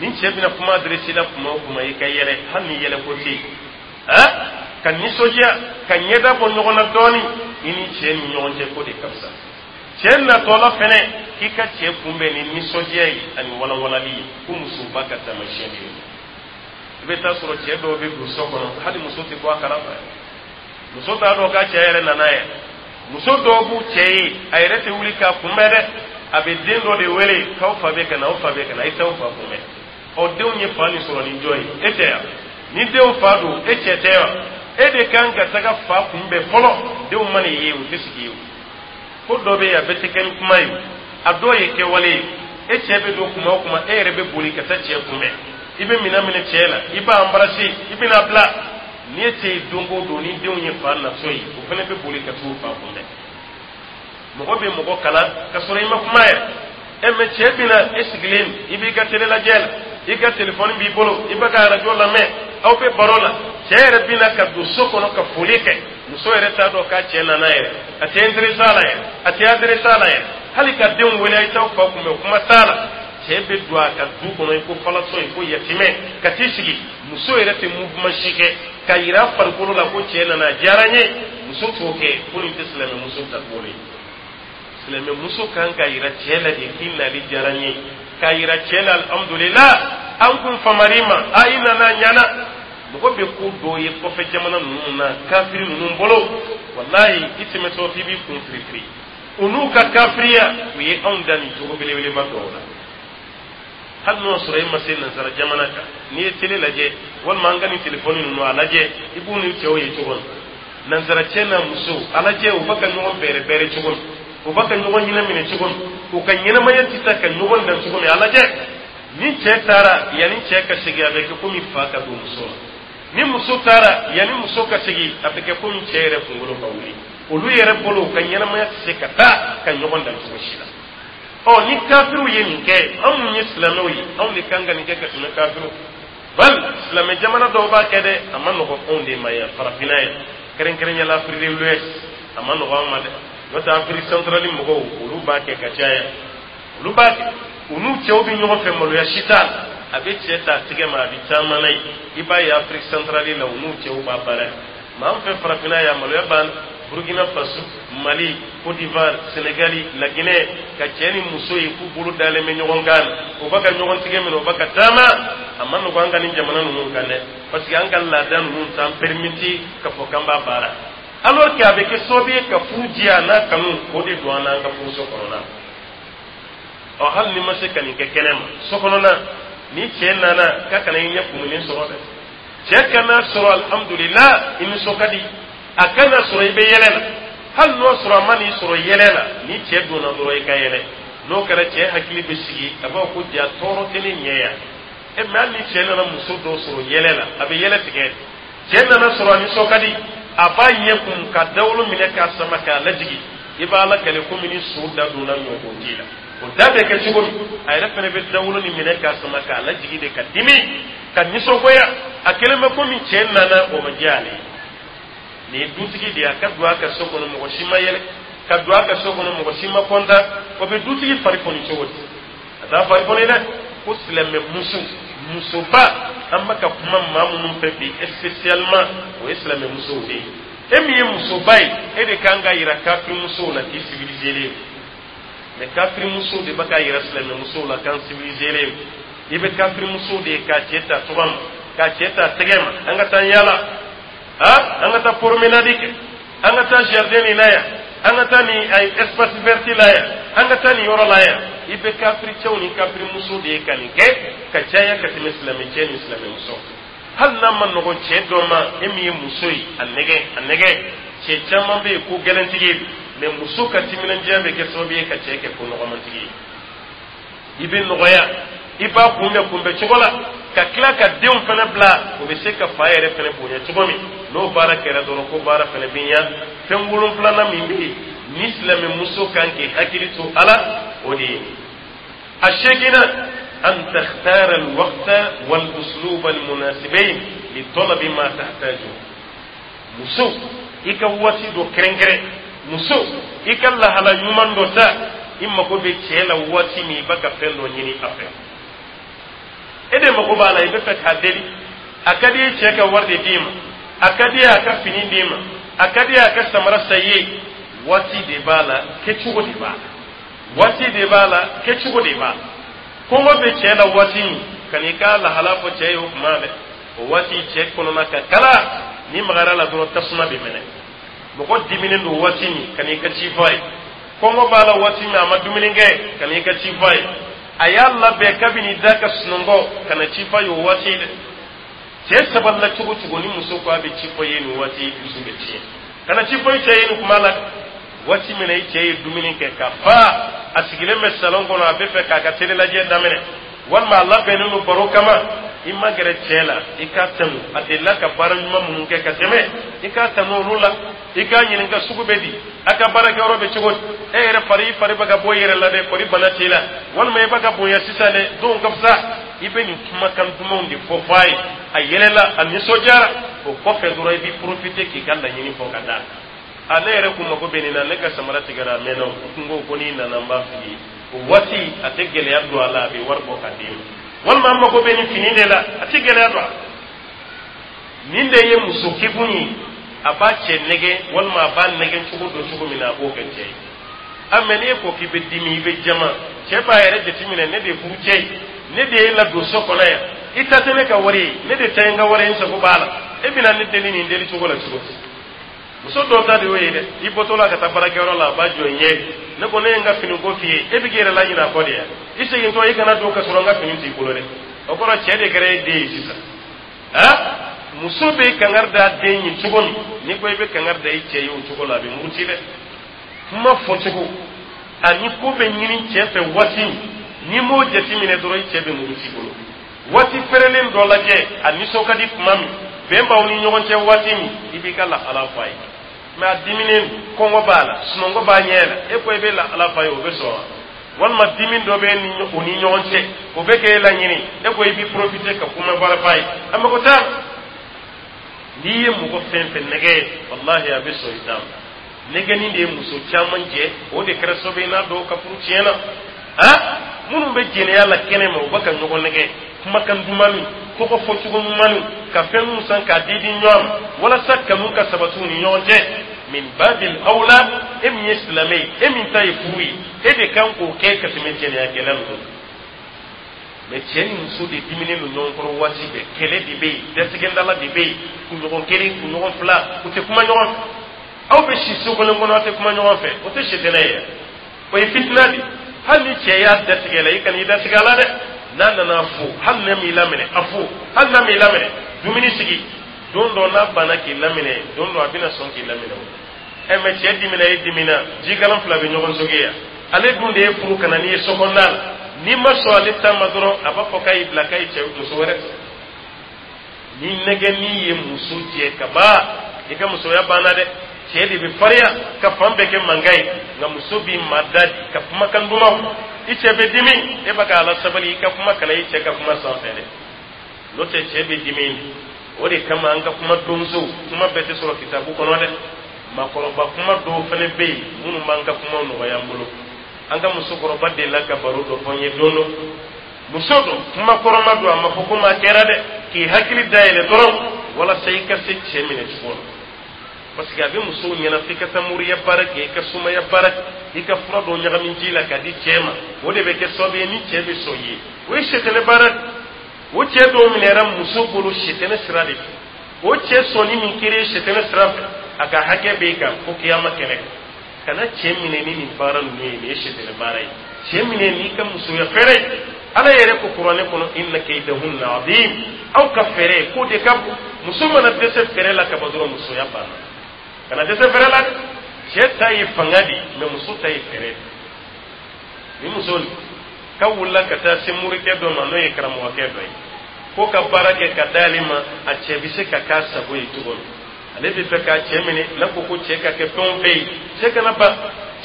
Ni cɛ bɛna kuma adressé la kuma o kuma, i ka yɛlɛ, hali ni yɛlɛ ko tɛ yen, ka nisɔndiya, ka ɲɛda bɔ ɲɔgɔn na dɔɔni i ni cɛ ni ɲɔgɔn cɛ, ko de ka fisa. Cɛ natɔla fɛnɛ, k'i ka cɛ kunbɛn ni nisɔndiya ye ani walanwalali ye, ko musoba ka taamasiyɛn de ye. I bɛ taa sɔrɔ cɛ dɔw bɛ don so kɔnɔ, hali muso tɛ bɔ a kalama, muso t'a dɔn k'a cɛ yɛrɛ nana yɛrɛ. Muso dɔw b'u cɛ ye, a yɛrɛ tɛ wuli k'a kunbɛn dɛ. A bɛ den dɔ de wele k'aw fa bɛ ka na, aw fa bɛ ka na, i t'aw fa kunbɛn. Ɔ, denw ye fa nin sɔrɔ ni jɔn ye? E tɛ yan. Ni denw fa don, e cɛ tɛ yan. E de kan ka taga fa kunbɛn fɔlɔ. Denw mana i ye, u tɛ sigi ye. Ko dɔ bɛ yen, a bɛɛ tɛ kɛ ni kuma ye, a dɔw ye kɛwale ye. E cɛ bɛ don kuma o kuma, e yɛrɛ bɛ boli ka taa cɛ kunbɛn, i bɛ minɛn minɛ cɛ la, i b'a embrasser, i bɛna bila. N'i ye cɛ ye don o don, ni denw ye fa natɔ ye, o fana bɛ boli ka t'u fa kunbɛn. Mɔgɔ bɛ mɔgɔ kalan ka sɔrɔ i ma kuma yɛrɛ. Ɛ mɛ, cɛ bɛna, e sigilen, i b'i ka télé lajɛ la, i ka telefɔni b'i bolo, i bɛ ka arajo lamɛn, aw bɛ baro la. Cɛ yɛrɛ bɛna ka don so kɔnɔ ka foli kɛ, muso yɛrɛ t'a dɔn k'a cɛ nana yɛrɛ. A tɛ intéressé a la yɛrɛ, a tɛ adressé a la yɛrɛ. Hali ka denw wele a ye t'aw fa kunbɛn, kuma t'a la. Cɛ bɛ don a ka du kɔnɔ i ko falatɔ, i ko yatimɛ, ka t'i sigi. Muso yɛrɛ tɛ mouvement si kɛ ka yira farikolo la ko cɛ nana, a diyara n ye. Muso t'o kɛ. Ko nin tɛ silamɛmuso taabolo ye. Silamɛmuso kan ka yira cɛ la de k'i nali diyara n ye, k'a yira cɛ la alhamdulillah, an kun famari ma, a i nana, ɲana. Mɔgɔ bɛ ko dɔw ye kɔfɛ jamana ninnu na, kafiri ninnu bolo, walahi, i tɛmɛtɔ f'i b'i kun firifiri. U n'u ka kafiriya, u ye anw da nin cogo belebeleba dɔw la. Hali n'o sɔrɔ e ma se nansara jamana kan, n'i ye télé lajɛ walima an ka nin telefɔni ninnu a lajɛ, i b'u ni cɛw ye cogo min, nansara cɛ n'a muso, a lajɛ u bɛ ka ɲɔgɔn bɛrɛ bɛrɛ cogo min, u bɛ ka ɲɔgɔn ɲinɛ minɛ cogo min, u ka ɲɛnamaya tɛ taa ka ɲɔgɔn dan cogo min, a lajɛ. Ni cɛ taara, yanni cɛ ka segin, a bɛ kɛ komi fa ka don muso la. Ni muso taara, yanni muso ka segin, a bɛ kɛ komi cɛ yɛrɛ kunkolo ka wuli. Olu yɛrɛ bolo, u ka ɲɛnamaya tɛ se ka taa ka ɲɔgɔn dan cogo si la. Ɔ, ni kafiriw ye nin kɛ, anw mun ye silamɛw ye, anw de kan ka nin kɛ ka tɛmɛ kafiriw. Bal silamɛ jamana dɔw b'a kɛ dɛ. A ma nɔgɔn anw de ma yan, farafinna yan, kɛrɛnkɛrɛnya la Afrique de l'Ouest, a ma nɔgɔn an ma dɛ. N'o tɛ, Afrique centrale mɔgɔw, olu b'a kɛ ka caya. Olu b'a kɛ, u n'u cɛw bɛ ɲɔgɔn fɛ, maloya si t'a la. A bɛ cɛ ta a tigɛ ma, a bɛ caman na ye. I b'a ye Afrique centrale la, u n'u cɛw b'a baara. Mais an fɛ farafinna yan, maloya b'an. Burkina Faso, Mali, Côte d'Ivoire, Sénégal, La Guinée, ka cɛ ni muso ye k'u bolo dalen bɛ ɲɔgɔn kan, u b'a ka ɲɔgɔn tigɛ minɛ, u b'a ka taama, a ma nɔgɔn an ka nin jamana ninnu kan dɛ, parce que an ka laada ninnu t'an permettre ka fɔ k'an b'a baara, alors que a bɛ kɛ sababu ye ka furu diya n'a kanu k'o de don an n'an ka furuso kɔnɔna. Ɔ, hali ni ma se ka nin kɛ kɛnɛ ma, so kɔnɔna, ni cɛ nana, k'a kana i ɲɛ kumunen sɔrɔ dɛ. Cɛ kana sɔrɔ alhamdulillah, i nisɔn ka di. A kana sɔrɔ i bɛ yɛlɛ la. Hali n'o sɔrɔ a ma n'i sɔrɔ yɛlɛ la, ni cɛ donna dɔrɔn, i ka yɛlɛ. N'o kɛra, cɛ hakili bɛ sigi, a b'a fɔ ko ja tɔɔrɔ tɛ ne ɲɛ yan. E mɛ, hali ni cɛ nana muso dɔw sɔrɔ yɛlɛ la, a bɛ yɛlɛ tigɛ. Cɛ nana sɔrɔ a nisɔn ka di, a b'a ɲɛ kun ka dawolo minɛ k'a sama k'a lajigi. I b'a la kɛlɛ komi ni so da donna ɲɔgɔnji la, o da bɛ kɛ cogo min, a yɛrɛ fana bɛ dawolo ni minɛ k'a sama k'a lajigi de, ka dimi, ka nisɔngoya. A kɛlen bɛ komi cɛ nana, o ma diya ale ye. Nin ye dutigi de ye. A ka don a ka so kɔnɔ, mɔgɔ si ma yɛlɛ. Ka don a ka so kɔnɔ, mɔgɔ si ma kɔntan. O bɛ dutigi fari foni cogo di? A t'a fari foni dɛ. Ko silamɛ muso, musoba, an bɛ ka kuma maa minnu fɛ bi spécialement, o ye silamɛ musow de ye. E min ye musoba ye, e de kan ka yira kafiri musow la k'i civilisé len. Mais kafiri musow de bɛ ka yira silamɛ musow la k'an civilisé len. I bɛ kafiri musow de ye k'a cɛ ta tɔgɔ ma, k'a cɛ ta tɛgɛ ma, an ka taa yala, ah, an ka taa promenade kɛ, an ka taa jardin nin na yan, an ka taa nin espace vert la yan, an ka taa nin yɔrɔ la yan. I bɛ kafiri cɛw ni kafiri musow de ye ka nin kɛ ka caya ka tɛmɛ silamɛ cɛ ni silamɛ muso. Hali n'a ma nɔgɔn cɛ dɔ ma, e min ye muso ye, a nɛgɛ, a nɛgɛ. Cɛ caman bɛ yen ko gɛlɛntigi ye, mais muso ka timinandiya bɛ kɛ sababu ye ka cɛ kɛ ko nɔgɔmantigi ye. I bɛ nɔgɔya, i b'a kunbɛn kunbɛn cogo la, ka tila ka denw fana bila, o bɛ se ka fa yɛrɛ fana bonya cogo min. N'o baara kɛra dɔrɔn, ko baara fana bɛ ɲa. Fɛn wolonfilanan min bɛ yen ni silamɛmuso kan k'i hakili to a la, o de ye a seeginna: أن تختار الوقت والأسلوب المناسبين لطلب ما تحتاجه. Muso, i ka waati dɔ kɛrɛnkɛrɛn. Muso, i ka lahala ɲuman dɔ ta. I mago bɛ cɛ la waati min, i b'a ka fɛn dɔ ɲini a fɛ, e de mago b'a la, i bɛ fɛ k'a deli. A ka di ye cɛ ka wari de d'i ma, a ka di ye a ka fini d'i ma, a ka di ye a ka samara san i ye. Waati de b'a la, kɛcogo de b'a la. Waati de b'a la, kɛcogo de b'a la. Kɔngɔ bɛ cɛ la waati min, ka n'i ka lahala fɔ cɛ ye, o kuma dɛ, o waati cɛ kɔnɔna ka kala, ni magara la dɔrɔn, tasuma bɛ mɛnɛ. Mɔgɔ diminen don waati min, ka n'i ka ci fɔ a ye. Kɔngɔ b'a la waati min, a ma dumuni kɛ, ka n'i ka ci fɔ a ye. A y'a labɛn kabini da ka sunɔgɔ, ka na ci fɔ a ye o waati dɛ. Cɛ sabalila cogo cogo, ni muso ko a bɛ ci fɔ i ye nin waati, i dusu bɛ tiɲɛ. Kana ci fɔ i cɛ ye nin kuma la. Waati min na i cɛ ye dumuni kɛ ka fa, a sigilen bɛ salon kɔnɔ, a bɛ fɛ k'a ka tele lajɛ daminɛ, walima a labɛnnen don baro kama, i ma gɛrɛ cɛ la, i k'a tanu. A delila ka baara ɲuman minnu kɛ ka tɛmɛ, i k'a tanu olu la. I k'a ɲininka sugu bɛ di, a ka baarakɛyɔrɔ bɛ cogo di, e yɛrɛ fari, i fari bɛ ka bɔ i yɛrɛ la dɛ, kɔri bana t'i la, walima i bɛ ka bonya sisan dɛ, donw ka fisa. I bɛ nin kumakan dumanw de fɔ f'a ye, a yɛlɛla, a nisɔndiyara. O kɔfɛ dɔrɔn, i b'i profiter k'i ka laɲini fɔ ka d'a a ne yɛrɛ kun mako bɛ nin na, ne ka samara tigɛra a mɛnna, o kun ko ko n'i nana n b'a f'i ye. O waati, a tɛ gɛlɛya don a la, a bɛ wari bɔ ka d'i ma. Walima an mako bɛ nin fini de la, a tɛ gɛlɛya don a la. Nin de ye muso kekun ye. A b'a cɛ nɛgɛ, walima a b'a nɛgɛ cogo dɔ cogo min na, a b'o kɛ cɛ ye. A mɛ n'e ko k'i bɛ dimi, i bɛ jama, cɛ b'a yɛrɛ jateminɛ: ne de ye furu cɛ ye, ne de ye ladon so kɔnɔ yan, i ta tɛ ne ka wari ye, ne de ta ye n ka wari ye, n sago b'a la. E bɛna ne deli nin deli cogo la cogo di? Muso dɔw ta de y'o ye dɛ. I bɔtɔ la ka taa baarakɛyɔrɔ la, a b'a jɔ i ɲɛ: ne ko ne ye n ka fini ko f'i ye, e bɛ k'i yɛrɛ laɲinɛ a kɔ de yan. I segintɔ, i kana don ka sɔrɔ n ka fini t'i bolo dɛ. O kɔrɔ, cɛ de kɛra e den ye sisan. Han, muso bɛ kangari da den ye cogo min, n'i ko i bɛ kangari da i cɛ ye o cogo la, a bɛ muruti dɛ. Kuma fɔcogo ani ko bɛ ɲini cɛ fɛ waati min, n'i m'o jateminɛ dɔrɔn, i cɛ bɛ muruti bolo. Waati fɛrɛlen dɔ lajɛ, a nisɔn ka di tuma min, bɛn b'aw ni ɲɔgɔn cɛ waati min, i b'i ka lahala fɔ a ye. Mɛ a diminen, kɔngɔ b'a la, sunɔgɔ b'a ɲɛ la, e ko i bɛ lahala fɔ a ye, o bɛ sɔn wa? Walima dimi dɔ bɛ ni o ni ɲɔgɔn cɛ, o bɛ k'e laɲini, e ko i b'i profiter ka kuma wɛrɛ f'a ye, a mago t'a la. N'i ye mɔgɔ fɛn fɛn nɛgɛ, walahi, a bɛ sɔn i ta ma. Nɛgɛnni de ye muso caman jɛ, o de kɛra sababu ye n'a dɔw ka furu tiɲɛna. Han, minnu bɛ jɛnɛya la kɛnɛ ma, u bɛ ka ɲɔgɔn nɛgɛ kumakan dumanni, tɔgɔ fɔcogo ɲumanni, ka fɛn san k'a di di ɲɔgɔn ma walasa kanu ka sabati u ni ɲɔgɔn cɛ. Min babil awla, e min ye silamɛ ye, e min ta ye furu ye, e de kan k'o kɛ ka tɛmɛ jɛnɛyakɛla ninnu. Mɛ cɛ ni muso de diminen don ɲɔgɔn kɔrɔ waati bɛɛ, kɛlɛ de bɛ yen, datigɛndala de bɛ yen, kunɲɔgɔn kelen, kunɲɔgɔn fila, u tɛ kuma ɲɔgɔn fɛ. Aw bɛ si so kelen kɔnɔ, aw tɛ kuma ɲɔgɔn fɛ, o tɛ sɛtɛnɛ ye, o ye fitina de. Hali ni cɛ y'a datigɛ la, i kana i datigɛ a la dɛ. N'a nana fo, hali n'a m'i laminɛ, a fo. Hali n'a m'i laminɛ, dumuni sigi. Don dɔ n'a banna k'i laminɛ, don dɔ a bɛna sɔn k'i laminɛ o. Ɛ, mɛ cɛ dimina, e dimina, jikalan fila bɛ ɲɔgɔn soge yan. Ale dun de ye furu ka na n'i ye so kɔnɔna la. N'i ma sɔn ale ta ma dɔrɔn, a b'a fɔ k'a y'i bila, k'a ye cɛ muso wɛrɛ. Ni nɛgɛnni ye muso jɛ ka ban, i ka musoya banna dɛ. Cɛ de bɛ farinya ka fan bɛɛ kɛ mankan ye, nka muso b'i mada di ka kumakan dumanw. I cɛ bɛ dimi, e bɛ k'a la sabali, i ka kuma kana i cɛ ka kuma sanfɛ dɛ, n'o tɛ cɛ bɛ dimi. O de kama an ka kuma donsow, kuma bɛɛ tɛ sɔrɔ kitabu kɔnɔ dɛ. Maakɔrɔba kuma dɔw fana bɛ yen minnu b'an ka kumaw nɔgɔya an bolo. An ka musokɔrɔba delila ka baro dɔ fɔ n ye don dɔ. Muso dɔ, kuma kɔrɔma don, a ma fɔ ko maa kɛra dɛ, k'i hakili dayɛlɛ dɔrɔn walasa i ka se cɛ minɛ cogo la, parce que a bɛ musow ɲɛna f'i ka taa moriya baara kɛ, i ka sumaya baara kɛ, i ka fura dɔ ɲagami ji la k'a di cɛ ma, o de bɛ kɛ sababu ye ni cɛ bɛ sɔn i ye. O ye sɛtɛnɛ baara de. O cɛ dɔw minɛra muso bolo sɛtɛnɛ sira de fɛ. O cɛ sɔnni min kɛra sɛtɛnɛ sira fɛ, a ka hakɛ bɛ e kan fo kiyama kɛnɛ. Kana cɛ minɛ ni nin baara ninnu ye, nin ye sɛtɛnɛ baara ye. Cɛ minɛ n'i ka musoya fɛrɛ ye. Ala yɛrɛ ko Kuranɛ kɔnɔ: inna kaydahunna azim. Aw ka fɛɛrɛ k'o de ka bon. Muso mana dɛsɛ fɛɛrɛ la ka ban dɔrɔn, musoya banna. Kana dɛsɛ fɛɛrɛ la dɛ. Cɛ ta ye fanga de ye, mɛ muso ta ye fɛɛrɛ de. Ni muso ka wulila ka taa se morikɛ dɔ ma, n'o ye karamɔgɔkɛ dɔ ye, ko ka baara kɛ ka d'ale ma, a cɛ bɛ se ka k'a sago ye cogo min, ale bɛ fɛ k'a cɛ minɛ n'a ko ko cɛ ka kɛ fɛn o fɛn ye, cɛ kana ban,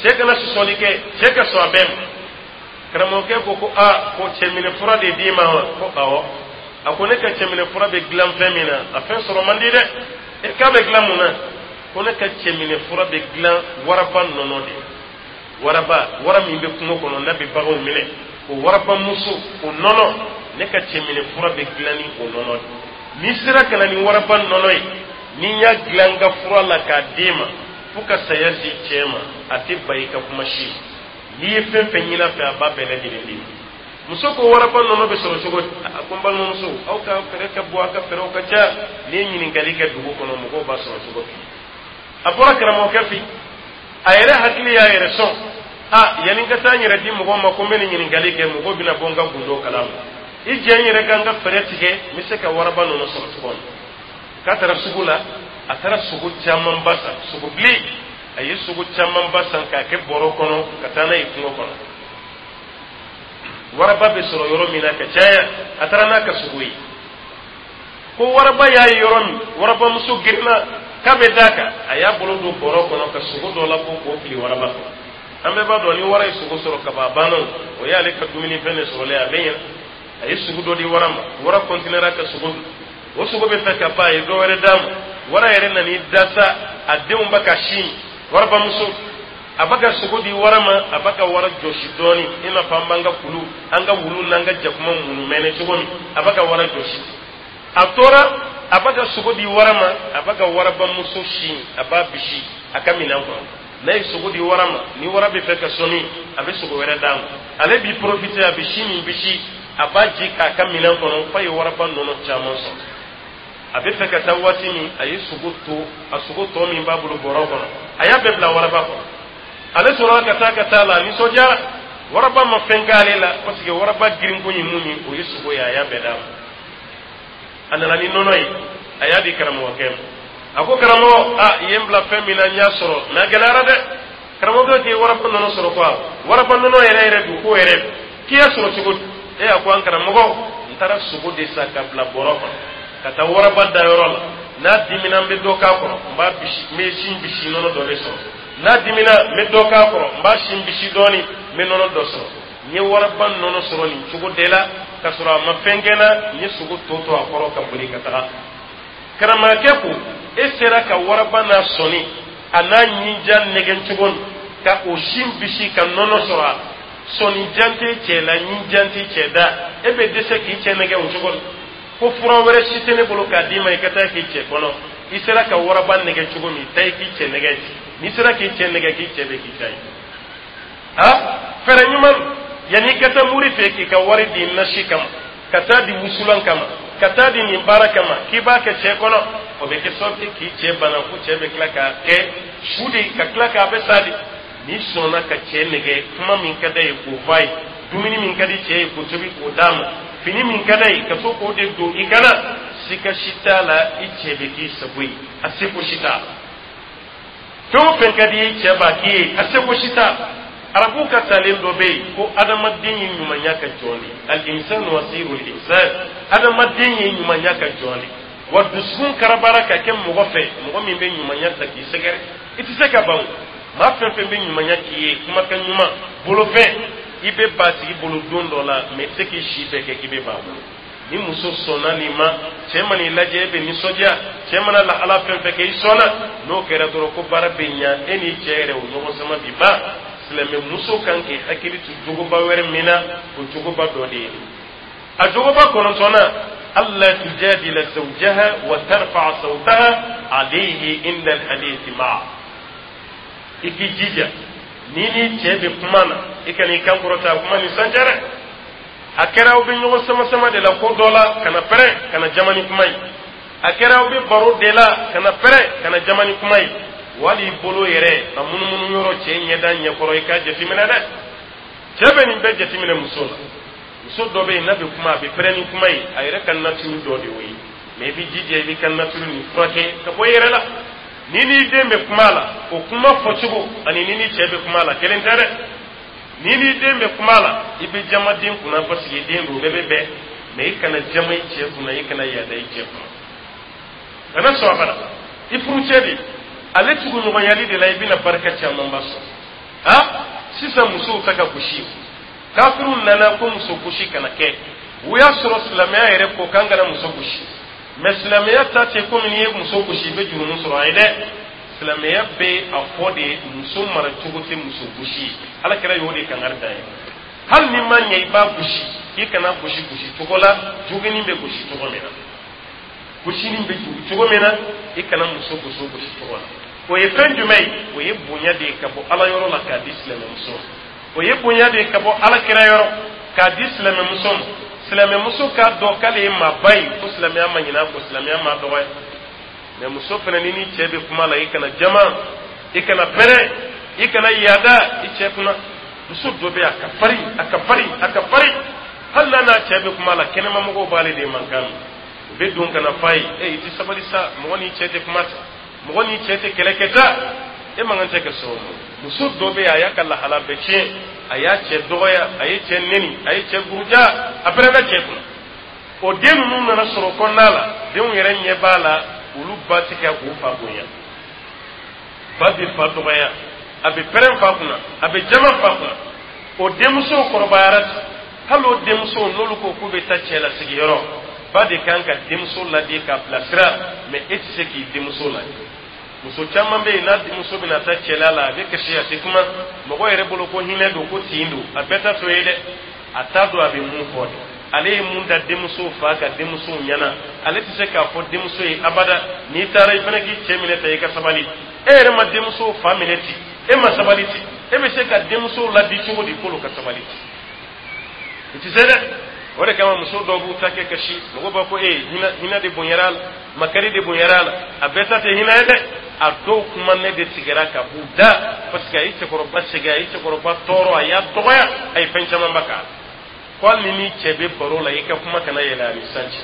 cɛ kana sɔsɔli kɛ, cɛ ka sɔn a bɛɛ ma. Karamɔgɔkɛ ko ko aa, ko cɛminɛ fura de d'i ma wa? Ko awɔ. A ko ne ka cɛminɛ fura bɛ dilan fɛn min na, a fɛn sɔrɔ man di dɛ. E k'a bɛ dilan mun na? Ko ne ka cɛminɛ fura bɛ dilan waraba nɔnɔ de. Waraba, wara min bɛ kungo kɔnɔ n'a bɛ baganw minɛ, o waraba muso, o nɔnɔ, ne ka cɛminɛ fura bɛ dilan ni o nɔnɔ de. N'i sera ka na ni waraba nɔnɔ ye, ni n y'a dilan n ka fura la k'a d'e ma, fo ka saya se cɛ ma, a tɛ ba i ka kuma si ma. N'i ye fɛn fɛn ɲini a fɛ, a b'a bɛɛ lajɛlen d'i ma. Muso ko waraba nɔnɔ bɛ sɔrɔ cogo di? A ko n balimamuso, aw ka fɛɛrɛ ka bɔ, aw ka fɛɛrɛw ka ca. N'i ye ɲininkali kɛ dugu kɔnɔ, mɔgɔw b'a sɔrɔ cogo f'i ye. A bɔra karamɔgɔkɛ fɛ, a yɛrɛ hakili y'a yɛrɛ sɔn. A yanni n ka taa n yɛrɛ di mɔgɔw ma ko n bɛ nin ɲininkali kɛ, mɔgɔw bɛna bɔ n ka gundo kalama. I jɛ n yɛrɛ ka n ka fɛɛrɛ tigɛ, n bɛ se ka waraba nɔnɔ sɔrɔ cogo min. K'a taara sugu la, a taara sogo camanba san, sogo bilen. A ye sogo camanba san k'a kɛ bɔrɔ kɔnɔ ka taa n'a ye kungo kɔnɔ, waraba bɛ sɔrɔ yɔrɔ min na ka caya. A taara n'a ka sogo ye ko waraba y'a ye yɔrɔ min, warabamuso girinna k'a bɛ d'a kan. A y'a bolo don bɔrɔ kɔnɔ ka sogo dɔ labɔ k'o fili waraba kɔnɔ. An bɛɛ b'a dɔn, ni wara ye sogo sɔrɔ ka ban, a banna. O y'ale ka dumunifɛn de sɔrɔlen, a bɛ ɲɛ. A ye sogo dɔ di wara ma, wara kɔntinɛra ka sogo dun. O sogo bɛ fɛ ka ban, a ye dɔ wɛrɛ d'a ma. Wara yɛrɛ nan'i da sa, a denw bɛ ka sin. Warabamuso, a bɛ ka sogo di wara ma, a bɛ ka wara jɔsi dɔɔni, i n'a fɔ an b'an ka kulu, an ka wulu n'an ka jakuma munumɛnɛ cogo min. A bɛ ka wara jɔsi. A tora a bɛ ka sogo di wara ma, a bɛ ka warabamuso sin, a b'a bisi a ka minɛn kɔnɔ. N'a ye sogo di wara ma, ni wara bɛ fɛ ka sɔmi, a bɛ sogo wɛrɛ d'a ma. Ale b'i profiter, a bɛ sin min bisi, a b'a ji k'a ka minɛn kɔnɔ, f'a ye waraba nɔnɔ caman sɔrɔ. A bɛ fɛ ka taa waati min, a ye sogo to, a sogo tɔ min b'a bolo bɔrɔ kɔnɔ, a y'a bɛɛ bila waraba kɔnɔ. Ale sɔrɔla ka taa la, a nisɔndiyara. Waraba ma fɛn k'ale la, parce que waraba girinko ye mun ye? O ye sogo ye. A y'a bɛɛ d'a ma. A nana ni nɔnɔ ye, a y'a di karamɔgɔkɛ ma. A ko: "Karamɔgɔ, a i ye n bila fɛn min na, n y'a sɔrɔ, mais a gɛlɛyara dɛ." Karamɔgɔkɛ k'i waraba nɔnɔ sɔrɔ ko waraba nɔnɔ yɛrɛ yɛrɛ don, k'o yɛrɛ k'i y'a sɔrɔ cogo di? E a ko: "An karamɔgɔ, n taara sogo de san ka bila bɔrɔ kɔnɔ ka taa waraba dayɔrɔ la. N'a dimina, n bɛ dɔ k'a kɔrɔ, n b'a bisi, n bɛ sin bisi, nɔnɔ dɔ bɛ sɔrɔ. N'a dimina, n bɛ dɔ k'a kɔrɔ, n b'a sin bisi dɔɔni, n bɛ nɔnɔ dɔ sɔrɔ. N ye waraba nɔnɔ sɔrɔ nin cogo de la, ka sɔrɔ a ma fɛn kɛ n na. N ye sogo to to a kɔrɔ ka boli ka taga." Karamɔgɔkɛ ko: "E sera ka waraba n'a sɔnni, a n'a ɲinja nɛgɛn cogo min ka o sin bisi ka nɔnɔ sɔrɔ, a sɔnni jan tɛ cɛ la, ɲinjan tɛ cɛ da, e bɛ dɛsɛ k'i cɛ nɛgɛ o cogo la. Ko fura wɛrɛ si tɛ ne bolo k'a d'i ma, i ka taa k'i cɛ kɔnɔ. I sera ka waraba nɛgɛ cogo min, taa i k'i cɛ nɛgɛ. N'i sera k'i cɛ nɛgɛ, k'i cɛ bɛ k'i ta ye. A fɛɛrɛ ɲuman, yanni i ka taa mori fɛ k'i ka wari di nasi kama, ka taa di wusulan kama, ka taa di nin baara kama, k'i b'a kɛ cɛ kɔnɔ, o bɛ kɛ sababu ye k'i cɛ bana, ko cɛ bɛ tila ka kɛ su de, ka tila k'a bɛ sa de. N'i sɔnna ka cɛ nɛgɛ, kuma min ka d'a ye k'o f'a ye, dumuni min ka di cɛ ye k'o tobi k'o d'a ma, fini min ka d'a ye ka to k'o de don i kana, sika si t'a la, i cɛ bɛ k'i sago ye. A seko si t'a la. Fɛn o fɛn ka di i cɛ b'a k'i ye, a seko si t'a la. Arabuw ka talen dɔ bɛ yen ko adamaden ye ɲumanya ka jɔn de, al-insanu asirul ihsan. Adamaden ye ɲumanya ka jɔn de wa. Dusukun karabara ka kɛ mɔgɔ fɛ, mɔgɔ min bɛ ɲumanya ta k'i sɛgɛrɛ, i tɛ se ka ban. Maa fɛn fɛn bɛ ɲumanya k'i ye, kumakan ɲuman, bolofɛn, i bɛ ba tigi bolo don dɔ la, mais i tɛ se k'i si bɛɛ kɛ k'i bɛ ba bolo. Ni muso sɔnna nin ma, cɛ mana i lajɛ, e bɛ nisɔndiya. Cɛ mana lahala fɛn fɛn kɛ, i sɔnna. N'o kɛra dɔrɔn, ko baara bɛ ɲa e n'i cɛ yɛrɛ, o ɲɔgɔn sama bi ban. Silamɛ muso kan k'i hakili to jogoba wɛrɛ min na, o jogoba dɔ de ye a jogoba kɔnɔntɔnna: alla tujadila zawjaha wa tarfa sawtaha alayhi inda alhadith ma'a. I k'i jija, ni ni cɛ bɛ kuma na, i kana i kan kɔrɔta kuma ni sanjɛ dɛ. A kɛra aw bɛ ɲɔgɔn sama sama de la ko dɔ la, kana pɛrɛn, kana jama ni kuma ye. A kɛra aw bɛ baro de la, kana pɛrɛn, kana jama ni kuma ye. Wali i bolo yɛrɛ a munumunu yɔrɔ cɛ ɲɛda ɲɛkɔrɔ, i k'a jateminɛ dɛ. Cɛ bɛ nin bɛɛ jateminɛ muso la. Muso dɔ bɛ yen, n'a bɛ kuma, a bɛ pɛrɛn ni kuma ye. A yɛrɛ ka nature dɔ de y'o ye, mais i bɛ jija, i b'i ka nature nin furakɛ ka bɔ i yɛrɛ la. Ni n'i den bɛ kuma la, o kuma fɔcogo ani ni ni cɛ bɛ kuma la, kelen tɛ dɛ. Ni n'i den bɛ kuma la, i bɛ jama den kunna, parce que den don, bɛɛ bɛ bɛn. Mais i kana jama i cɛ kunna, i kana yaada i cɛ kunna, kana sɔn a bada. I furucɛ de, ale tuguɲɔgɔnyali de la, i bɛna barika camanba sɔrɔ. Ha, sisan musow ta ka gosi. Kafiriw nana ko muso gosi kana kɛ. U y'a sɔrɔ silamɛya yɛrɛ ko k'an kana muso gosi, mais silamɛya ta tɛ komi n'i ye muso gosi, i bɛ jurumu sɔrɔ. Ayi dɛ, silamɛya bɛ a fɔ de, muso mara cogo tɛ muso gosi ye. Ala kɛra y'o de kangari da ye. Hali ni ma ɲɛ, i b'a gosi, i kana gosi gosi cogo la joginin bɛ gosi cogo min na, gosinin bɛ cogo min na, i kana muso gosi o gosi cogo la. O ye fɛn jumɛn ye? O ye bonya de ye ka bɔ Ala yɔrɔ la k'a di silamɛmuso ma. O ye bonya de ye ka bɔ Ala kira yɔrɔ k'a di silamɛmuso ma. Silamɛmuso k'a dɔn k'ale ye maaba ye, ko silamɛya ma ɲinɛ a kɔ, silamɛya ma dɔgɔya. Mais muso fana, ni ni cɛ bɛ kuma la, i kana jama, i kana pɛrɛn, i kana yaada i cɛ kunna. Muso dɔ bɛ yen, a ka farin, a ka farin, a ka farin. Hali n'a n'a cɛ bɛ kuma la, kɛnɛmamɔgɔw b'ale de mankan mɛn. U bɛ don ka na f'a ye: e, i tɛ sabali sa, mɔgɔ n'i cɛ tɛ kuma ta, mɔgɔ n'i cɛ tɛ kɛlɛ kɛ ta. E man kan tɛ ka sɔn o ma. Muso dɔ bɛ yen, a y'a ka lahala bɛɛ tiɲɛ, a y'a cɛ dɔgɔya, a ye cɛ neni, a ye cɛ buruja, a pɛrɛnna cɛ kunna. O den ninnu nana sɔrɔ kɔnɔna la, denw yɛrɛ ɲɛ b'a la, olu ba tɛ ka k'u fa bonya, ba bɛ fa dɔgɔya, a bɛ pɛrɛn fa kunna, a bɛ jama fa kunna. O denmusow kɔrɔbayara ten. Hali o denmusow, n'olu ko k'u bɛ taa cɛlasigiyɔrɔ, ba de kan ka denmuso ladi k'a bilasira, mɛ e tɛ se k'i denmuso ladi. Muso caman bɛ yen, n'a denmuso bɛna taa cɛla la, a bɛ kasi, a tɛ kuma. Mɔgɔ yɛrɛ bolo ko hinɛ don, ko tin don. A bɛɛ ta to ye dɛ, a t'a dɔn a bɛ mun fɔ dɛ. Ale ye mun da denmuso fa ka denmuso ɲɛna, ale tɛ se k'a fɔ denmuso ye abada: n'i taara, i fana k'i cɛ minɛ ta, i ka sabali. E yɛrɛ ma denmuso fa minɛ ten, e ma sabali ten, e bɛ se ka denmuso ladi cogo di k'olu ka sabali ten? I tɛ se dɛ. O de kama muso dɔw b'u ta kɛ kasi, mɔgɔw b'a fɔ: e, hinɛ, hinɛ de bonyara a la, makari de bonyara a la. A bɛɛ ta tɛ hinɛ ye dɛ. A dɔw kuma ne de tigɛra ka b'u da, parce que a ye cɛkɔrɔba sɛgɛn, a ye cɛkɔrɔba tɔɔrɔ, a y'a dɔgɔya, a ye fɛn camanba k'a la. Ko hali ni ni cɛ bɛ baro la, i ka kuma kana yɛlɛ a ni san cɛ.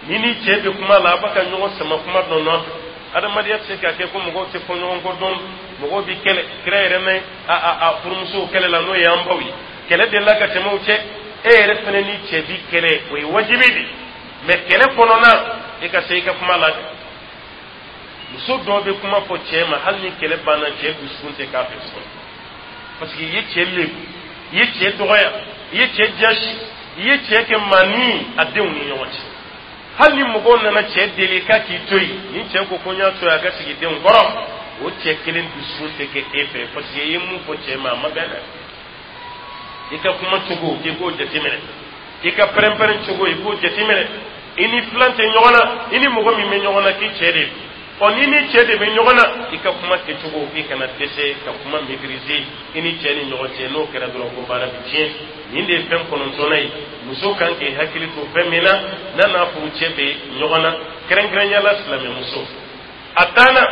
Ni ni cɛ bɛ kuma la, a b'a ka ɲɔgɔn sama kuma dɔ nɔfɛ. Adamadenya tɛ se ka kɛ ko mɔgɔw tɛ fɔ ɲɔgɔn kɔ dɔn, mɔgɔw bɛ kɛlɛ. Kira yɛrɛ mɛn a a a furumusow kɛlɛ la, n'o ye an baw ye, kɛlɛ delila ka tɛmɛ o cɛ. E yɛrɛ fana ni cɛ bi kɛlɛ, o ye wajibi de, mɛ kɛlɛ kɔnɔna, e ka se i ka kuma la dɛ. Muso dɔw bɛ kuma fɔ cɛ ma, hali ni kɛlɛ banna, cɛ dusukun tɛ k'a fɛ tuguni, parce que i ye cɛ lebu, i ye cɛ dɔgɔya, i ye cɛ jasi, i ye cɛ kɛ maani a denw ni ɲɔgɔn cɛ. Hali ni mɔgɔw nana cɛ deli k'a k'i to yen, ni cɛ ko ko n y'a to yen, a ka sigi denw kɔrɔ, o cɛ kelen dusukun tɛ kɛ e fɛ, parce que i ye mun fɔ cɛ ma, a ma bɛn dɛ. I ka kuma cogo, i k'o jateminɛ. I ka pɛrɛn-pɛrɛn cogo, i k'o jateminɛ. I ni filan tɛ ɲɔgɔn na, i ni mɔgɔ min bɛ ɲɔgɔn na, k'i cɛ de don. Ɔ, ni ni cɛ de bɛ ɲɔgɔn na, i ka kuma kɛcogo, i kana dɛsɛ ka kuma maîtriser i ni cɛ ni ɲɔgɔn cɛ. N'o kɛra dɔrɔn, ko baara bɛ tiɲɛ. Nin de ye fɛn kɔnɔntɔnnan ye muso kan k'i hakili to fɛn min na n'a n'a furu cɛ bɛ ɲɔgɔn na, kɛrɛnkɛrɛnya la silamɛmuso. A tanna: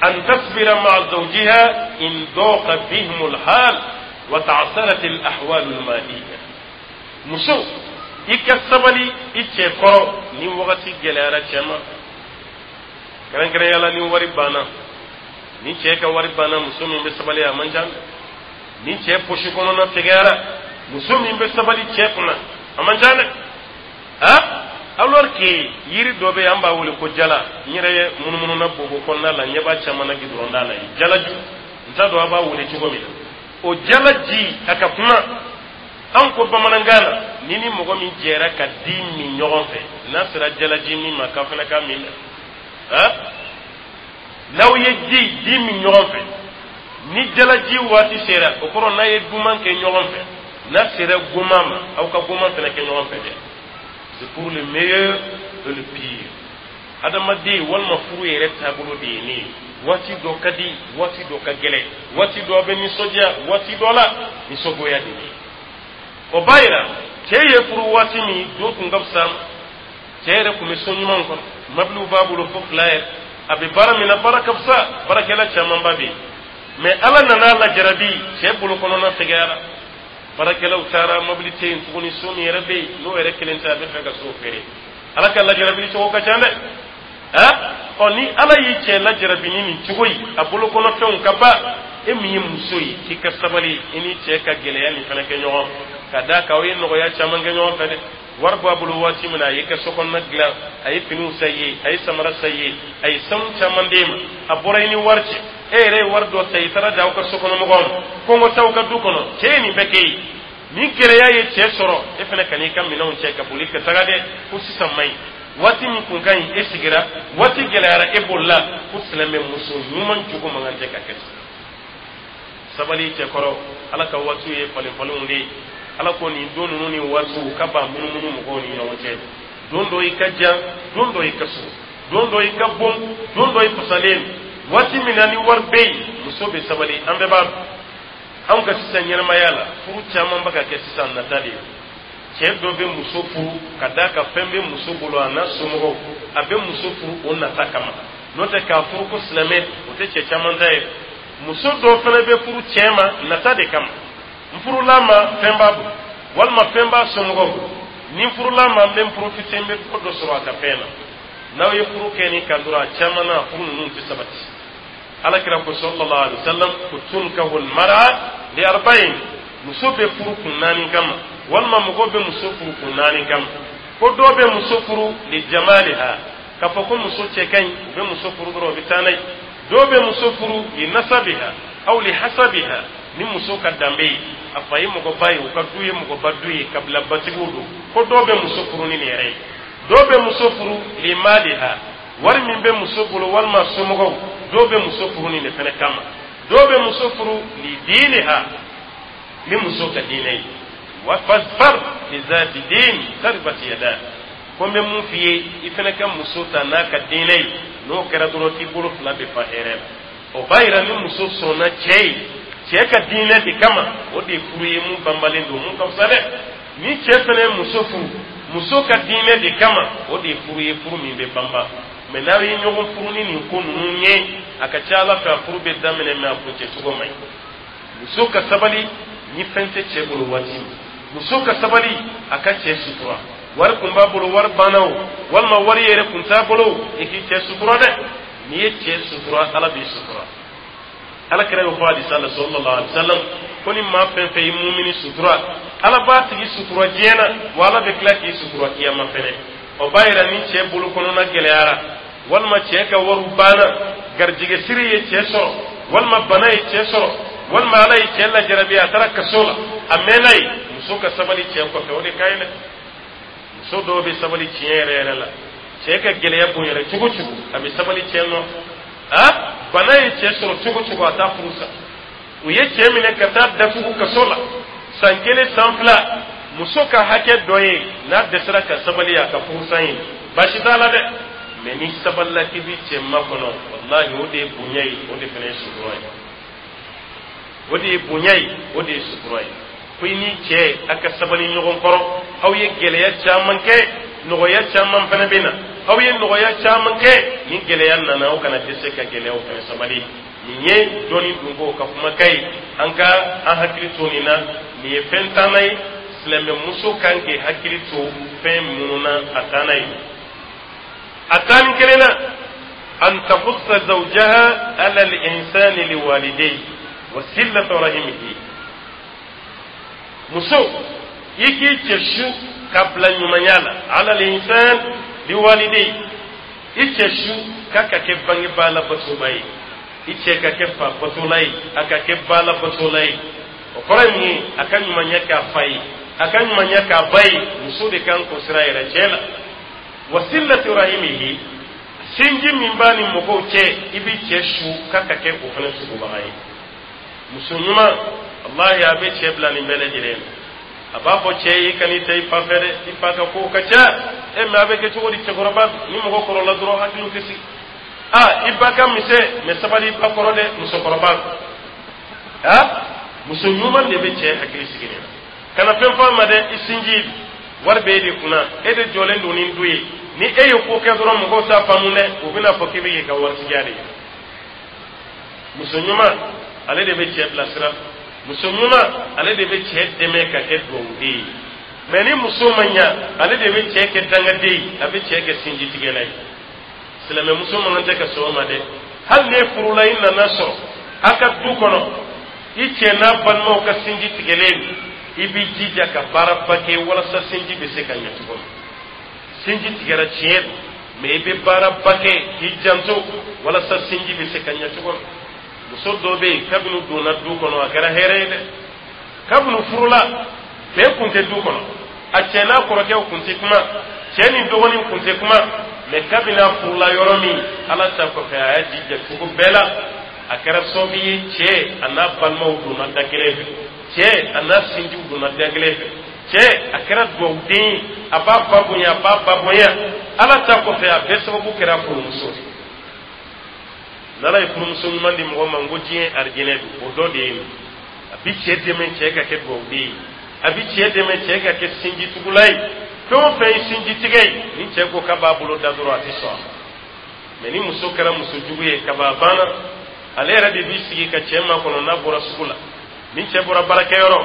أن تصبر مع زوجها إن ضاق بهم الحال وتعثرت الأحوال المالية. Muso, i ka sabali i cɛ kɔrɔ ni wagati gɛlɛyara cɛ ma, kɛrɛnkɛrɛnya la ni wari banna. Ni cɛ ka wari banna, muso min bɛ sabali, a man ca. Ni cɛ posi kɔnɔna fɛgɛyara, muso min bɛ sabali cɛ kunna, a man ca dɛ. Ha, alors que yiri dɔ bɛ yen, an b'a wele ko jala. N yɛrɛ ye munumunu na bobo kɔnɔna la, ɲɛ b'a caman na gidɔrɔn da la yen, jalaju, n t'a dɔn a b'a wele cogo min na. O jala ji, a ka kuma an ko bamanankan na, ni ni mɔgɔ min jɛra ka di min ɲɔgɔn fɛ, n'a sera jalaji min ma, k'a fana ka min dɛ. Ha, n'aw ye ji di min ɲɔgɔn fɛ, ni jalaji waati sera, o kɔrɔ n'a ye duman kɛ ɲɔgɔn fɛ, n'a sera goman ma, aw ka goman fana kɛ ɲɔgɔn fɛ dɛ. C'est pour le meilleur et le pire. Adamaden walima furu yɛrɛ taabolo de ye ne ye. Waati dɔ ka di, waati dɔ ka gɛlɛn, waati dɔ bɛ nisɔndiya, waati dɔ la nisɔngoya de bɛ. O b'a yira cɛ ye furu waati min don kun ka fisa, cɛ yɛrɛ tun bɛ so ɲuman kɔnɔ, mabiliw b'a bolo fo fila yɛrɛ, a bɛ baara min na, baara ka fisa, baarakɛla camanba bɛ yen. Mɛ Ala nana lajarabi, cɛ bolo kɔnɔna fɛgɛyara, baarakɛlaw taara, mobili tɛ yen tuguni, so min yɛrɛ bɛ yen, n'o yɛrɛ kelen tɛ, a bɛ fɛ ka so feere. Ala ka lajarabili cogo ka ca dɛ. Ha, ɔ, ni Ala y'i cɛ lajarabi ni nin cogo ye, a bolo kɔnɔfɛnw ka ban, e min ye muso ye, k'i ka sabali i ni cɛ ka gɛlɛya nin fana kɛ ɲɔgɔn ka d'a kan. Aw ye nɔgɔya caman kɛ ɲɔgɔn fɛ dɛ. Wari b'a bolo waati min na, a y'i ka so kɔnɔna dilan, a ye finiw san i ye, a ye samara san i ye, a ye sanu caman d'e ma, a bɔra i ni wari cɛ. E yɛrɛ ye wari dɔ ta, i taara di aw ka sokɔnɔmɔgɔw ma, kɔngɔ t'aw ka du kɔnɔ. Cɛ ye nin bɛɛ kɛ ye. Ni gɛlɛya ye cɛ sɔrɔ, e fana ka n'i ka minɛnw cɛ ka boli ka taga dɛ, ko sisan man ɲi. Waati min kun ka ɲi, e sigira. Waati gɛlɛyara, e bolila. Ko silamɛ muso ɲuman jogo man kan tɛ ka kɛ ten. Sabali cɛ kɔrɔ. Ala ka waatiw ye falen falenw de ye. Ala ko nin don ninnu ni waatiw ka ban munumunu mɔgɔw ni ɲɔgɔn cɛ. Don dɔ i ka jan, don dɔ i ka surun, don dɔ i ka bon, don dɔ i fasalen. Waati min na ni wari bɛ yen, muso bɛ sabali. An bɛɛ b'a dɔn, anw ka sisan ɲɛnamaya la, furu caman bɛ ka kɛ sisan nata de ye. Cɛ dɔ bɛ muso furu ka d'a kan fɛn bɛ muso bolo, a n'a somɔgɔw, a bɛ muso furu o nata kama. N'o tɛ, k'a furu ko silamɛ, o tɛ cɛ caman ta ye. Muso dɔw fana bɛ furu cɛ ma nata de kama. N furula ma, fɛn b'a bolo. Walima fɛn b'a somɔgɔw bolo, ni n furula ma, n bɛ n profiter, n bɛ dɔ dɔ sɔrɔ a ka fɛn na. N'aw ye furu kɛ nin kan dɔrɔn, a caman na, furu ninnu tɛ sabati. Ala kira ko sallallahu alaihi wasallam ko tunkahu almar'a li arba'in, muso bɛ furu kun naani kama, walima mɔgɔ bɛ muso furu kun naani kama. Ko dɔw bɛ muso furu li jamaliha, k'a fɔ ko muso cɛ ka ɲi, u bɛ muso furu dɔrɔn, u bɛ taa n'a ye. Dɔw bɛ muso furu li nasabiha aw li hasabiha, ni muso ka danbe ye, a fa ye mɔgɔba ye, u ka du ye mɔgɔba du ye, kabilabatigiw don. Ko dɔw bɛ muso furu ni nin yɛrɛ ye. Dɔw bɛ muso furu li maliha, wari min bɛ muso bolo walima somɔgɔw. Dɔw bɛ muso furu nin de fana kama. Dɔw bɛ muso furu li diniha, ni muso ka diinɛ ye. Wa fasfar bi zati din taribat yada. Ko n bɛ mun f'i ye, i fana ka muso ta n'a ka diinɛ ye. N'o kɛra dɔrɔn, k'i bolo fila bɛ fa hɛrɛ la. O b'a yira ni muso sɔnna cɛ ye cɛ ka diinɛ de kama, o de ye furu ye mun banbalen don, mun ka fisa dɛ. Ni cɛ fana ye muso furu muso ka diinɛ de kama, o de ye furu ye, furu min bɛ banba. Mɛ n'aw ye ɲɔgɔn furu ni nin ko ninnu ye, a ka ca Ala fɛ, a furu bɛ daminɛ, mɛ a kuncɛ cogo man ɲi. Muso ka sabali ni fɛn tɛ cɛ bolo waati min, muso ka sabali a ka cɛ sutura. Wari kun b'a bolo, wari banna o, walima wari yɛrɛ kun t'a bolo, i k'i cɛ sutura dɛ. N'i ye cɛ sutura, Ala b'i sutura. Ala kira y'o fɔ hadisa la sallallahu alaihi wasallam ko ni maa fɛn fɛn ye mumini sutura, Ala b'a tigi sutura diɲɛ na, wa Ala bɛ tila k'i sutura kiyama fɛnɛ. O b'a yira ni cɛ bolo kɔnɔna gɛlɛyara, walima cɛ ka wariw banna, garijɛgɛ siri ye cɛ sɔrɔ, walima bana ye cɛ sɔrɔ, walima Ala ye cɛ lajarabi, a taara kaso la, a mɛnna yen, muso ka sabali cɛ kɔfɛ, o de ka ɲi dɛ. Muso dɔw bɛ sabali tiɲɛ yɛrɛ yɛrɛ la. Cɛ ka gɛlɛya bonyara cogo cogo, a bɛ sabali cɛ nɔfɛ. A bana ye cɛ sɔrɔ cogo cogo, a t'a furu sa. U ye cɛ minɛ ka taa datugu kaso la san 1, san 2. Muso ka hakɛ dɔ ye, n'a dɛsɛra ka sabali a ka furusa ye, baasi t'a la dɛ. Mɛ ni sabalila k'i bi cɛ makɔnɔ, walahi, o de ye bonya ye, o de fana ye sutura ye. O de ye bonya ye, o de ye sutura ye. Ko i ni cɛ a ka sabali ɲɔgɔn kɔrɔ. Aw ye gɛlɛya caman kɛ, nɔgɔya caman fana bɛ na. Aw ye nɔgɔya caman kɛ, ni gɛlɛya nana, aw kana dɛsɛ ka gɛlɛyaw fana sabali. Nin ye dɔɔni dunko ka kumakan ye. An ka an hakili to nin na. Nin ye fɛn tanna ye, silamɛmuso kan k'i hakili to fɛn minnu na. A tanna ye, a 11nan na, an tahussa zawjaha ala al-ihsani liwalidayhi wa silatu rahimihi. Muso, i k'i cɛ su ka bila ɲumanya la, ala al-ihsan liwalidayhi, i cɛ su k'a ka kɛ bangebaa labatoba ye, i cɛ ka kɛ fa batola ye, a ka kɛ ba labatola ye. O kɔrɔ ye mun ye? A ka ɲumanya k'a fa ye, a ka ɲumanya k'a ba ye. Muso de kan k'o sira yɛrɛ cɛ la. Wa silati rahimihi, sinji min b'a ni mɔgɔw cɛ, i b'i cɛ su k'a ka kɛ o fana sugubaga ye. Muso ɲuman, walahi, a bɛ cɛ bila nin bɛɛ lajɛlen na. A b'a fɔ cɛ ye: i kan'i ta i fa fɛ dɛ, i fa ka kow ka ca e. Mɛ a bɛ kɛ cogo di? Cɛkɔrɔba ni mɔgɔ kɔrɔla dɔrɔn, hakiliw tɛ sigi. A i ba ka misɛn, mɛ sabali i ba kɔrɔ dɛ. Musokɔrɔba, a muso ɲuman de bɛ cɛ hakili sigi nin na. Kana fɛn fɔ a ma dɛ, i sinji wari bɛ e de kunna, e de jɔlen don ni du ye. Ni e ye ko kɛ dɔrɔn, mɔgɔw t'a faamu dɛ, u bɛna fɔ k'i bɛ k'i ka waritigiya de ye. Muso ɲuman, ale de bɛ cɛ bilasira. Muso ɲuman, ale de bɛ cɛ dɛmɛ ka kɛ dugawuden ye. Mɛ ni muso ma ɲa, ale de bɛ cɛ kɛ dangaden ye, a bɛ cɛ kɛ sinjitigɛla ye. Silamɛmuso man kan tɛ ka sɔn o ma dɛ. Hali n'e furula, i nana sɔrɔ a ka du kɔnɔ, i cɛ n'a balimaw ka sinji tigɛlen, i b'i jija ka baaraba kɛ walasa sinji bɛ se ka ɲɛ cogo min. Sinji tigɛra, tiɲɛ don, mɛ i bɛ baaraba kɛ k'i janto walasa sinji bɛ se ka ɲɛ cogo min. Muso dɔ bɛ yen, kabini u donna du kɔnɔ, a kɛra hɛrɛ ye dɛ. Kabini furula, bɛɛ kun tɛ du kɔnɔ, a cɛ n'a kɔrɔkɛw kun tɛ kuma, cɛ ni dɔgɔnin kun tɛ kuma. Mɛ kabini a furula yɔrɔ min, Ala ta kɔfɛ, a y'a jija cogo bɛɛ la, a kɛra sababu ye cɛ a n'a balimaw donna da kelen fɛ, cɛ a n'a sinjiw donna da kelen fɛ. Cɛ a kɛra dugawuden ye, a b'a fa bonya, a b'a ba bonya. Ala ta kɔfɛ, a bɛɛ sababu kɛra furumuso de. N'Ala ye furumuso ɲuman di mɔgɔ ma, n ko diɲɛ arijinɛ don, o dɔ de ye nin. A bi cɛ dɛmɛ cɛ ka kɛ dugawuden ye, a bi cɛ dɛmɛ cɛ ka kɛ sinjitugula ye. Fɛn o fɛn ye sinjitigɛ ye, ni cɛ ko k'a b'a bolo da dɔrɔn, a tɛ sɔn a ma. Mɛ ni muso kɛra muso jugu ye, kaba banna. Ale yɛrɛ de b'i sigi ka cɛ makɔnɔ n'a bɔra sugu la. Ni cɛ bɔra baarakɛyɔrɔ,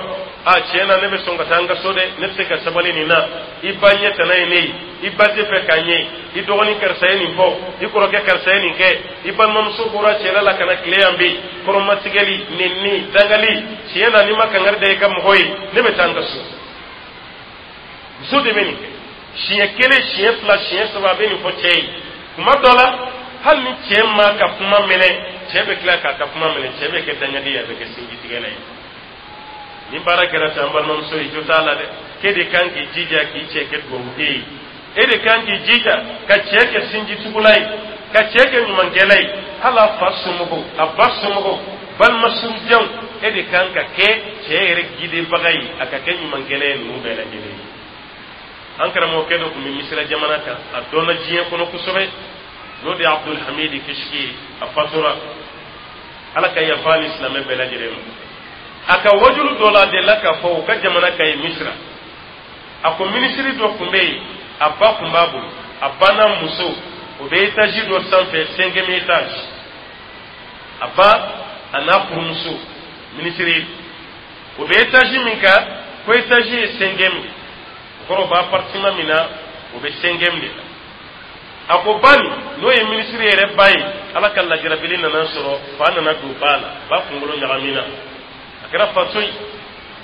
A tiɲɛ na, ne bɛ sɔn ka taa n ka so dɛ, ne tɛ se ka sabali nin na. I ba ɲɛ tana ye ne ye, i ba tɛ fɛ k'a ɲɛ. I dɔgɔnin karisa ye nin fɔ, i kɔrɔkɛ karisa ye nin kɛ, i balimamuso bɔra cɛla la ka na tile yan bi, kɔrɔmatigɛli, nɛni, dangali. Tiɲɛ na, n'i ma kangari da i ka mɔgɔ ye, ne bɛ taa n ka so. Muso de bɛ nin kɛ siɲɛ kelen, siɲɛ fila, siɲɛ saba, a bɛ nin fɔ cɛ ye. Kuma dɔ la, hali ni cɛ ma ka kuma minɛ, cɛ bɛ tila k'a ka kuma minɛ, cɛ bɛ kɛ dangaden ye, a bɛ kɛ sinjitigɛla ye. Ni baara kɛra ten, an balimamuso ye, jo t'a la dɛ. K'e de kan k'i jija k'i cɛ kɛ dugawuden ye, e de kan k'i jija ka cɛ kɛ sinjitugula ye, ka cɛ kɛ ɲumankɛla ye. Hali a fa somɔgɔw, a ba somɔgɔw, balima surujanw, e de kan ka kɛ cɛ yɛrɛ gidebaga ye, a ka kɛ ɲumankɛla ye ninnu bɛɛ lajɛlen ye. An karamɔgɔkɛ dɔ tun bɛ Misira jamana kan, a dɔnna diɲɛ kɔnɔ kosɛbɛ, n'o de ye Abdulhamidi Kishiki ye. A fatura, Ala ka yafa ni silamɛ bɛɛ lajɛlen ma. A ka wajulu dɔ la, a delila k'a fɔ u ka jamana kan ye Misira, a ko minisiri dɔ tun bɛ yen, a ba tun b'a bolo, a ba n'a muso, o bɛ étage dɔ sanfɛ, cinquième étage. A ba a n'a furumuso minisiri, o bɛ étage min kan, ko étage ye cinquième de, o kɔrɔ o bɛ appartement min na, o bɛ cinquième de la. A ko ba nin, n'o ye minisiri yɛrɛ ba ye, Ala ka lajarabili nana sɔrɔ, fa nana don ba la, ba kunkolo ɲagamina, a kɛra faso ye.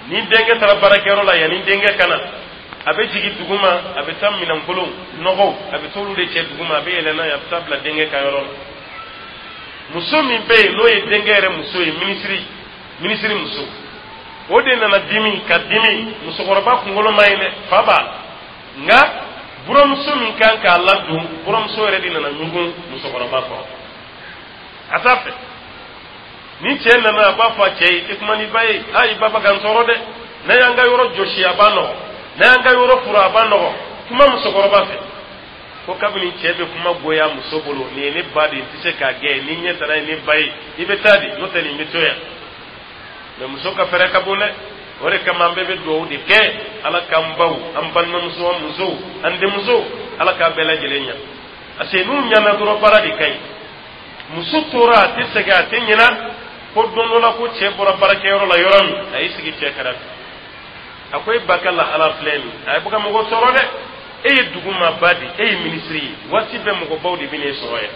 Ni denkɛ taara baarakɛyɔrɔ la, yanni denkɛ ka na, a bɛ jigin duguma, a bɛ taa minɛnkolon nɔgɔw, a bɛ t'olu de cɛ duguma, a bɛ yɛlɛ n'a ye, a bɛ taa bila denkɛ ka yɔrɔ la. Muso min bɛ yen, n'o ye denkɛ yɛrɛ muso ye, minisiri muso, o de nana dimi ka dimi. Musokɔrɔba kunkolo ma ɲi dɛ, fa b'a la, nka buramuso min kan k'a ladon, buramuso yɛrɛ de nana ɲugun musokɔrɔba kɔrɔ a t'a fɛ. Ni cɛ nana, a b'a fɔ a cɛ ye: i tɛ kuma n'i ba ye, a i ba bɛ ka n tɔɔrɔ dɛ, n'a y'an ka yɔrɔ jɔsi, a b'a nɔgɔ, n'a y'an ka yɔrɔ fura, a b'a nɔgɔ, kuma musokɔrɔba fɛ. Ko kabini cɛ bɛ kuma goya muso bolo, nin ye ne ba de ye, n tɛ se k'a gɛn, ni ɲɛ taara ye ne ba ye, i bɛ taa de, n'o tɛ nin bɛ to yan. Mɛ muso ka fɛɛrɛ ka bon dɛ. O de kama an bɛɛ bɛ dugawu de kɛ, Ala k'an baw, an balimamuso, an musow, an denmusow, Ala k'a bɛɛ lajɛlen ɲɛ, parce que n'u ɲana dɔrɔn, baara de ka ɲi. Muso tora, a tɛ sɛgɛn, a tɛ ɲinɛ. Ko don dɔ la, ko cɛ bɔra baarakɛyɔrɔ la yɔrɔ min, a y'i sigi cɛ kɛrɛfɛ, a ko: e ba ka lahala filɛ nin, a ye bɛ ka mɔgɔ tɔɔrɔ dɛ. E ye dugu maaba de, e ye minisiri ye, waati bɛɛ mɔgɔbaw de bɛ n'e sɔrɔ yan,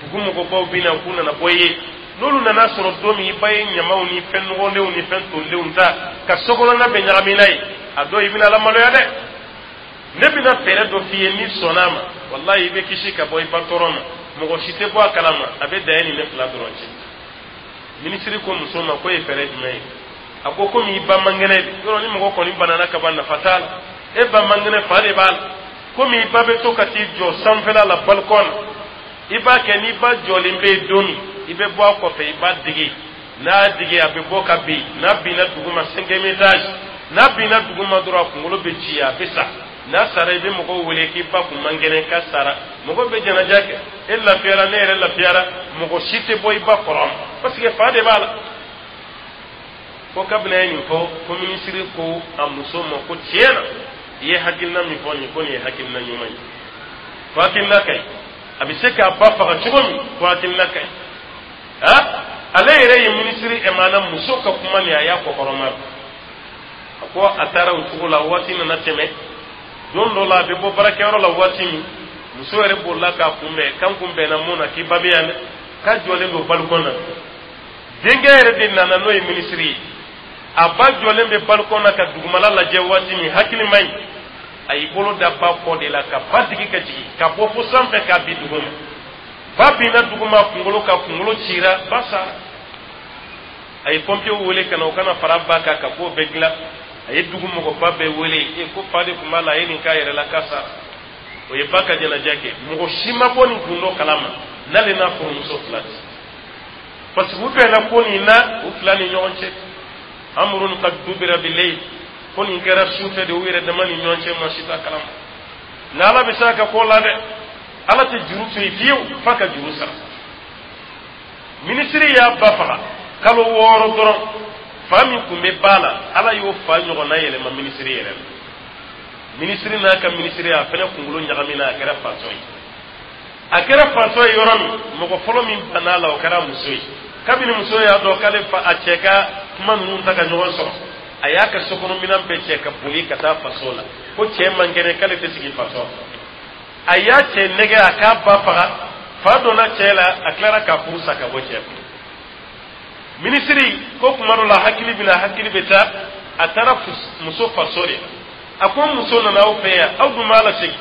dugu mɔgɔbaw bɛ na k'u nana bɔ i ye. N'olu nana sɔrɔ don min, i ba ye ɲamaw ni fɛn nɔgɔlenw ni fɛn tolilenw ta ka sokɔnɔna bɛɛ ɲagami n'a ye, a dɔw i bɛna ala maloya dɛ. Ne bɛna fɛɛrɛ dɔ f'i ye, n'i sɔnna a ma, walayi, i bɛ kisi ka bɔ i ba tɔɔrɔ ma, mɔgɔ si tɛ bɔ a kalama, a bɛ dan e ni ne fila dɔrɔn cɛ. Minisiri ko muso ma ko ye fɛɛrɛ jumɛn ye? A ko komi i ba man kɛnɛ de, yɔrɔ ni mɔgɔ kɔni banana ka ban, nafa t'a la, e ba man kɛnɛ, fa de b'a la. Komi i ba bɛ to ka t'i jɔ sanfɛla la, balcon na, i b'a kɛ, n'i ba jɔlen bɛ yen don min, i bɛ bɔ a kɔfɛ, i b'a digi, n'a digi, a bɛ bɔ ka bin. N'a binna duguma, cinquième étage, n'a binna duguma dɔrɔn, a kunkolo bɛ ci, a bɛ sa. N'a sara, i bɛ mɔgɔw wele k'i ba kun man kɛnɛ, k'a sara, mɔgɔw bɛ janaja kɛ, e lafiyara, ne yɛrɛ lafiyara, mɔgɔ si tɛ bɔ i ba kɔrɔ, parce que fa de b'a la. Ko kabini a ye nin fɔ, ko minisiri ko a muso ma ko tiɲɛ na, i ye hakilina min fɔ nin, ko nin ye hakilina ɲuman ye, ko hakilina ka ɲi, a bɛ se k'a ba faga cogo min, ko hakilina ka ɲi. Ha, ale yɛrɛ ye minisiri ɛmana muso ka kuma nin, a y'a kɔkɔrɔma. A ko a taara o cogo la. Waati nana tɛmɛ, don dɔ la, a bɛ bɔ baarakɛyɔrɔ la waati min, muso yɛrɛ bolila k'a kunbɛn, kan kun bɛnna mun na, k'i ba bɛ yan dɛ, k'a jɔlen don balcon na. Denkɛ yɛrɛ de nana, n'o ye minisiri ye. A ba jɔlen bɛ balcon na ka dugumala lajɛ waati min, hakili man ɲi, a y'i bolo da ba kɔ de la ka ba digi ka jigin ka bɔ fo sanfɛ k'a bin duguma. Ba binna duguma, kunkolo ka kunkolo cira, ba sara. A ye pɔnpiyew wele ka na, o kana fara ba kan ka k'o bɛɛ dilan. A ye dugu mɔgɔba bɛɛ wele, e ko fa de tun b'a la, a ye nin k'a yɛrɛ la, k'a sara. O ye ba ka jɛnajɛ kɛ, mɔgɔ si ma bɔ nin gundo kalama n'ale n'a furumuso fila tɛ, parce que u bɛnna ko nin na u fila ni ɲɔgɔn cɛ. Amrun qad dubira bilayl, ko nin kɛra su fɛ de, u yɛrɛ dama ni ɲɔgɔn cɛ, maa si t'a kalama. Nka Ala bɛ se a ka ko la dɛ, Ala tɛ juru to yen fiyewu f'a ka juru sara. Minisiri y'a ba faga, kalo 6 dɔrɔn, fa min tun bɛ ba la, Ala y'o fa ɲɔgɔnna yɛlɛma minisiri yɛrɛ la. Minisiri n'a ka minisiri, a fana kunkolo ɲagamina, a kɛra fatɔ ye. A kɛra fatɔ ye yɔrɔ min, mɔgɔ fɔlɔ min banna a la, o kɛra muso ye. Kabini muso y'a dɔn k'ale fa a cɛ ka kuma ninnu ta ka ɲɔgɔn sɔrɔ, A y'a ka sokɔnɔminɛn bɛɛ cɛ ka boli ka taa faso la, ko cɛ man kɛnɛ, k'ale tɛ sigi faso. A y'a cɛ nɛgɛ a k'a ba faga. Fa donna cɛ la, a tilara k'a furu sa ka bɔ cɛ kun. Minisiri ko kuma dɔ la, hakili bɛ na, hakili bɛ taa. A taara muso faso de la. A ko muso nana aw fɛ yan, aw dun b'a lasegin.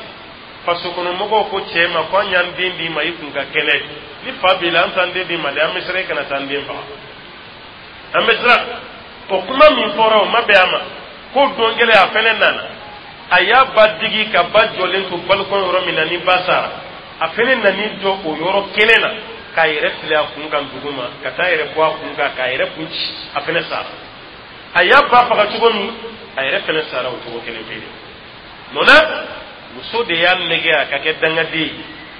Faso kɔnɔ mɔgɔw ko cɛ ma ko an y'an den d'i ma, i kun ka kɛnɛ. Ni fa b'i la, an t'an den d'i ma dɛ. An bɛ siran i kana taa an den faga, an bɛ siran. O kuma min fɔra, o ma bɛn a ma. Ko don kelen, a fɛnɛ nana, a y'a ba digi ka ba jɔlen to balcon yɔrɔ min na ni ba sara, a fɛnɛ nan'i jɔ o yɔrɔ kelen na k'a yɛrɛ fili a kun kan dugu ma, ka taa yɛrɛ bɔ a kun kan k'a yɛrɛ kun ci. A fɛnɛ sara. A y'a ba faga cogo min, a yɛrɛ fɛnɛ sara o cogo kelen pe de. Mun na? Muso de y'a nɛgɛ a ka kɛ dangaden ye.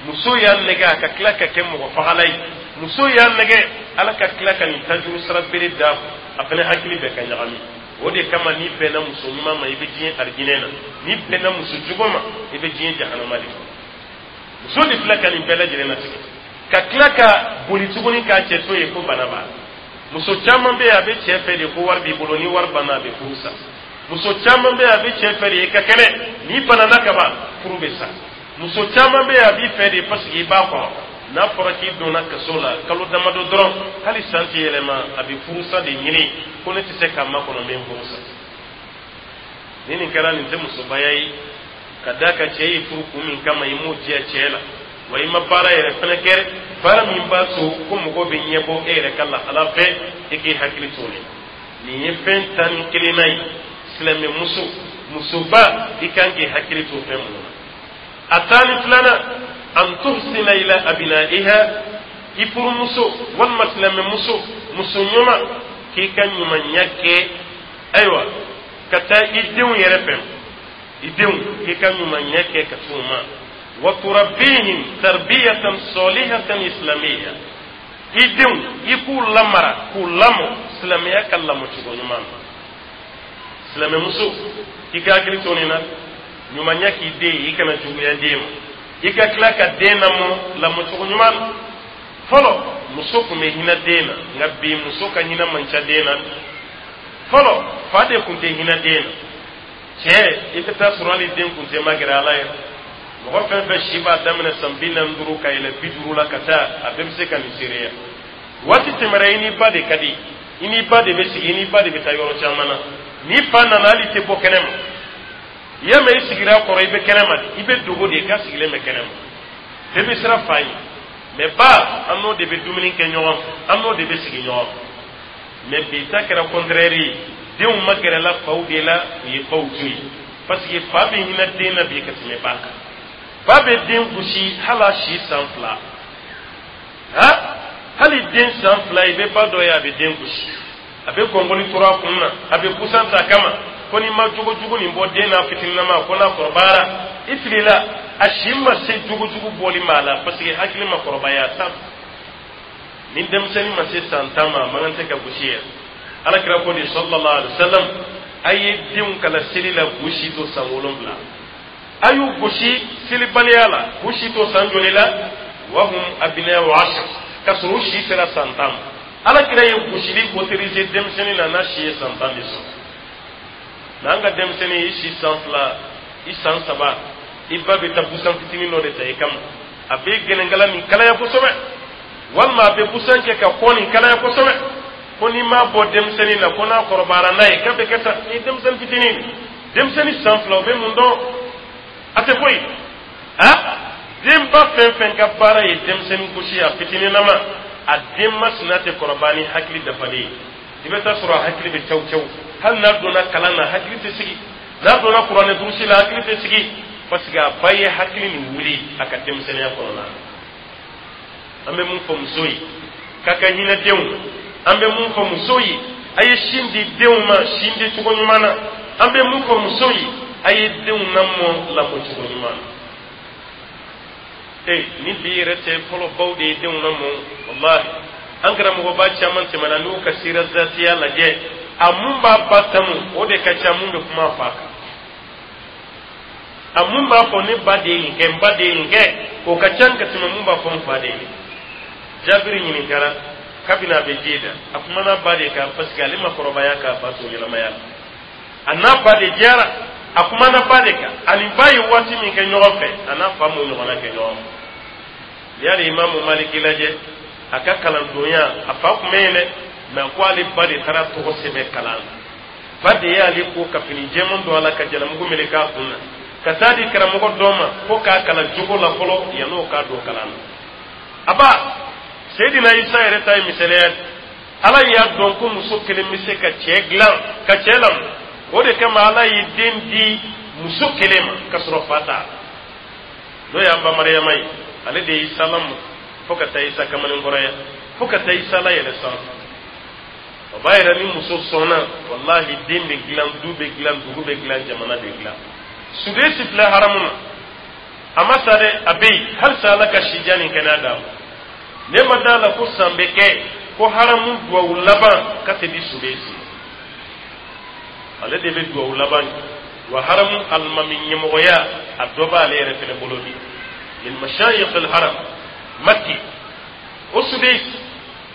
Muso y'a nɛgɛ a ka tila ka kɛ mɔgɔ fagala ye. Muso y'a nɛgɛ, Ala ka tila ka nin tajuru sara bere d'a kun, a fɛnɛ hakili bɛ ka ɲagami. O de kama, n'i bɛnna muso ɲuman ma, i bɛ diɲɛ arijinɛ na. N'i bɛnna muso jugu ma, i bɛ diɲɛ jahanama de kɔnɔ. Muso de filɛ ka nin bɛɛ lajɛlen latigɛ, ka tila ka boli tuguni k'a cɛ to yen ko bana b'a la. Muso caman bɛ yen, a bɛ cɛ fɛ de ko wari b'i bolo. Ni wari banna, a bɛ furu sa. Muso caman bɛ yen, a bɛ cɛ fɛ de i ka kɛnɛ. N'i banana ka ban, furu bɛ sa. Muso caman bɛ yen, a b'i fɛ de parce que i b'a kɔrɔ. N'a fɔra k'i donna kaso la kalo damadɔ dɔrɔn, hali san tɛ yɛlɛma, a bɛ furusa de ɲini ko ne tɛ se k'a makɔnɔ, n bɛ n furu sa. Ni nin kɛra, nin tɛ musobaya ye. Ka d'a kan cɛ y'i furu kun min kama, i m'o diya cɛ la wa, i ma baara yɛrɛ fɛnɛ kɛ, baara min b'a to ko mɔgɔw bɛ ɲɛbɔ e yɛrɛ ka lahala fɛ. E k'i hakili t'o la. Nin ye fɛn 11nan ye. Silamɛmuso, musoba, i kan k'i hakili to fɛn minnu na. A 12nan, an tuhsina ila abinaiha. I furumuso walima silamɛmuso, muso ɲuman, k'i ka ɲumanya kɛ, ayiwa, ka taa i denw yɛrɛ fɛ. I denw, k'i ka ɲumanya kɛ ka t'u ma. Wa turabbihim tarbiyatan salihatan islamiyya. I denw, i k'u lamara, k'u lamɔ silamɛya ka lamɔcogo ɲuman na. Silamɛmuso, i ka hakili to nin na. Ɲumanya k'i den ye, i kana juguya den ma. I ka tila ka den lamɔ lamɔcogo ɲuman na. Fɔlɔ, muso tun bɛ hinɛ den na, nka bi muso ka hinɛ man ca den na. Fɔlɔ, fa de tun tɛ hinɛ den na. Cɛ, i bɛ taa sɔrɔ hali den kun tɛ magɛrɛ ala ye. Mɔgɔ fɛn fɛn si b'a daminɛ san 45 ka yɛlɛ 50 la ka taa, a bɛɛ bɛ se ka nin seereya. Waati tɛmɛra, i n'i ba de ka di, i n'i ba de bɛ sigi, i n'i ba de bɛ taa yɔrɔ caman na. N'i fa nana, hali i tɛ bɔ kɛnɛ ma. I y'a mɛn i sigira kɔrɔ, i bɛ kɛnɛ ma de, i bɛ dogo de, i ka sigilen bɛ kɛnɛ ma. Bɛɛ bɛ siran fa ɲɛ, mɛ ba, an n'o de bɛ dumuni kɛ ɲɔgɔn fɛ, an n'o de bɛ sigi ɲɔgɔn fɛ. Mɛ bi ta kɛra contraire ye. Denw ma gɛrɛla faw de la, u ye baw to yen, parce que fa bɛ hinɛ den na bi ka tɛmɛ ba kan. Ba bɛ den gosi hali a si san 2. Ha, hali den san 2, i bɛ ba dɔ ye, a bɛ den gosi, a bɛ gɔngɔli turu a kun na, a bɛ busan ta kama ko n'i ma jogojugu nin bɔ den n'a fitininama, ko n'a kɔrɔbayara, i filila. A si ma se jogojugu bɔli ma a la, parce que hakili ma kɔrɔbaya. Tan ni denmisɛnnin ma se san 10 ma, a man kan tɛ ka gosi yɛrɛ. Ala kira ko de, sallallahu alaihi wa sallam, a ye denw kala seli la k'u si to san 7. A y'u gosi selibaliya la k'u si to san joli la? Wahum abina'u ashar, ka sɔrɔ u si sera san 10 ma. Ala kira ye gosili autorisé denmisɛnnin na n'a si ye san 10 de sɔrɔ. N'an ka denmisɛnnin, i si san 2, i san 3, i ba bɛ taa busan fitinin dɔ de ta i kama, a bɛ gɛnɛnkala nin kalaya kosɛbɛ, walima a bɛ busan kɛ ka kɔ nin kalaya kosɛbɛ, ko n'i m'a bɔ denmisɛnnin na, ko n'a kɔrɔbayara n'a ye, k'a bɛ kɛ tan. Ni denmisɛnnin fitinin, denmisɛnnin san 2, o bɛ mun dɔn? A tɛ foyi. A denba fɛn fɛn ka baara ye denmisɛnnin gosi a fitininama, a den masina tɛ kɔrɔbaya ni hakili dafalen ye. I bɛ taa sɔrɔ a hakili bɛ caw caw. Hali n'a donna kalan na, hakili tɛ sigi. N'a donna kuranɛ durusi la, hakili tɛ sigi, parce que a ba ye hakili nin wuli a ka denmisɛnninya kɔnɔna na. An bɛ mun fɔ muso ye? K'a ka hinɛ denw. An bɛ mun fɔ muso ye? A ye sin di denw ma sin di cogo ɲuman na. An bɛ mun fɔ muso ye? A ye denw lamɔ lamɔ cogo ɲuman na. Ee, ni bi yɛrɛ tɛ, fɔlɔ baw de ye denw lamɔ. Walahi, an karamɔgɔba caman tɛmɛna, n'u ka sira zatiya lajɛ, a mun b'a ba tanu, o de ka ca mun bɛ kuma fa kan. A mun b'a fɔ ne ba de ye nin kɛ, n ba de ye nin kɛ, o ka ca ka tɛmɛ mun b'a fɔ n fa de ye nin. Jabiri ɲininkara kabini a bɛ ji da, a kumana ba de kan, parce que ale ma kɔrɔbaya k'a fa to ɲɛnamaya la. A n'a ba de diyara, a kumana ba de kan. Ani ba ye waati min kɛ ɲɔgɔn fɛ, a n'a fa m'o ɲɔgɔnna kɛ ɲɔgɔn fɛ. N'i y'ale Imamu Maliki lajɛ, a ka kalandonya, a fa tun bɛ yen dɛ, mɛ ko ale ba de taara tɔgɔ sɛbɛn kalan na. Ba de y'ale ko ka fini jɛman don a la, ka jalamugu meleke a kun na, ka taa di karamɔgɔ dɔ ma ko k'a kalan jogo la fɔlɔ yann'o k'a don kalan na. A ba Seyidina Isa yɛrɛ ta ye misaliya ye. Ala y'a dɔn ko muso kelen bɛ se ka cɛ dilan, ka cɛ lamɔ. O de kama Ala ye den di muso kelen ma ka sɔrɔ fa t'a la, n'o y'an ba Mariyama ye. Ale de ye Isa lamɔ fo ka taa Isa kamalenkɔrɔya, fo ka taa Isa layɛlɛ sanfɛ. O b'a yira ni muso sɔnna, walahi, den bɛ dilan, du bɛ dilan, dugu bɛ dilan, jamana bɛ dilan. Sudesi filɛ haramu na, a ma sa dɛ, a bɛ yen halisa. Ala ka sijan ni kɛnɛya d'a ma. Ne ma d'a la ko san bɛ kɛ ko haramu duwawu laban ka tɛ di Sudesi. Ale de bɛ duwawu laban kɛ wa haramu alimami ɲɛmɔgɔya, a dɔ b'ale yɛrɛ fɛnɛ bolo bi min mashayikh al-haram Makki. O Sudesi,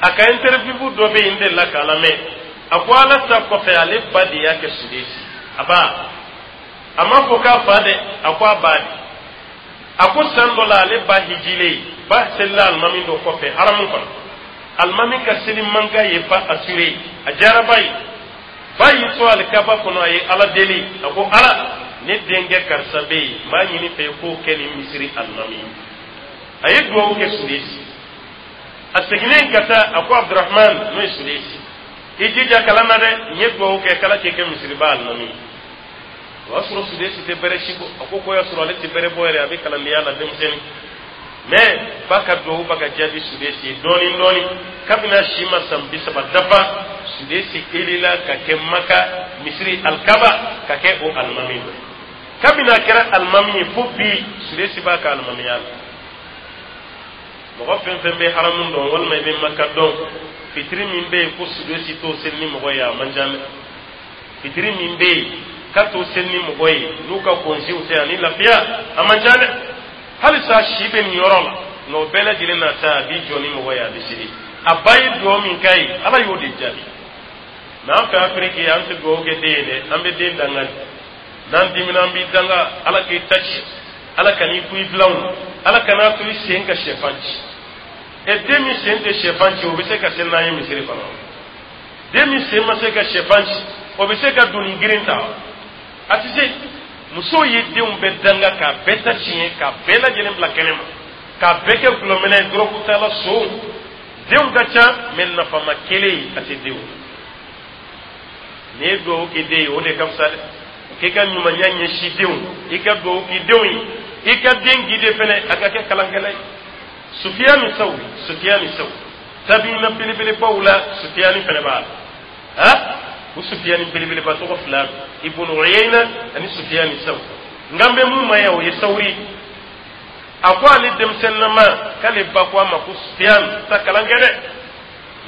a ka interview dɔ bɛ yen, n delila k'a lamɛn. A ko Ala ta kɔfɛ, ale ba de y'a kɛ Sudesi. A ba, a m'a fɔ k'a fa dɛ, a ko a ba de. A ko san dɔ la, ale ba hijilen, ba selila alimami dɔ kɔfɛ haramu kɔnɔ. Alimami ka seli mankan ye ba assuré, a diyara ba ye. Ba y'i to alikaba kɔnɔ, a ye Ala deli, a ko: "Ala, ne denkɛ karisa bɛ yen, n b'a ɲini fɛ k'o kɛ nin misiri alimami ye." A ye duwawu kɛ Sudesi. A seginnen ka taa, a ko: "Abdurahman," n'o ye Sudesi, "i jija kalan na dɛ, n ye duwawu kɛ k'Ala k'i kɛ misiriba alimami ye." O y'a sɔrɔ Sudesi tɛ bɛrɛ si bɔ. A ko k'o y'a sɔrɔ ale tɛ bɛrɛ bɔ yɛrɛ, a bɛ kalandenya la denmisɛnnin. Mɛ ba ka duwawu ba ka jaabi Sudesi ye dɔɔni dɔɔni. Kabini a si ma san 30 dafa, Sudesi elila ka kɛ Maka misiri alikaba ka kɛ o alimami dɔ. Kabini a kɛra alimami ye fo bi, Sudesi b'a ka alimamiya la. Mɔgɔ fɛn fɛn bɛ haramu dɔn walima i bɛ Maka dɔn, fitiri min bɛ yen ko Sudesi t'o seli ni mɔgɔ ye, a man ca dɛ. Fitiri min bɛ yen k'a t'o seli ni mɔgɔ ye n'u ka kɔnsiw tɛ ani lafiya, a man ca dɛ. Halisa si bɛ nin yɔrɔ la, nka o bɛɛ lajɛlen na ta, a b'i jɔ ni mɔgɔ ye, a bɛ seli. A ba ye dugawu min k'a ye, Ala y'o de jaabi. Mɛ an fɛ Afiriki, an tɛ dugawu kɛ den ye dɛ, an bɛ den danga de. N'an dimina, an b'i danga: "Ala k'i ta ci, Ala ka n'i ku i filanw, Ala kana to i sen ka sɛfan ci." Ɛ, den min sen tɛ sɛfan ci, o bɛ se ka seli n'an ye misiri kɔnɔ? Den min sen ma se ka sɛfan ci, o bɛ se ka doni girin ta? A tɛ se. Musow ye denw bɛɛ danga, k'a bɛɛ ta tiɲɛ, k'a bɛɛ lajɛlen bila kɛnɛ ma, k'a bɛɛ kɛ gulɔminɛ ye, dɔrɔgutala so. Denw ka ca, mɛ nafama kelen a tɛ denw. N'i ye dugawu kɛ den ye, o de ka fisa dɛ. K'i ka ɲumanya ɲɛsin denw, i ka dugawu k'i denw ye, i ka den guide fɛnɛ a ka kɛ kalankɛla ye. Sufiyani Sawuri, Sufiyani Sawuri, tabiina belebelebaw la, Sufiyani fɛnɛ b'a la. Ha, o Sufiyani belebeleba tɔgɔ fila don, Ibunu Uyayna ani Sufiyani Sawuri. Nka n bɛ mun ma yan, o ye Sawuri. A ko ale denmisɛnninama, k'ale ba ko a ma ko: "Sufiyan, taa kalan kɛ dɛ.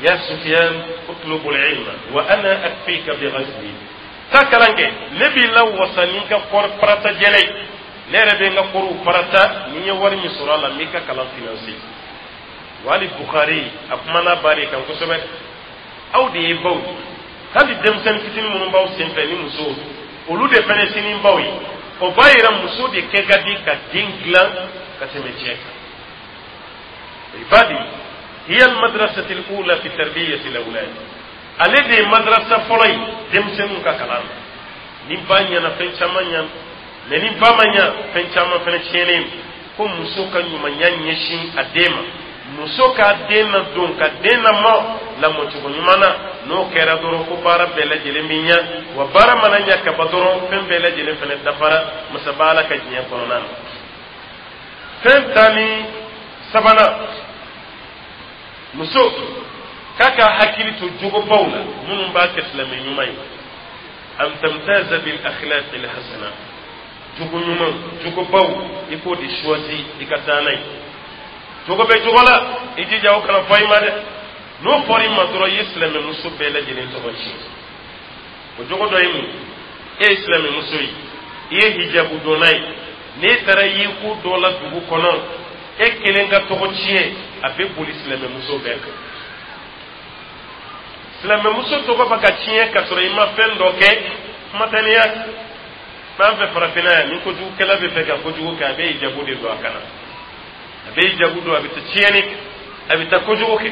Ya Sufiyan, utlubul ilma wa ana akfika bi ghazli. Taa kalan kɛ, ne b'i la wasa ni n ka kɔri parata jɛnɛ ye. Ne yɛrɛ bɛ n ka kɔriw parata ni n ye wari min sɔrɔ a la, n b'i ka kalan financer." Wa hali Bukari, a kumana ba de kan kosɛbɛ. Aw de ye baw ye. Hali denmisɛnnin fitinin minnu b'aw senfɛ ni musow, olu de fana sini baw ye. O b'a yira muso de kɛ ka di ka den dilan ka tɛmɛ cɛ kan. Ibadi hiya almadrasati alula fi tarbiyati alawlad. Ale de ye madrasa fɔlɔ ye denmisɛnninw ka kalan na. Ni ba ɲɛna, fɛn caman ɲana, mɛ ni ba ma ɲa, fɛn caman fɛnɛ tiɲɛnen. Ko muso ka ɲumanya ɲɛsin a den ma, muso k'a den na don, ka den na mɔ lamɔcogo ɲuman na, n'o kɛra dɔrɔn, ko baara bɛɛ lajɛlen bɛ ɲa. Wa baara mana ɲa ka ban dɔrɔn, fɛn bɛɛ lajɛlen fɛnɛ dafara masaba Ala ka diɲɛ kɔnɔna na. Fɛn 13nan, muso k'a ka hakili to jogobaw la minnu b'a kɛ silamɛ ɲuman ye: an tamtaza bil akhlaqi al hasana. Jogo ɲuman, jogobaw, i k'o de choisi i ka taa n'a ye. Jogo bɛ jogo la, i jija o kana fɔ i ma dɛ. N'o fɔra i ma dɔrɔn, i ye silamɛmuso bɛɛ lajɛlen tɔgɔ tiɲɛ. O jogo dɔ ye mun ye? E ye silamɛmuso ye, i ye hijabu donna ye. N'e taara i ye ko dɔ la dugu kɔnɔ, e kelen ka tɔgɔ tiɲɛ, a bɛ boli silamɛmuso bɛɛ kan. Silamɛmuso tɔgɔ bɛ ka tiɲɛ ka sɔrɔ i ma fɛn dɔ kɛ. Kuma tɛ n'i y'a kɛ. N'an fɛ farafinna yan, ni kojugukɛla bɛ fɛ ka kojugu kɛ, a bɛ hijabu de don a kan na, a bɛ hijabu don, a bɛ taa tiɲɛni kɛ, a bɛ taa kojugu kɛ,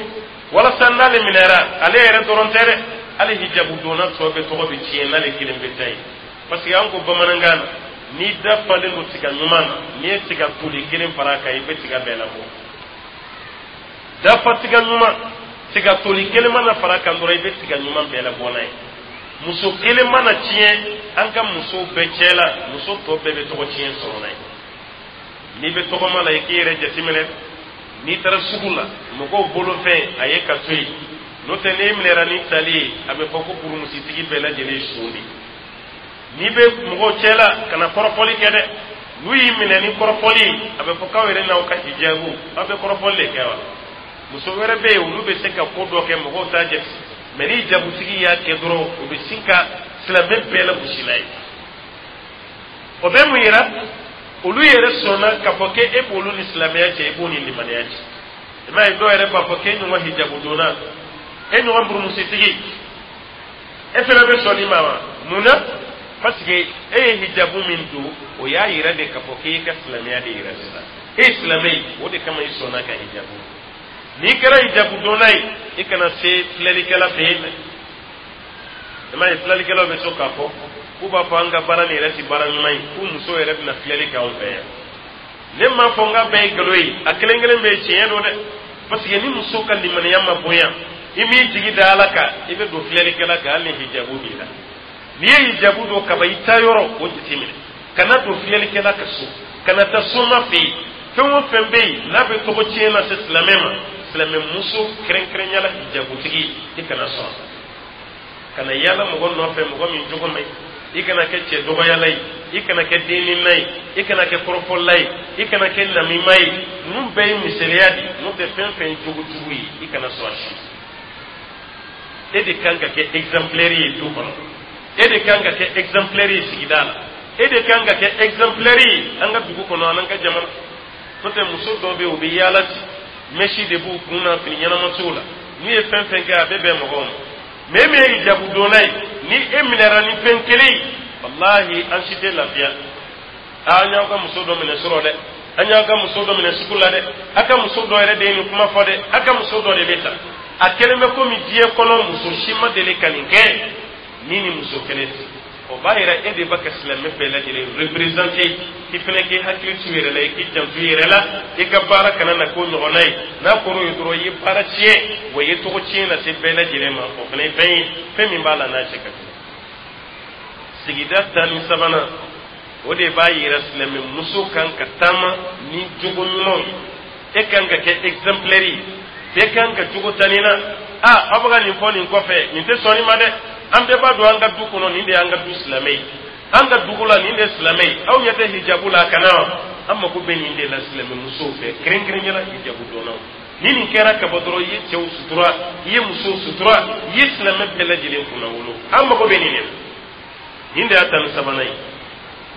walasa n'ale minɛra, ale yɛrɛ dɔrɔn tɛ dɛ, hali hijabu donna tɔ bɛɛ tɔgɔ bɛ tiɲɛ n'ale kelen bɛ taa yen. Parce que an ko bamanankan na, n'i da falen don tiga ɲuman na, n'i ye tiga toli kelen fara a kan, i bɛ tiga bɛɛ labɔ. Dafa tiga ɲuman, tiga toli kelen mana fara a kan dɔrɔn, i bɛ tiga ɲuman bɛɛ labɔ n'a ye. Muso kelen mana tiɲɛ an ka musow bɛɛ cɛ la, muso tɔ bɛɛ bɛ tɔgɔ tiɲɛ sɔrɔ n'a ye. N'i bɛ tɔgɔma la, i k'i yɛrɛ jateminɛ. N'i taara sugu la, mɔgɔw bolofɛn a ye ka to yen, n'o tɛ n'e minɛra ni tali ye, a bɛ fɔ ko burumusitigi bɛɛ lajɛlen ye son de ye. N'i bɛ mɔgɔw cɛ la, kana kɔrɔfɔli kɛ dɛ. N'u y'i minɛ ni kɔrɔfɔli ye, a bɛ fɔ k'aw yɛrɛ n'aw ka hijabu, aw bɛ kɔrɔfɔli de kɛ wa. Muso wɛrɛ bɛ yen, olu bɛ se ka ko dɔ kɛ, mɔgɔw t'a jate, mɛ ni hijabutigi y'a kɛ dɔrɔn, o bɛ sin ka silamɛ bɛɛ lagosi n'a ye. O bɛ mun yira? Olu yɛrɛ sɔnna k'a fɔ k'e b'olu ni silamɛya cɛ, i b'o ni limaniya cɛ. I m'a ye, dɔw yɛrɛ b'a fɔ k'e ɲɔgɔn hijabu donna, e ɲɔgɔn burumusitigi, e fana bɛ sɔn nin ma wa? Mun na? Parce que e ye hijabu min don, o y'a yira de k'a fɔ k'e ka silamɛya de yira sisan, e ye silamɛ ye, o de kama i sɔnna ka hijabu. N'i kɛra hijabu donna ye, i kana se filɛlikɛla fɛ yen dɛ. I m'a ye, filɛlikɛlaw bɛ to k'a fɔ k'u b'a fɔ an ka baara nin yɛrɛ ti baara ɲuman ye, k'u muso yɛrɛ bɛna filɛli kɛ anw fɛ yan. Ne m'a fɔ n k'a bɛɛ ye nkalon ye, a kelen kelen bɛɛ ye tiɲɛ don dɛ. Parce que ni muso ka limaniya ma bonya, i m'i jigi da Ala kan, i bɛ don filɛlikɛla kan, hali ni hijabu b'i la. N'i ye hijabu don kaba, i taa yɔrɔ o jateminɛ, kana don filɛlikɛla ka so, kana taa soma fɛ yen. Fɛn o fɛn bɛ yen n'a bɛ tɔgɔ tiɲɛ lase silamɛ ma, silamɛ muso kɛrɛnkɛrɛnya la hijabutigi, i kana sɔn. Kana yaala mɔgɔ nɔfɛ, mɔgɔ min jogo man ɲi. I kana kɛ cɛ dɔgɔyala ye, i kana kɛ denninna ye, i kana kɛ kɔrɔfɔla ye, i kana kɛ namima ye. Ninnu bɛɛ ye misaliya de ye, n'o tɛ fɛn fɛn ye jogo jugu ye, i kana sɔn a si. E de kan ka kɛ exemplaire ye du kɔnɔ, e de kan ka kɛ exemplaire ye sigida la, e de kan ka kɛ exemplaire ye an ka dugu kɔnɔ an'an ka jamana. N'o tɛ, muso dɔw bɛ yen, u bɛ yaala ten, mèche de b'u kun na, fini ɲɛnama t'u la, n'u ye fɛn fɛn kɛ, a bɛ bɛn mɔgɔw ma. Mɛ e min ye hijabu donna ye, ni e minɛra ni fɛn kelen ye, walahi, an si tɛ lafiya. Aa, an y'aw ka muso dɔ minɛ sɔrɔ dɛ, an y'aw ka muso dɔ minɛ sugu la dɛ, a ka muso dɔ yɛrɛ de ye nin kuma fɔ dɛ, a ka muso dɔ de bɛ ta. A kɛlen bɛ komi diɲɛ kɔnɔ muso si ma deli ka nin kɛ ni muso kelen tɛ. O b'a yira e de b'a ka silamɛ bɛɛ lajɛlen représenter. I fana k'i hakili t'u yɛrɛ la, i k'i janto i yɛrɛ la, i ka baara kana na k'o ɲɔgɔnna ye. N'a kɔrɔ ye dɔrɔn, i ye baara tiɲɛ wa, i ye tɔgɔ tiɲɛ lase bɛɛ lajɛlen ma. O fana ye fɛn ye, fɛn min b'a la n'a cɛ ka jugu. Sigida 13nan, o de b'a yira silamɛ muso kan ka taama ni jogo ɲumanw ye. E kan ka kɛ exemplaire ye, bɛɛ kan ka jogo ta nin na. A aw bɛ ka nin fɔ nin kɔfɛ, nin tɛ sɔn nin ma dɛ. An bɛɛ b'a dɔn an ka du kɔnɔ, nin de y'an ka du silamɛ ye, an ka dugu la, nin de ye silamɛ ye. Aw ɲɛ tɛ hijabu la a kana wa? An mako bɛ nin de la silamɛ musow fɛ, kɛrɛnkɛrɛnnenya la hijabu dɔnnaw. Ni nin kɛra ka bɔ dɔrɔn, i ye cɛw sutura, i ye musow sutura, i ye silamɛ bɛɛ lajɛlen kunna wolo. An mako bɛ nin de la. Nin de y'a 13nan ye.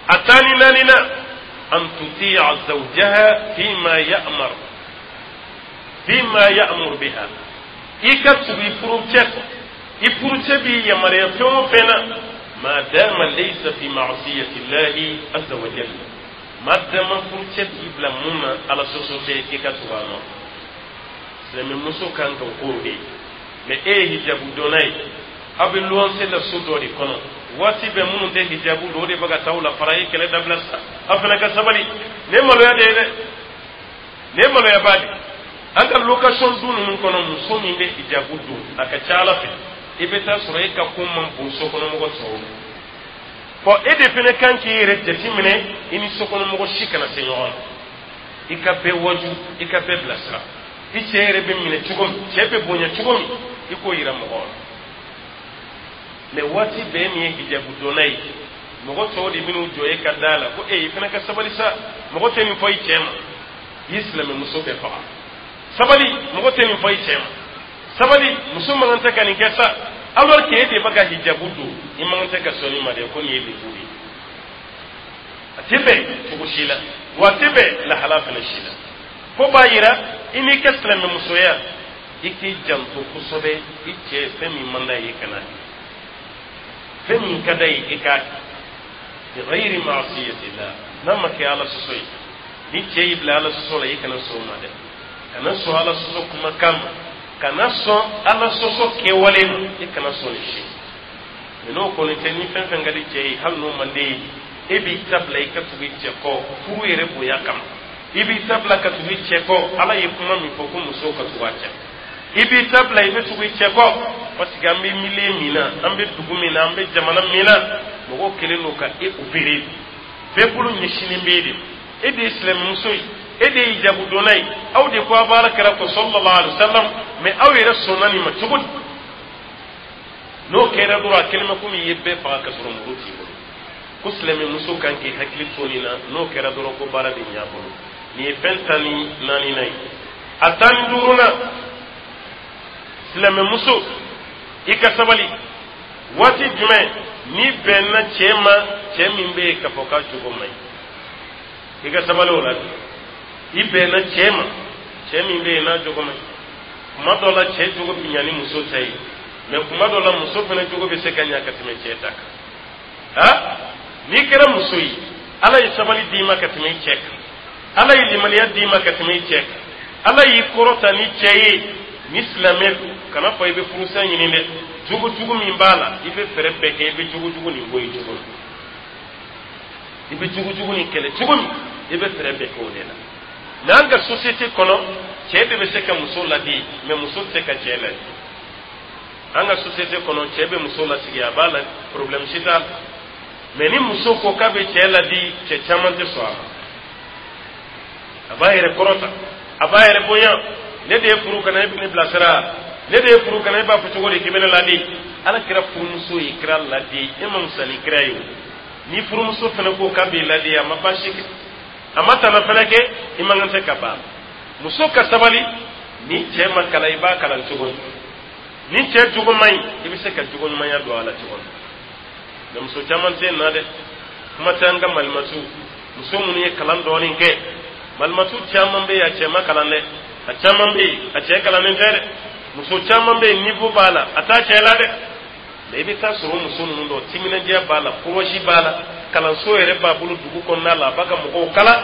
A 14nan, an tuti'a zawjaha fima ya'mur biha. I ka tugu i furucɛ kɔ, i furucɛ b'i yamaruya fɛn o fɛn na, ma dama laysa fi ma'siyati llahi azza wa jalla. Ma dama furucɛ b'i bila mun na, Ala sɔsɔ tɛ, i ka tugu a nɔ. Silamɛmuso kan ka o k'o de ye. Mɛ e ye hijabu donna ye, aw bɛ luwanse la so dɔ de kɔnɔ, waati bɛɛ minnu tɛ hijabu don, o de bɛ ka taa aw la fara. Ye kɛlɛ dabila sa, aw fana ka sabali. Nin ye maloya de ye dɛ, nin ye maloyaba de. An ka location du ninnu kɔnɔ, muso min bɛ hijabu don, a ka ca Ala fɛ, i bɛ taa sɔrɔ e ka ko man bon sokɔnɔmɔgɔ tɔw ma. Bɔn, e de fana kan k'i yɛrɛ jateminɛ, i ni sokɔnɔmɔgɔ si kana se ɲɔgɔn na. I ka bɛɛ waju, i ka bɛɛ bilasira. I cɛ yɛrɛ bɛ minɛ cogo min, cɛ bɛ bonya cogo min, i k'o yira mɔgɔw la. Mɛ waati bɛɛ min ye hijabu donna ye, mɔgɔ tɔw de bɛn'u jɔ e ka da la ko e, i fana ka sabali sa, mɔgɔ tɛ nin fɔ i cɛ ma. I ye silamɛmuso bɛɛ faga. Sabali, mɔgɔ tɛ nin fɔ i cɛ ma. Sabali, muso man kan tɛ ka nin kɛ sa. Alors que e de bɛ ka hijabu don, i man kan tɛ ka sɔn nin ma dɛ, ko nin ye lebu de ye. A tɛ bɛn cogo si la, wa a tɛ bɛn lahala fana si la. Fo b'a yira i n'i ka silamɛmusoya, i k'i janto kosɛbɛ. I cɛ, fɛn min man d'a ye, i kana kɛ. Fɛn min ka d'a ye, i k'a kɛ bi ghayri ma'siyatillah, n'a ma kɛ Ala sɔsɔ ye. Ni cɛ y'i bila Ala sɔsɔ la, i kana sɔn o ma dɛ. Kana sɔn Ala sɔsɔ kumakan ma, kana sɔn Ala sɔsɔ kɛwale ma, i kana sɔn nin si. Mɛ n'o kɔni tɛ, ni fɛn fɛn ka di cɛ ye, hali n'o man d'e ye, e b'i ta bila i ka tugu i cɛ kɔ furu yɛrɛ bonya kama. I b'i ta bila ka tugu i cɛ kɔ. Ala ye kuma min fɔ ko muso ka tugu a cɛ, i b'i ta bila, i bɛ tugu i cɛ kɔ, parce que an bɛ milieu min na, an bɛ dugu min na, an bɛ jamana min na, mɔgɔw kɛlen don ka e opérer. Bɛɛ bolo ɲɛsinnen bɛ e de ma. E de ye silamɛmuso ye, e de ye hijabudonna ye. Aw de ko a b'Ala kira kɔ sallallahu alaihi wa sallam, mais aw yɛrɛ sɔnna nin ma cogo di? N'o kɛra dɔrɔn, a kɛlen bɛ komi i ye bɛɛ faga ka sɔrɔ muru t'i bolo. Ko silamɛmuso kan k'i hakili to nin na. N'o kɛra dɔrɔn, ko baara bɛ ɲɛ a bolo. Nin ye fɛn 14nan ye. A 15nan, silamɛmuso, i ka sabali. Waati jumɛn n'i bɛnna cɛ ma, cɛ min bɛ yen k'a fɔ k'a jogo man ɲi, i ka sabali o la. I bɛnna cɛ ma, cɛ min bɛ yen n'a jogo man ɲi. Kuma dɔ la, cɛ jogo bɛ ɲa ni muso ta ye, mɛ kuma dɔ la, muso fana jogo bɛ se ka ɲa ka tɛmɛ cɛ ta kan. Ha, n'i kɛra muso ye, Ala ye sabali d'i ma ka tɛmɛ i cɛ kan, Ala ye limaniya d'i ma ka tɛmɛ i cɛ kan, Ala y'i kɔrɔta ni cɛ ye. Ni silamɛ don, kana fɔ i bɛ furusa ɲini dɛ. Jogo jugu min b'a la, i bɛ fɛɛrɛ bɛɛ kɛ, i bɛ jogo jugu nin bɔ i jogo la. I bɛ jogo jugu nin kɛlɛ cogo min, i bɛ fɛɛrɛ bɛɛ kɛ o de la. Mɛ an ka société kɔnɔ, cɛ de bɛ se ka muso ladi, mɛ muso tɛ se ka cɛ ladi. An ka société kɔnɔ, cɛ bɛ muso lasigi, a b'a la, problème si t'a la. Mɛ ni muso ko k'a bɛ cɛ ladi, cɛ caman tɛ sɔn a ma. A b'a yɛrɛ kɔrɔta, a b'a yɛrɛ bonya. Ne de ye furu ka na, e bɛ ne bilasira. Ne de ye furu ka na, e b'a fɔ cogo di k'i bɛ ne ladi? Ala kira furumuso ye kira ladi, e ma musa ni kira ye o. Ni furumuso fana ko k'a b'i ladi, a ma baasi kɛ, a ma tana fana kɛ, i man kan tɛ ka ban. Muso ka sabali. Ni cɛ ma kalan, i b'a kalan cogo di? Ni cɛ jogo man ɲi, i bɛ se ka jogo ɲumanya don a la cogo di? Mɛ muso caman tɛ na dɛ. Kuma tɛ an ka malimatu muso minnu ye kalan dɔɔnin kɛ. Malimatu caman bɛ yen, a cɛ ma kalan dɛ. A caman bɛ yen, a cɛ kalannen tɛ dɛ. Muso caman bɛ yen, niveau b'a la, a t'a cɛ la dɛ. Mɛ i bɛ taa sɔrɔ muso ninnu dɔ timinandiya b'a la, courage b'a la, kalanso yɛrɛ b'a bolo dugu kɔnɔna la, a b'a ka mɔgɔw kalan,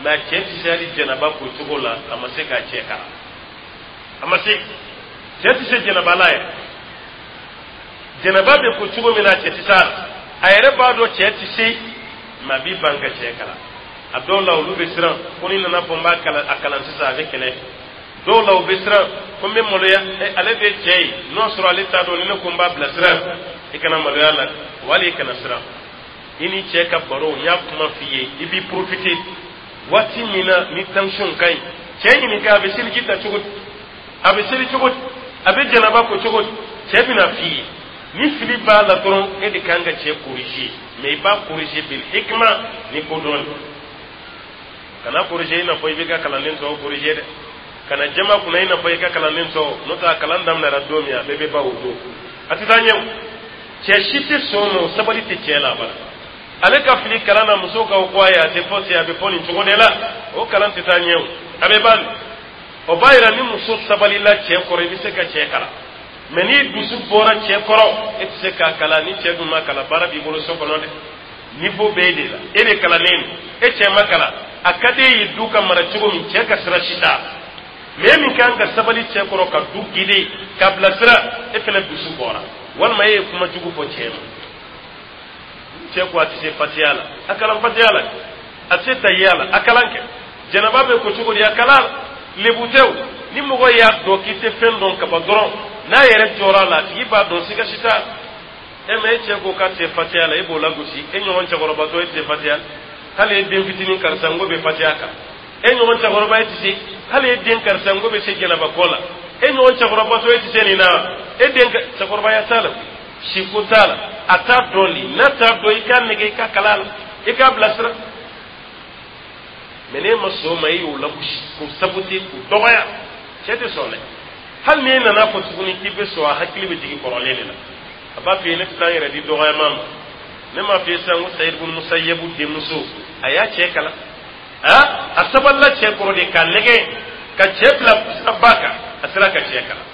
mɛ a cɛ tɛ se hali jɛnɛba ko cogo la. A ma se k'a cɛ kalan, a ma se. Cɛ tɛ se jɛnɛba la yɛrɛ. Jɛnɛba bɛ ko cogo min na, a cɛ tɛ se a la. A yɛrɛ b'a dɔn cɛ tɛ se, mɛ a b'i ban ka cɛ kalan. A dɔw la, olu bɛ siran ko ni nana fɔ n b'a kalan, a kalan sisan, a bɛ kɛlɛ. Dɔw la, u bɛ siran ko n bɛ maloya. Ale de ye cɛ ye, n'o sɔrɔ ale t'a dɔn, ni ne ko n b'a bilasira. I kana maloya la, wali i kana siran. I ni cɛ ka baro, n y'a kuma f'i ye, i b'i profiter waati min na ni tension ka ɲi. Cɛ ɲininka a bɛ seliji ta cogo di, a bɛ seli cogo di, a bɛ janaba ko cogo di. Cɛ bɛna f'i ye. Ni fili b'a la dɔrɔn, e de kan ka cɛ corriger, mais i b'a corriger bil hikma, ni kodɔn. Kana corriger i n'a fɔ i b'i ka kalanden tɔw corriger dɛ. Kana jama kunna i n'a fɔ i ka kalanden tɔw. N'o tɛ, a kalan daminɛra don min, a bɛɛ bɛ ban o don, a tɛ taa ɲɛ o. Cɛ si tɛ sɔn o ma, sabali tɛ cɛ la abada. Ale ka fili kalan na, muso ka ko a ye, a tɛ fɔ ten, a bɛ fɔ nin cogo de la. O kalan tɛ taa ɲɛ o, a bɛ ban. O b'a yira ni muso sabalila cɛ kɔrɔ, i bɛ se ka cɛ kalan. Mɛ n'i dusu bɔra cɛ kɔrɔ, e tɛ se k'a kalan. Ni cɛ dun ma kalan, baara b'i bolo so kɔnɔ dɛ. Niveau bɛ e de la, e de kalannen don, e cɛ ma kalan. A ka di e ye du ka mara cogo min, cɛ ka sira si t'a. Mɛ e min kan ka sabali cɛ kɔrɔ, ka du guider, ka bilasira, e fana dusu bɔra, walima e ye kuma jugu fɔ cɛ ma. Cɛ ko a tɛ se fatiya la, a kalan fatiya la. A tɛ se tahiya la, a kalan kɛ. Jɛnɛba bɛ ko cogo di, a kalan la. Lebu tɛ o. Ni mɔgɔ y'a dɔn k'i tɛ fɛn dɔn kaban dɔrɔn, n'a yɛrɛ jɔra a la, a tigi b'a dɔn, siga si t'a la. E ma e cɛ ko k'a tɛ se fatiya la, e b'o lagosi. E ɲɔgɔn cɛkɔrɔbatɔ, e tɛ se fatiya? Hali e den fitinin karisa n ko bɛ fatiya kan, e ɲɔgɔn cɛkɔrɔba, e tɛ se. Hali e den karisa n ko bɛ se jɛnɛba kɔ la, e ɲɔgɔn cɛkɔrɔbatɔ, e tɛ se nin na. E den, cɛkɔrɔbaya t'a la, siko t'a la, a t'a dɔn de. N'a t'a dɔn, i k'a nɛgɛ, i k'a kala la, i k'a bilasira. Mɛ n'e ma sɔn o ma, e y'o lagosi, k'o saboter, k'o dɔgɔya, cɛ tɛ sɔn dɛ. Hali n'e nana fɔ tuguni k'i bɛ sɔn, a hakili bɛ jigin kɔrɔlen de la. A b'a f'i ye: ne tɛ taa n yɛrɛ di dɔgɔyama ma. Ne m'a f'i ye sisan ko Sayid ibn Musayyabu denmuso, a y'a cɛ kalan. A sabalila cɛ kɔrɔ de, k'a nɛgɛ, ka cɛ bila siraba kan, a sera ka cɛ kalan.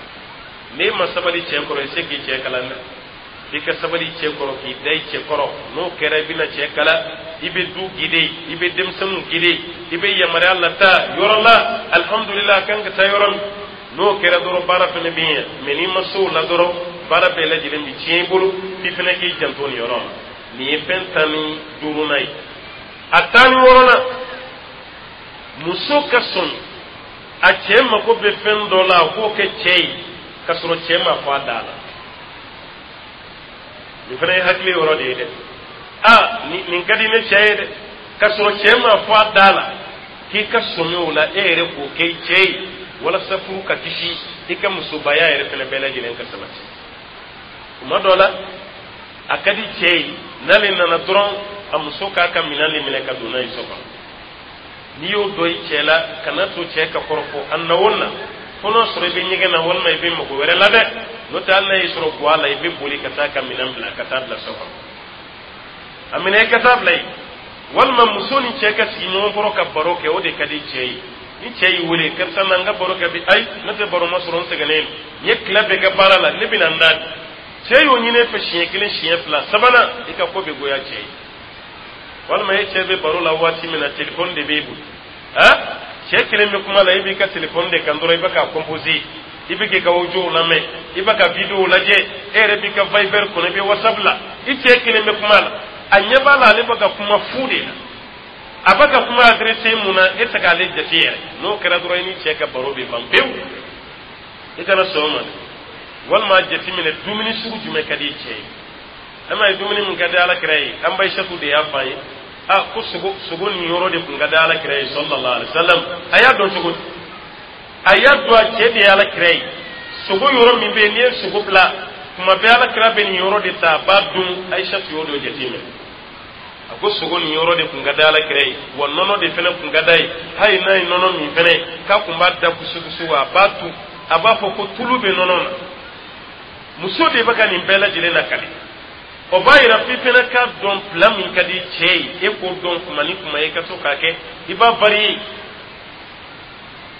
N'e ma sabali cɛ kɔrɔ, i se k'i cɛ kalan dɛ. F'i ka sabali cɛ kɔrɔ, k'i da i cɛ kɔrɔ. N'o kɛra, i bɛna cɛ kala, i bɛ du guider, i bɛ denmisɛnninw guider, i bɛ yamaruya lataa yɔrɔ la. Alihamudulila, a kan ka taa yɔrɔ min, n'o kɛra dɔrɔn, baara fana bɛ ɲɛ. Mɛ n'i ma se o la dɔrɔn, baara bɛɛ lajɛlen bɛ tiɲɛ i bolo. F'i fana k'i janto nin yɔrɔ la. Nin ye fɛn 15nan ye. A 16nan, muso ka sɔn a cɛ mako bɛ fɛn dɔ la, a k'o kɛ cɛ ye k'a sɔrɔ cɛ ma fɔ a da la. Nin fana ye hakili yɔrɔ de ye dɛ. Aa, nin ka di ne cɛ ye dɛ, k'a sɔrɔ cɛ ma fɔ a da la. K'i ka sɔmi o la, e yɛrɛ k'o kɛ i cɛ ye, walasa furu ka kisi, i ka musobaya yɛrɛ fana bɛɛ lajɛlen ka sabati. Tuma dɔ la, a ka di cɛ ye, n'ale nana dɔrɔn, a muso k'a ka minɛn de minɛ ka don n'a ye so kɔnɔ. N'i y'o dɔn i cɛ la, kana to cɛ ka kɔrɔfɔ. A na o na, fo n'a sɔrɔ i bɛ ɲɛgɛn na walima i bɛ mago wɛrɛ la dɛ. N'o tɛ, hali n'a y'i sɔrɔ guwa la, i bɛ boli ka taa ka minɛn bila, ka taa bila so kɔnɔ. A minɛ, i ka taa bila yen. Walima muso ni cɛ ka sigi ɲɔgɔn kɔrɔ ka baro kɛ, o de ka di cɛ ye. Ni cɛ y'i wele: "Karisa, na n ka baro kɛ bi." "Ayi, ne tɛ baro ma sɔrɔ, n sɛgɛnnen don, n ye tile bɛɛ kɛ baara la, ne bɛna n da." Cɛ y'o ɲini e fɛ siɲɛ kelen, siɲɛ fila, sabanan, i ka ko bɛ goya cɛ ye. Walima e cɛ bɛ baro la waati min na, telefɔni de b'e bolo. Ha, cɛ kelen bɛ kuma la, e b'i ka telefɔni de kan dɔrɔn, i bɛ k'a composer, i bɛ k'i ka audio lamɛn, i bɛ ka vidéo lajɛ, e yɛrɛ b'i ka Viber kɔnɔ, i bɛ WhatsApp la. I cɛ kelen bɛ kuma la, a ɲɛ b'a la, ale bɛ ka kuma fu de la. A bɛ ka kuma adressé mun na, e tɛ k'ale jate yɛrɛ. N'o kɛra dɔrɔn, i ni cɛ ka baro bɛ ban pewu. I kana sɔn o ma dɛ. Walima jateminɛ, dumuni sugu jumɛn ka di i cɛ ye? E m'a ye, dumuni min ka di Ala kira ye, an ba Isatu de y'a fɔ an ye. A ko sogo nin yɔrɔ de tun ka di Ala kira ye, sallallahu alaihi wasallam. A y'a dɔn cogo di? A y'a dɔn a cɛ de ye Ala kira ye. Sogo yɔrɔ min bɛ yen, n'i ye sogo bila tuma bɛɛ, Ala kira bɛ nin yɔrɔ de ta, a b'a dun. Ayisatu y'o dɔ jateminɛ. A ko sogo nin yɔrɔ de tun ka di Ala kira ye, wa nɔnɔ de fana tun ka d'a ye. Hali n'a ye nɔnɔ min fana, k'a tun b'a da kusukusu, a b'a tu, a b'a fɔ ko tulu bɛ nɔnɔ na. Muso de bɛ ka nin bɛɛ lajɛlen lakali. O b'a yira f'i fana k'a dɔn plat min ka di cɛ ye, e k'o dɔn. Kuma ni kuma, i ka to k'a kɛ, i b'a varier.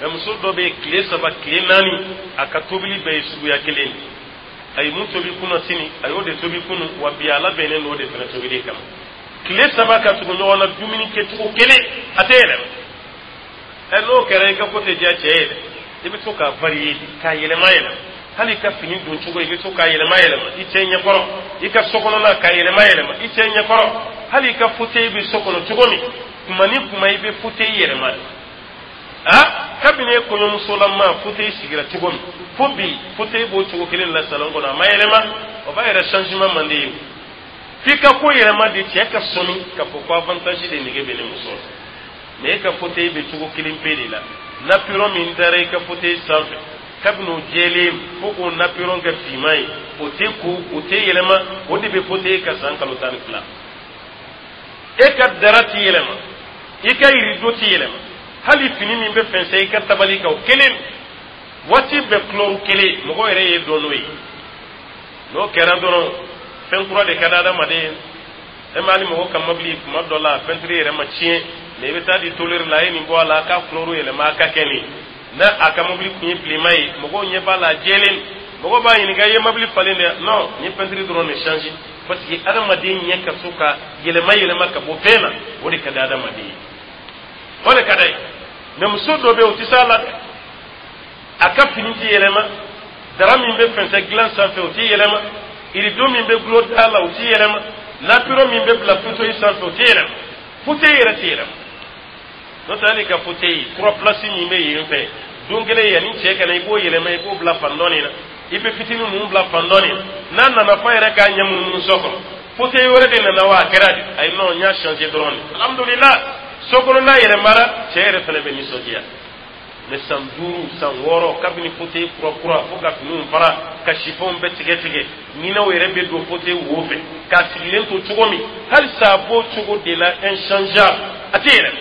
Mɛ muso dɔ bɛ yen, tile 3, tile 4, a ka tobili bɛɛ ye suguya kelen ye. A ye mun tobi kunna, sini a y'o de tobi kunu, wa bi a labɛnnen don o de fana tobili kama. Tile 3 ka tugu ɲɔgɔn na, dumuni kɛcogo kelen, a tɛ yɛlɛma. Ɛ, n'o kɛra, i ka ko tɛ diya cɛ ye dɛ. I bɛ to k'a varier, k'a yɛlɛma yɛlɛma. Hali i ka fini don cogo, i bɛ to k'a yɛlɛma yɛlɛma i cɛ ɲɛkɔrɔ. I ka so kɔnɔna, k'a yɛlɛma yɛlɛma i cɛ ɲɛkɔrɔ. Hali i ka fauteuil bɛ so kɔnɔ cogo min, kuma ni kuma, i bɛ fauteuil yɛlɛma de. A kabini e kɔɲɔmusolama fauteuil sigira cogo min, fo bi, fauteuil b'o cogo kelen la salon kɔnɔ, a ma yɛlɛma. O b'a yɛrɛ changement man di ye. F'i ka ko yɛlɛma de, cɛ ka sɔmi k'a fɔ ko avantage de nege bɛ ne muso la. Mɛ e ka fauteuil bɛ cogo kelen pe de la. Napperon min dara i ka fauteuil sanfɛ, kabini o jɛlen fo k'o napperon kɛ finman ye, o tɛ ko, o tɛ yɛlɛma. O de bɛ fauteuil ka san kalo 12. E ka drap ti yɛlɛma, i ka rideau ti yɛlɛma, hali fini min bɛ fɛnsɛ i ka tabali kan, o kelen, waati bɛɛ couleur kelen. Mɔgɔ yɛrɛ ye dɔn n'o ye. N'o kɛra dɔrɔn, fɛn kura de ka di adamaden ye. E ma, hali mɔgɔ ka mobili, kuma dɔ la, peinture yɛrɛ ma tiɲɛ, mɛ i bɛ taa di tôlier la, a ye nin bɔ a la, a k'a couleur yɛlɛma, a ka kɛ nin. N'a a ka mobili kun ye bilenman ye, mɔgɔw ɲɛ b'a la, a jɛlen, mɔgɔw b'a ɲininka: "I ye mobili falen dɛ?" "Non, n ye peinture dɔrɔn de changer." Parce que adamaden ɲɛ ka to ka yɛlɛma yɛlɛma ka bɔ fɛn na, o de ka di adamaden ye, o de ka d'a ye. Mɛ muso dɔ bɛ yen, o tɛ s'a la dɛ. A ka fini ti yɛlɛma, drap min bɛ fɛnsɛ dilan sanfɛ, o ti yɛlɛma, rideau min bɛ gulon da la, o ti yɛlɛma, napperon min bɛ bila fauteuil sanfɛ, o ti yɛlɛma, fauteuil yɛrɛ ti yɛlɛma. N'o tɛ, hali ka fauteuil trois places min bɛ yen fɛ, don kelen yanni cɛ ka na, i b'o yɛlɛma, i b'o bila fan dɔ nin na, i bɛ fitinin ninnu bila fan dɔ nin na. N'a nana f'a yɛrɛ k'a ɲɛ munumunu so kɔnɔ: "Fauteuil wɛrɛ de nana wa? A kɛra di?" "Ayi, non, n y'a changer dɔrɔn de." Alhamdulilah, so kɔnɔna yɛlɛmara, cɛ yɛrɛ fana bɛ nisɔndiya. Mɛ san 5, san 6, kabini fauteuil kura kura, fo ka finiw fara, ka chiffon bɛɛ tigɛ tigɛ, ɲinɛw yɛrɛ bɛ don fauteuil wo fɛ. K'a sigilen to cogo min, halisa a b'o cogo de la, inchangeable, a tɛ yɛlɛma.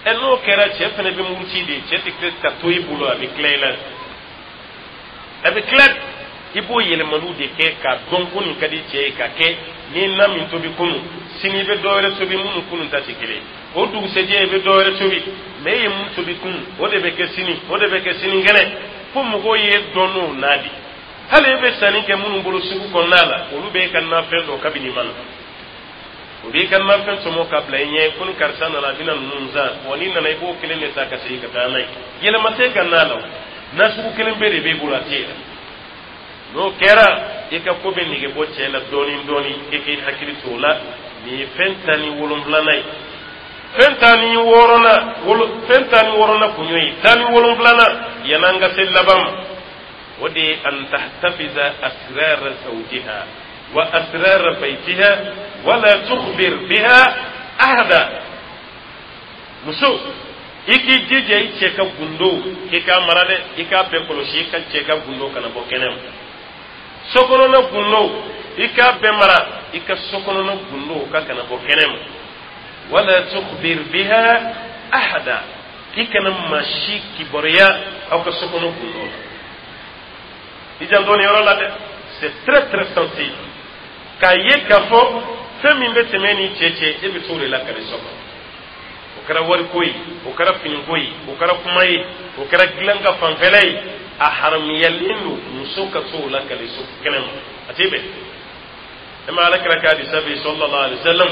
Ɛ, n'o kɛra, cɛ fana bɛ muruti de. Cɛ tɛ ka to i bolo, a bɛ tila i la, a bɛ tila. I b'o yɛlɛmaliw de kɛ k'a dɔn ko nin ka di cɛ ye ka kɛ. N'i ye na min tobi kunun, sini i bɛ dɔ wɛrɛ tobi minnu kunun ta tɛ kelen ye. O dugusɛjɛ, i bɛ dɔ wɛrɛ tobi. Mɛ e ye mun tobi kunun, o de bɛ kɛ sini, o de bɛ kɛ sinikɛnɛ, fo mɔgɔw ye dɔn n'o na de. Hali e bɛ sanni kɛ minnu bolo sugu kɔnɔna la, olu b'e ka nafɛn dɔn kabini ma na. O b'i ka nafɛn tɔmɔ ka bila i ɲɛ ko ni karisa nana, a bɛna ninnu san wa. N'i nana, i b'o kelen de ta ka segin ka taa n'a ye. Yɛlɛma tɛ ka na la o, na sugu kelen bɛɛ de b'e bolo, a tɛ yɛlɛ. N'o kɛra, i ka ko bɛ nege bɔ cɛ la dɔɔni dɔɔni. E k'i hakili to o la. Nin ye fɛn 17nan ye. Fɛn 16nan wolo, fɛn 16nan kun y'o ye. 17nan, yan'an ka se laban ma, o de ye an tahtafiza asrara zawjiha wa asrara baytiha wala tukhbir biha ahada. Muso, i k'i jija i cɛ ka gundo, k'i k'a mara dɛ, i k'a bɛɛ kɔlɔsi. I ka cɛ ka gundo kana bɔ kɛnɛ ma. Sokɔnɔna gundo, i k'a bɛɛ mara. I ka sokɔnɔna gundo ka kana bɔ kɛnɛ ma. Wala tukhbir biha ahada, i kana maa si kibaruya aw ka sokɔnɔ gundo la. I janto nin yɔrɔ la dɛ, c'est très très sensible. K'a ye k'a fɔ fɛn min bɛ tɛmɛ ni cɛ cɛ, e bɛ t'o de lakale so kɔnɔ. O kɛra wariko ye, o kɛra finiko ye, o kɛra kuma ye, o kɛra dilan ka fanfɛla ye, a haramuyalen don muso ka t'o lakale so kɛnɛ ma, a tɛ bɛn. E ma Ala kira ka hadisa bɛ sallallahu alaihi wasallam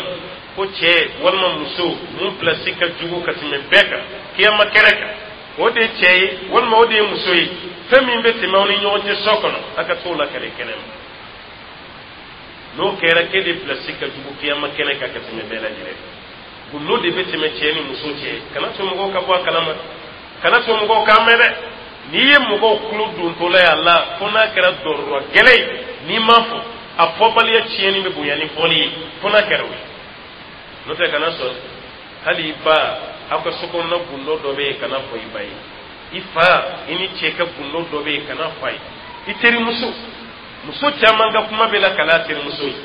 ko cɛ walima muso mun pilasi ka jugu ka tɛmɛ bɛɛ kan kiyama kɛnɛ kan, o de ye cɛ ye walima o de ye muso ye, fɛn min bɛ tɛmɛ aw ni ɲɔgɔn cɛ so kɔnɔ, a ka t'o lakale kɛnɛ ma. N'o kɛra, k'e de pilasi ka jugu kiyama kɛnɛ kan ka tɛmɛ bɛɛ lajɛlen. Gundo de bɛ tɛmɛ cɛ ni muso cɛ, kana to mɔgɔw ka bɔ a kalama, kana to mɔgɔw k'a mɛn dɛ. N'i ye mɔgɔw tulo dontɔla ye a la, fo n'a kɛra dɔrɔrɔ gɛlɛn ye, n'i m'a fɔ, a fɔbaliya tiɲɛni bɛ bonya ni fɔli ye, fo n'a kɛra o ye. N'o tɛ, kana sɔn. Hali i ba, aw ka sokɔnɔna gundo dɔ bɛ yen, kana fɔ i ba ye. I fa, i ni cɛ ka gundo dɔ bɛ yen, kana fɔ a ye. I terimuso, muso caman ka kuma bɛ lakale a terimuso ye.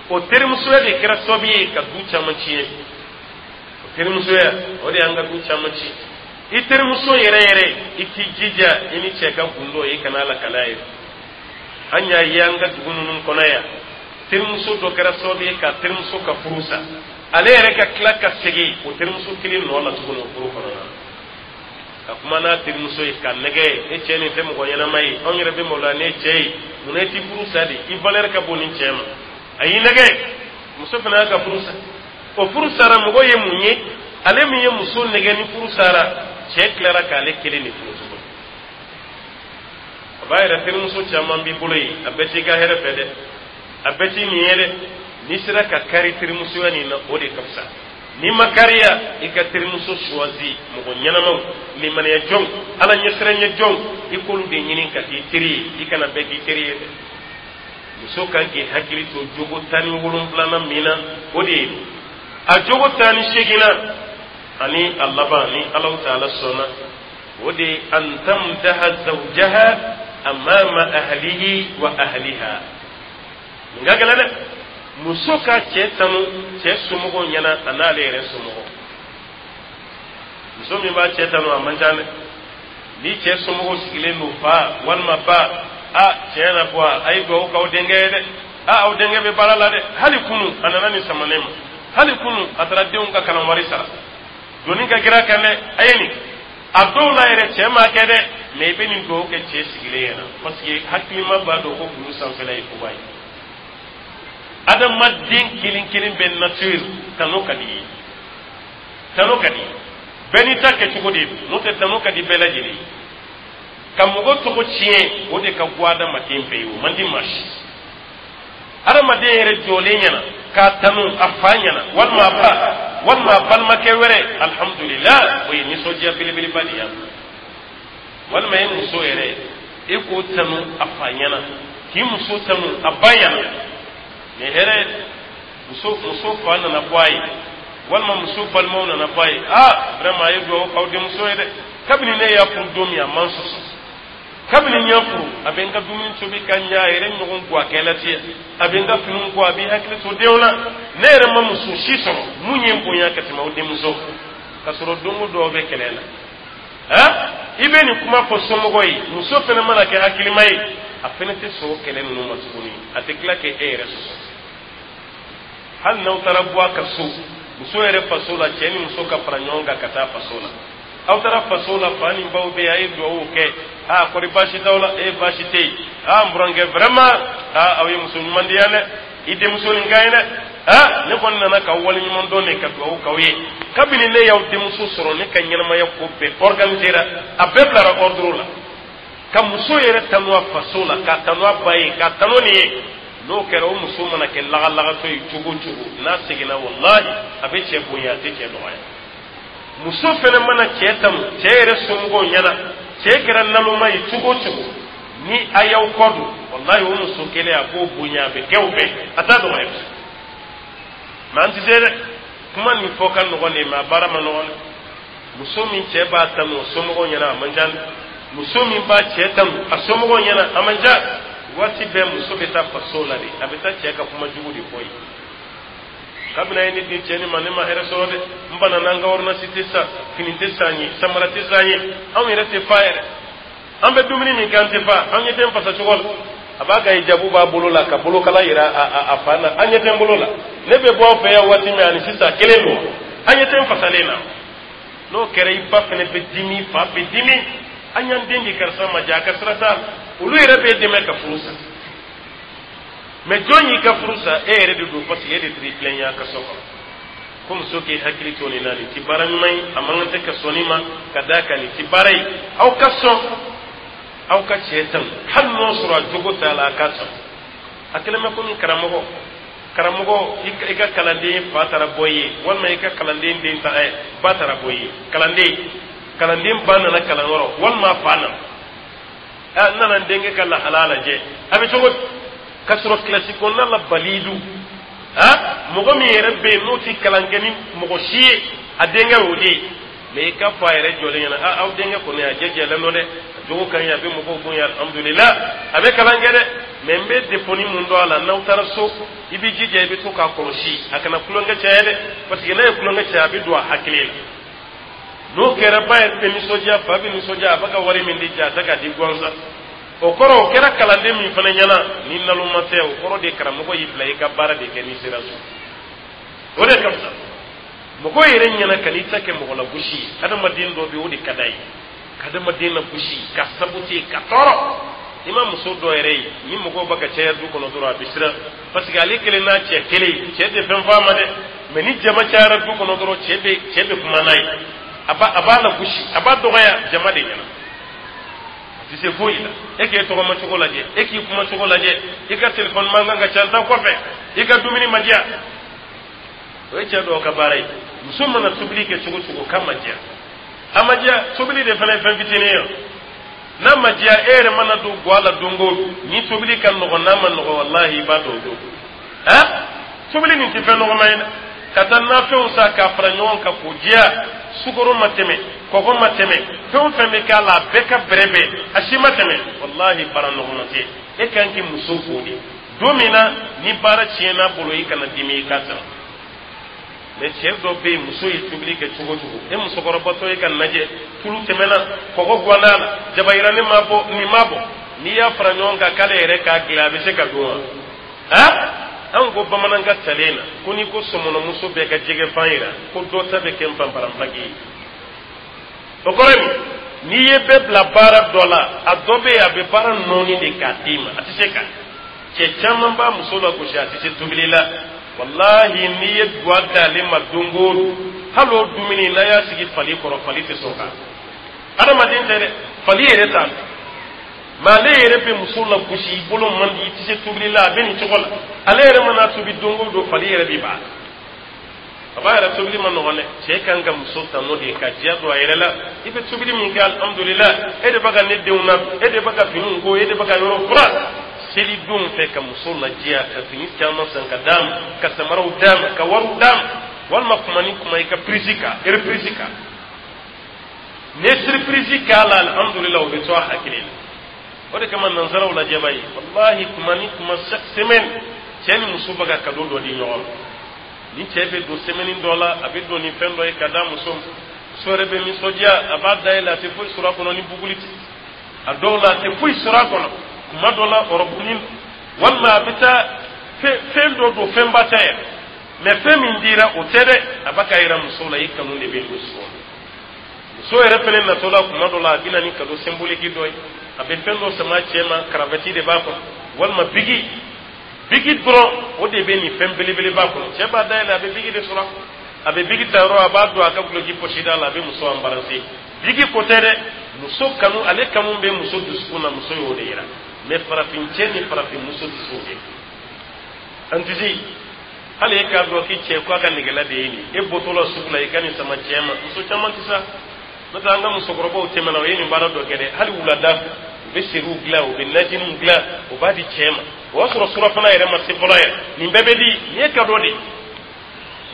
O terimusoya de kɛra sababu ye ka du caman tiɲɛ. O terimusoya, o de y'an ka du caman ci. I terimuso yɛrɛ yɛrɛ, i k'i jija i ni cɛ ka gundo, i kana lakale a ye. An y'a ye an ka dugu ninnu kɔnɔ yan, terimuso dɔ kɛra sababu ye ka terimuso ka furu sa. Ale yɛrɛ ka tila ka segin o terimuso kelen nɔ la tuguni o furu kɔnɔna na, ka kuma n'a terimuso ye ka nɛgɛ: «E cɛ nin tɛ mɔgɔ ɲɛnama ye, anw yɛrɛ bɛ maloya n'e cɛ ye, munna e t'i furu sa de? I valeur ka bon ni cɛ ma.» A y'i nɛgɛ, muso fana y'a ka furu sa. O furu sara, mɔgɔ ye mun ye? Ale min ye muso nɛgɛ ni furu sara, cɛ tilara k'ale kelen de furu tuguni. A b'a yɛrɛ, terimuso caman b'i bolo yen, a bɛɛ t'i ka hɛrɛ fɛ dɛ, a bɛɛ t'i nin ye dɛ. N'i sera ka kari terimusoya nin na, o de ka fisa. N'i ma kariya, i ka terimuso choisi, mɔgɔ ɲɛnamaw, limaniya jɔnw, Ala ɲɛsiranɲɛ jɔnw, i k'olu de ɲini ka k'i teri ye. I kana bɛɛ k'i teri ye dɛ. Muso kan k'i hakili to jogo 17nan min na, o de ye a jogo 18nan ani a laban, ni Alahu taala sɔnna, o de ye an tamdaha zawjaha amama ahlihi wa ahliha. Nin ka gɛlɛn dɛ. Muso ka cɛ tanu cɛ somɔgɔw ɲɛna, a n'ale yɛrɛ somɔgɔw. Muso min b'a cɛ tanu, a man ca dɛ. Ni cɛ somɔgɔw sigilen don, fa walima ba: «A tiɲɛ na bɔ, a ye dugawu k'aw denkɛ ye dɛ. A aw denkɛ bɛ baara la dɛ. Hali kunu a nana nin sama ne ma, hali kunu a taara denw ka kalan wari sara, doni ka kɛra kan dɛ, a ye nin.» A dɔw la yɛrɛ, cɛ m'a kɛ dɛ, mɛ i bɛ nin dugawu kɛ cɛ sigilen ɲɛna, parce que hakilima b'a dɔn ko kulu sanfɛla ye koba ye. Adamaden kelen kelen bɛ nature, tano ka di ye, tano ka di bɛɛ n'i ta kɛcogo de don. N'o tɛ, tano ka di bɛɛ lajɛlen ye. Ka mɔgɔ tɔgɔ tiɲɛ, o de ka go adamaden bɛɛ ye, o man di maa si. Adamaden yɛrɛ jɔlen ɲɛna k'a tanu a fa ɲɛna walima a ba walima a balimakɛ wɛrɛ, alhamdulillah, o ye nisɔndiya belebeleba de ye. Walima e muso yɛrɛ, e k'o tanu a fa ɲɛna, k'i muso tanu a ba ɲɛna, nin hɛrɛ. Muso fa nana bɔ a ye walima muso balimaw nana bɔ a ye: «Aa, vraiment, a ye dugawu k'aw denmuso ye dɛ. Kabini ne y'a furu don min, a man sɔsɔ. Kabini n y'a furu, a bɛ n ka dumuni tobi ka ɲa, a yɛrɛ ɲɔgɔn guwakɛla tɛ. A bɛ n ka finiw ko, a bɛ hakili to denw na. Ne yɛrɛ ma muso si sɔrɔ mun ye n bonya ka tɛmɛ aw denmuso ka sɔrɔ.» Don o don bɛ kɛlɛ la. Han, i bɛ nin kuma fɔ somɔgɔ ye, muso fana mana kɛ hakilima ye, a fana tɛ sɔn o kɛlɛ ninnu ma tuguni, a tɛ tila k'e yɛrɛ sɔsɔ. Hali n'aw taara bɔ a ka so, muso yɛrɛ faso la, cɛ ni muso ka fara ɲɔgɔn kan ka taa faso la. Aw taara faso la, fa ni baw bɛ yen, a ye dugawu kɛ: «Aa, kɔri baasi t'aw la?» «E, baasi tɛ yen.» Aa, n burankɛ, vraiment, aa, aw ye muso ɲuman di yan dɛ, i denmuso nin ka ɲi dɛ. Aa, ne kɔni nana ka waleɲuman dɔn de, ka dugawu k'aw ye. Kabini ne y'aw denmuso sɔrɔ, ne ka ɲɛnamaya ko bɛɛ organisera, a bɛɛ bilara ordre la. Ka muso yɛrɛ tanu a faso la, k'a tanu a ba ye, k'a tanu nin ye, n'o kɛra, o muso mana kɛ lagalagatɔ ye cogo o cogo, n'a seginna, walahi, a bɛ cɛ bonya, a tɛ cɛ dɔgɔya. Muso fɛnɛ mana cɛ tanu cɛ yɛrɛ somɔgɔw ɲɛna, cɛ kɛra naloma ye cogo o cogo, ni a y'aw kɔ don, walahi, o muso kelen, a b'o bonya, a bɛ kɛ o fɛ, a t'a dɔgɔya. Mɛ an tɛ se dɛ. Kuma nin fɔ ka nɔgɔn de, mɛ a baara ma nɔgɔn dɛ. Muso min cɛ b'a tanu o somɔgɔw ɲɛna, a man ca dɛ. Muso min b'a cɛ tanu a somɔgɔw ɲɛna, a man ca. Waati bɛɛ muso bɛ taa faso la de, a bɛ taa cɛ ka kuma jugu de fɔ yen. Kabini a ye ne di cɛ nin ma, ne ma hɛrɛ sɔrɔ dɛ. N banna n'an ka ordonnance tɛ san, fini tɛ san ye, samara tɛ san ye, anw yɛrɛ tɛ fa yɛrɛ, an bɛ dumuni min kɛ, an tɛ fa, an ɲɛ tɛ n fasa cogo la. A b'a ka hijabu b'a bolo la ka bolokala yira a fa na. An ɲɛ tɛ n bolo la, ne bɛ bɔ aw fɛ yan waati min ani sisan kelen don, an ɲɛ tɛ n fasalen na. N'o kɛra, i ba fana bɛ dimi, fa bɛ dimi. An y'an den di karisa ma, ja a ka sira t'a la. Olu yɛrɛ b'e dɛmɛ ka furu sa. Mɛ jɔn y'i ka furu sa? E yɛrɛ de don, parce que e de taara i tilen a ka so kɔnɔ. Ko muso k'i hakili to nin na, nin ti baara ɲuman ye, a man kan tɛ ka sɔn nin ma, ka d'a kan nin ti baara ye. Aw ka sɔn, aw ka cɛ tanu, hali n'o sɔrɔ a jogo t'a la, a ka sɔn. A kɛlen bɛ komi karamɔgɔ. Karamɔgɔ, i ka kalanden fa taara bɔ i ye, walima i ka kalanden den ta ba taara bɔ i ye, kalanden ba nana kalanyɔrɔ, walima fa nana: ɛ, n nana n denkɛ ka lahala lajɛ, a bɛ cogo di? Ka sɔrɔ kilasi kɔnɔna la, balidu ha, mɔgɔ min yɛrɛ bɛ yen n'o ti kalan kɛ ni mɔgɔ si ye, a denkɛ y'o de ye. Mɛ i ka fɔ a yɛrɛ jɔlen ɲɛna: a, aw denkɛ kɔni, a jɛjɛlen don dɛ, a jogo ka ɲi, a bɛ mɔgɔw bonya, alhamdulillah, a bɛ kalan kɛ dɛ, mɛ n bɛ défaut mun dɔn a la? N'aw taara so, i b'i jija, i bɛ to k'a kɔlɔsi, a kana tulonkɛ caya dɛ, parce que n'a ye tulonkɛ caya, a bɛ don a hakili la. N'o kɛra, ba yɛrɛ bɛ nisɔndiya, fa bɛ nisɔndiya, a bɛ ka wari min di ja, a tɛ k'a di gansan. O kɔrɔ, o kɛra kalanden min fana ɲɛna, ni naloma tɛ, o kɔrɔ de karamɔgɔ y'i bila i ka baara de kɛ n'i sera so. O de ka fisa mɔgɔ yɛrɛ ɲɛna ka n'i ta kɛ mɔgɔ la gosi ye. Adamaden dɔ bɛ yen, o de ka d'a ye ka adamaden la gosi, ka saboter, ka tɔɔrɔ. I ma muso dɔ yɛrɛ ye, ni mɔgɔw bɛ ka caya du kɔnɔ dɔrɔn, a bɛ siran, parce que ale kelen n'a cɛ kelen, cɛ tɛ fɛn fɔ a ma dɛ. Mɛ ni jama cayara du kɔnɔ dɔrɔn, cɛ bɛ kuma n'a ye, a b'a la gosi, a b'a dɔgɔya jama de ɲɛna. A tɛ se foyi la. E k'e tɔgɔma cogo lajɛ, e k'i kuma cogo lajɛ, i ka telefɔni mankan ka ca n ta kɔfɛ, i ka dumuni ma diya. O ye cɛ dɔw ka baara ye. Muso mana tobili kɛ cogo cogo k'a ma diya, a ma diya. Tobili de fana ye fɛn fitinin ye. N'a ma diya, e yɛrɛ mana don guwa la don o don, ni tobili ka nɔgɔn, n'a ma nɔgɔn, walahi, i b'a dɔn o don. Han, tobili nin tɛ fɛn nɔgɔma ye dɛ. Ka taa nafɛnw san k'a fara ɲɔgɔn kan k'o diya, sukaro ma tɛmɛ, kɔgɔ ma tɛmɛ, fɛn o fɛn bɛ k'a la, a bɛɛ ka bɛrɛ bɛn, a si ma tɛmɛ, walahi, baara nɔgɔma tɛ. E kan k'i muso fo de. Don min na ni baara tiɲɛna bolo, i kana dimi, i ka san. Mɛ cɛ dɔ bɛ yen, muso ye tobili kɛ cogo cogo, e musokɔrɔbatɔ ye ka lajɛ, tulu tɛmɛna, kɔgɔ ganna la, jabayiranin ma bɔ, nin ma bɔ, n'i y'a fara ɲɔgɔn kan k'ale yɛrɛ k'a dilan, a bɛ se ka dun wa? Han, anw ko bamanankan talen na ko n'i ko sɔmɔnɔmuso bɛɛ ka jɛgɛ fan yira, ko dɔ ta bɛ kɛ npanparanpaki ye. O kɔrɔ ye mun? N'i ye bɛɛ bila baara dɔ la, a dɔ bɛ yen, a bɛ baara nɔɔni de k'a d'i ma, a tɛ se ka. Cɛ caman b'a muso la gosi, a tɛ se tobili la. Walahi, n'i ye duwa d'ale ma don o don, hali o dumuni n'a y'a sigi fali kɔrɔ, fali tɛ sɔn kan. Adamaden tɛ dɛ, fali yɛrɛ t'a dɔn. Mɛ ale yɛrɛ bɛ muso la gosi: i bolo man di, i tɛ se tobili la, a bɛ nin cogo la. Ale yɛrɛ mana tobi don o don, fali yɛrɛ bɛ ban. A b'a yɛrɛ tobili ma nɔgɔn dɛ. Cɛ kan ka muso tanu de, ka diya don a yɛrɛ la. I bɛ tobili min kɛ, alhamdulillah, e de bɛ ka ne denw na, e de bɛ ka finiw ko, e de bɛ ka yɔrɔ furan. Selidenw fɛ, ka muso ladiya, ka fini caman san ka d'a ma, ka samaraw d'a ma, ka wariw d'a ma, walima kuma ni kuma i ka prise kan, reprise kan, n'i ye surprise k'a la, alhamdulillah, o bɛ to a hakili la. O de kama nansaraw lajɛba ye, walahi, kuma ni kuma, chaque semaine, cɛ ni muso bɛ ka cadeau dɔ di ɲɔgɔn ma. Ni cɛ bɛ don semaine dɔ la, a bɛ don ni fɛn dɔ ye ka d'a muso ma. Muso yɛrɛ bɛ nisɔndiya, a b'a dayɛlɛ, a tɛ foyi sɔrɔ a kɔnɔ ni buguli tɛ. A dɔw la, a tɛ foyi sɔrɔ a kɔnɔ. Kuma dɔ la, ɔrɔbunin, walima a bɛ taa fɛn dɔ don, fɛnba tɛ yɛrɛ, mɛ fɛn min dira, o tɛ dɛ. A b'a ka yira muso la, i kanu de bɛ don so. Muso yɛrɛ fɛnɛ natɔ la, kuma dɔ la, a bɛ na ni cadeau symbolique dɔ ye. A bɛ fɛn dɔ sama cɛ ma, karavati de b'a kɔnɔ walima bigi, bigi dɔrɔn, o de bɛ nin fɛn belebeleba kɔnɔ. Cɛ b'a dayɛlɛ, a bɛ bigi de sɔrɔ. A bɛ bigi ta yɔrɔ, a b'a don a ka guloki poche da la, a bɛ muso embarrasser. Bigi ko tɛ dɛ, muso kanu, ale kanu bɛ muso dusukun na, muso y'o de yira. Mais farafin cɛ ni farafin muso tɛ se o de. An tɛ se hali e k'a dɔn k'i cɛ ko a ka nɛgɛla de ye nin e bɔtɔ la sugu la, i ka nin sama cɛ ma. Muso caman tɛ sa. N'o tɛ, an ka musokɔrɔbaw tɛmɛna, o ye nin baara dɔ kɛ dɛ. Hali wulada fɛ, u bɛ seriw dilan, u bɛ najiniw dilan, u b'a di cɛ ma. O y'a sɔrɔ surafana yɛrɛ ma se fɔlɔ yɛrɛ. Nin bɛɛ bɛ di, nin ye cadeau de ye.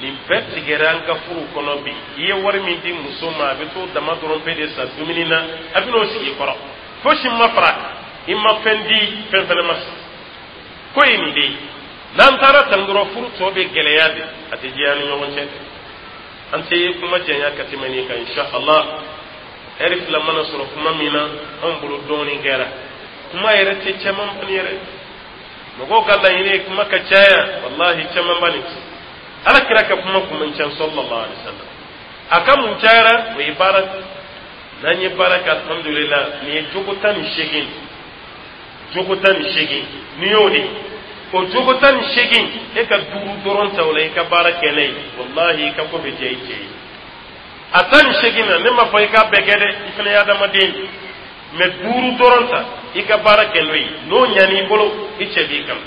Nin bɛɛ tigɛra an ka furu kɔnɔ bi. I ye wari min di muso ma, a bɛ t'o dama dɔrɔn pe de san dumuni na, a bɛ n'o sigi i kɔrɔ, fosi ma fara, i ma fɛn di, fɛn fɛnɛ ma san. Ko ye nin de ye. N'an taara tan dɔrɔn, furu tɔ bɛ gɛlɛya de, a tɛ diya ni ɲɔgɔn cɛ. An tɛ kuma janya ka tɛmɛ nin kan, insha Allah. Ɛri 2 mana sɔrɔ kuma min na, anw bolo dɔɔnin kɛra. Kuma yɛrɛ tɛ caman bani yɛrɛ. Mɔgɔw ka laɲini ye kuma ka caya, wallahi, caman bani tɛ. Ala kira ka kuma kun man ca, sallallahu alaihi wasallam. A ka mun cayara, o ye baara. N'an ye baara kɛ, alhamdulillah. Nin ye jogo 18, jogo 18. N'i y'o de, o jogo 18, e ka duuru dɔrɔn ta o la, i ka baara kɛ n'a ye, wallahi, i ka ko bɛ diya i cɛ ye. A 18 na, ne m'a fɔ i k'a bɛɛ kɛ dɛ, i fana ye adamaden ye. Mais duuru dɔrɔn ta, i ka baara kɛ n'o ye, n'o ɲan'i bolo, i cɛ b'i kanu.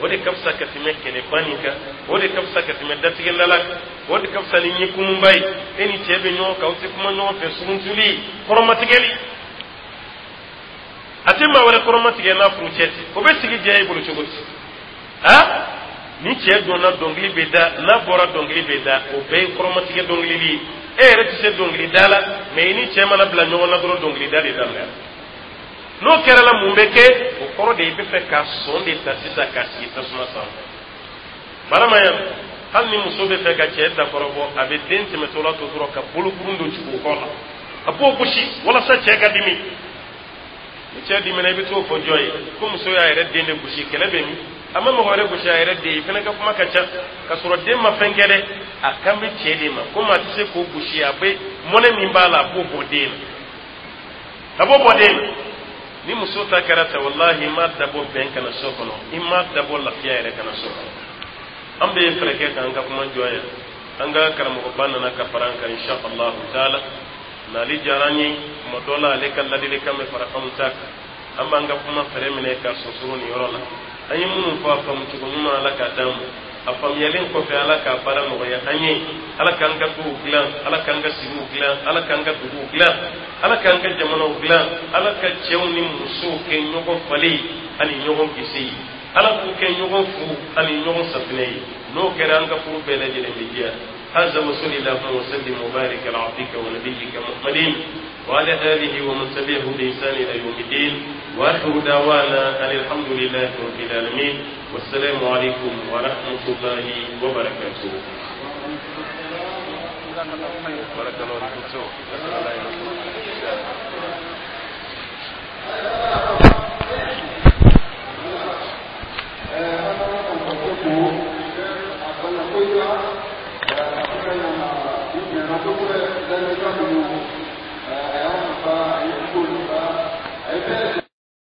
O de ka fisa ka tɛmɛ kɛlɛba nin kan, o de ka fisa ka tɛmɛ datigɛndala kan, o de ka fisa ni ɲɛkumunba ye. E ni cɛ bɛ ɲɔgɔn kan, aw tɛ kuma ɲɔgɔn fɛ, suruntuli, kɔrɔmatigɛli. A tɛ maa wɛrɛ kɔrɔmatigɛ n'a furu cɛ tɛ. O bɛ sigi diya e bolo cogo di? A ni cɛ donna, dɔnkili bɛ da, n'a bɔra, dɔnkili bɛ da. O bɛɛ ye kɔrɔmatigɛ dɔnkilili ye. E yɛrɛ tɛ se dɔnkili da la, mais i ni cɛ mana bila ɲɔgɔn na dɔrɔn, dɔnkili da de daminɛ. N'o kɛra la, mun bɛ kɛ? O kɔrɔ de, i bɛ fɛ ka sɔn de ta sisan k'a sigi tasuma sanfɛ. Barama yan, hali ni muso bɛ fɛ ka cɛ dakɔrɔbɔ, a bɛ den tɛmɛtɔ la to dɔrɔn ka bolokurun don jigin o kɔ la, a b'o gosi walasa cɛ ka dimi. Ni cɛ dimina, i bɛ t'o fɔ jɔn ye ko muso y'a yɛrɛ den de gosi? Kɛlɛ bɛ min? A ma mɔgɔ wɛrɛ gosi, a yɛrɛ den. I fana ka kuma ka ca ka sɔrɔ den ma fɛn kɛ dɛ. A kan bɛ cɛ de ma komi a tɛ se k'o gosi, a bɛ mɔnɛ min b'a la, a b'o bɔ den na, a b'o bɔ den na. Ni muso ta kɛra ten, walahi, i m'a dabɔ bɛn kana so kɔnɔ, i m'a dabɔ lafiya yɛrɛ kana so kɔnɔ. An bɛ fɛɛrɛ kɛ k'an ka kuma jɔ yan. An ka karamɔgɔba nana ka fara an kan, insha allahu taala. N'ale diyara an ye, tuma dɔ la ale ka ladilikan bɛ fara anw ta kan. An b'an ka kuma fɛɛrɛ minɛ ka sonsoro nin yɔrɔ la. An ye minnu fɔ, a faamu cogo ɲuman, Ala k'a d'an ma. A faamuyalen kɔfɛ, Ala k'a baara nɔgɔya an ye. Ala k'an ka duw dilan, Ala k'an ka sigiw dilan, Ala k'an ka duguw dilan, Ala k'an ka jamanaw dilan. Ala ka cɛw ni musow kɛ ɲɔgɔn falen ani ɲɔgɔn gese ye. Ala k'u kɛ ɲɔgɔn fu ani ɲɔgɔn safinɛ ye. N'o kɛra, an ka furu bɛɛ lajɛlen bɛ diya. هذا وصل اللهم وسلم وبارك على عبدك ونبيك محمد وعلى آله ومن تبعه بإحسان إلى يوم الدين. وآخر دعوانا أن الحمد لله رب العالمين، والسلام عليكم ورحمة الله وبركاته. بارك الله فيكم.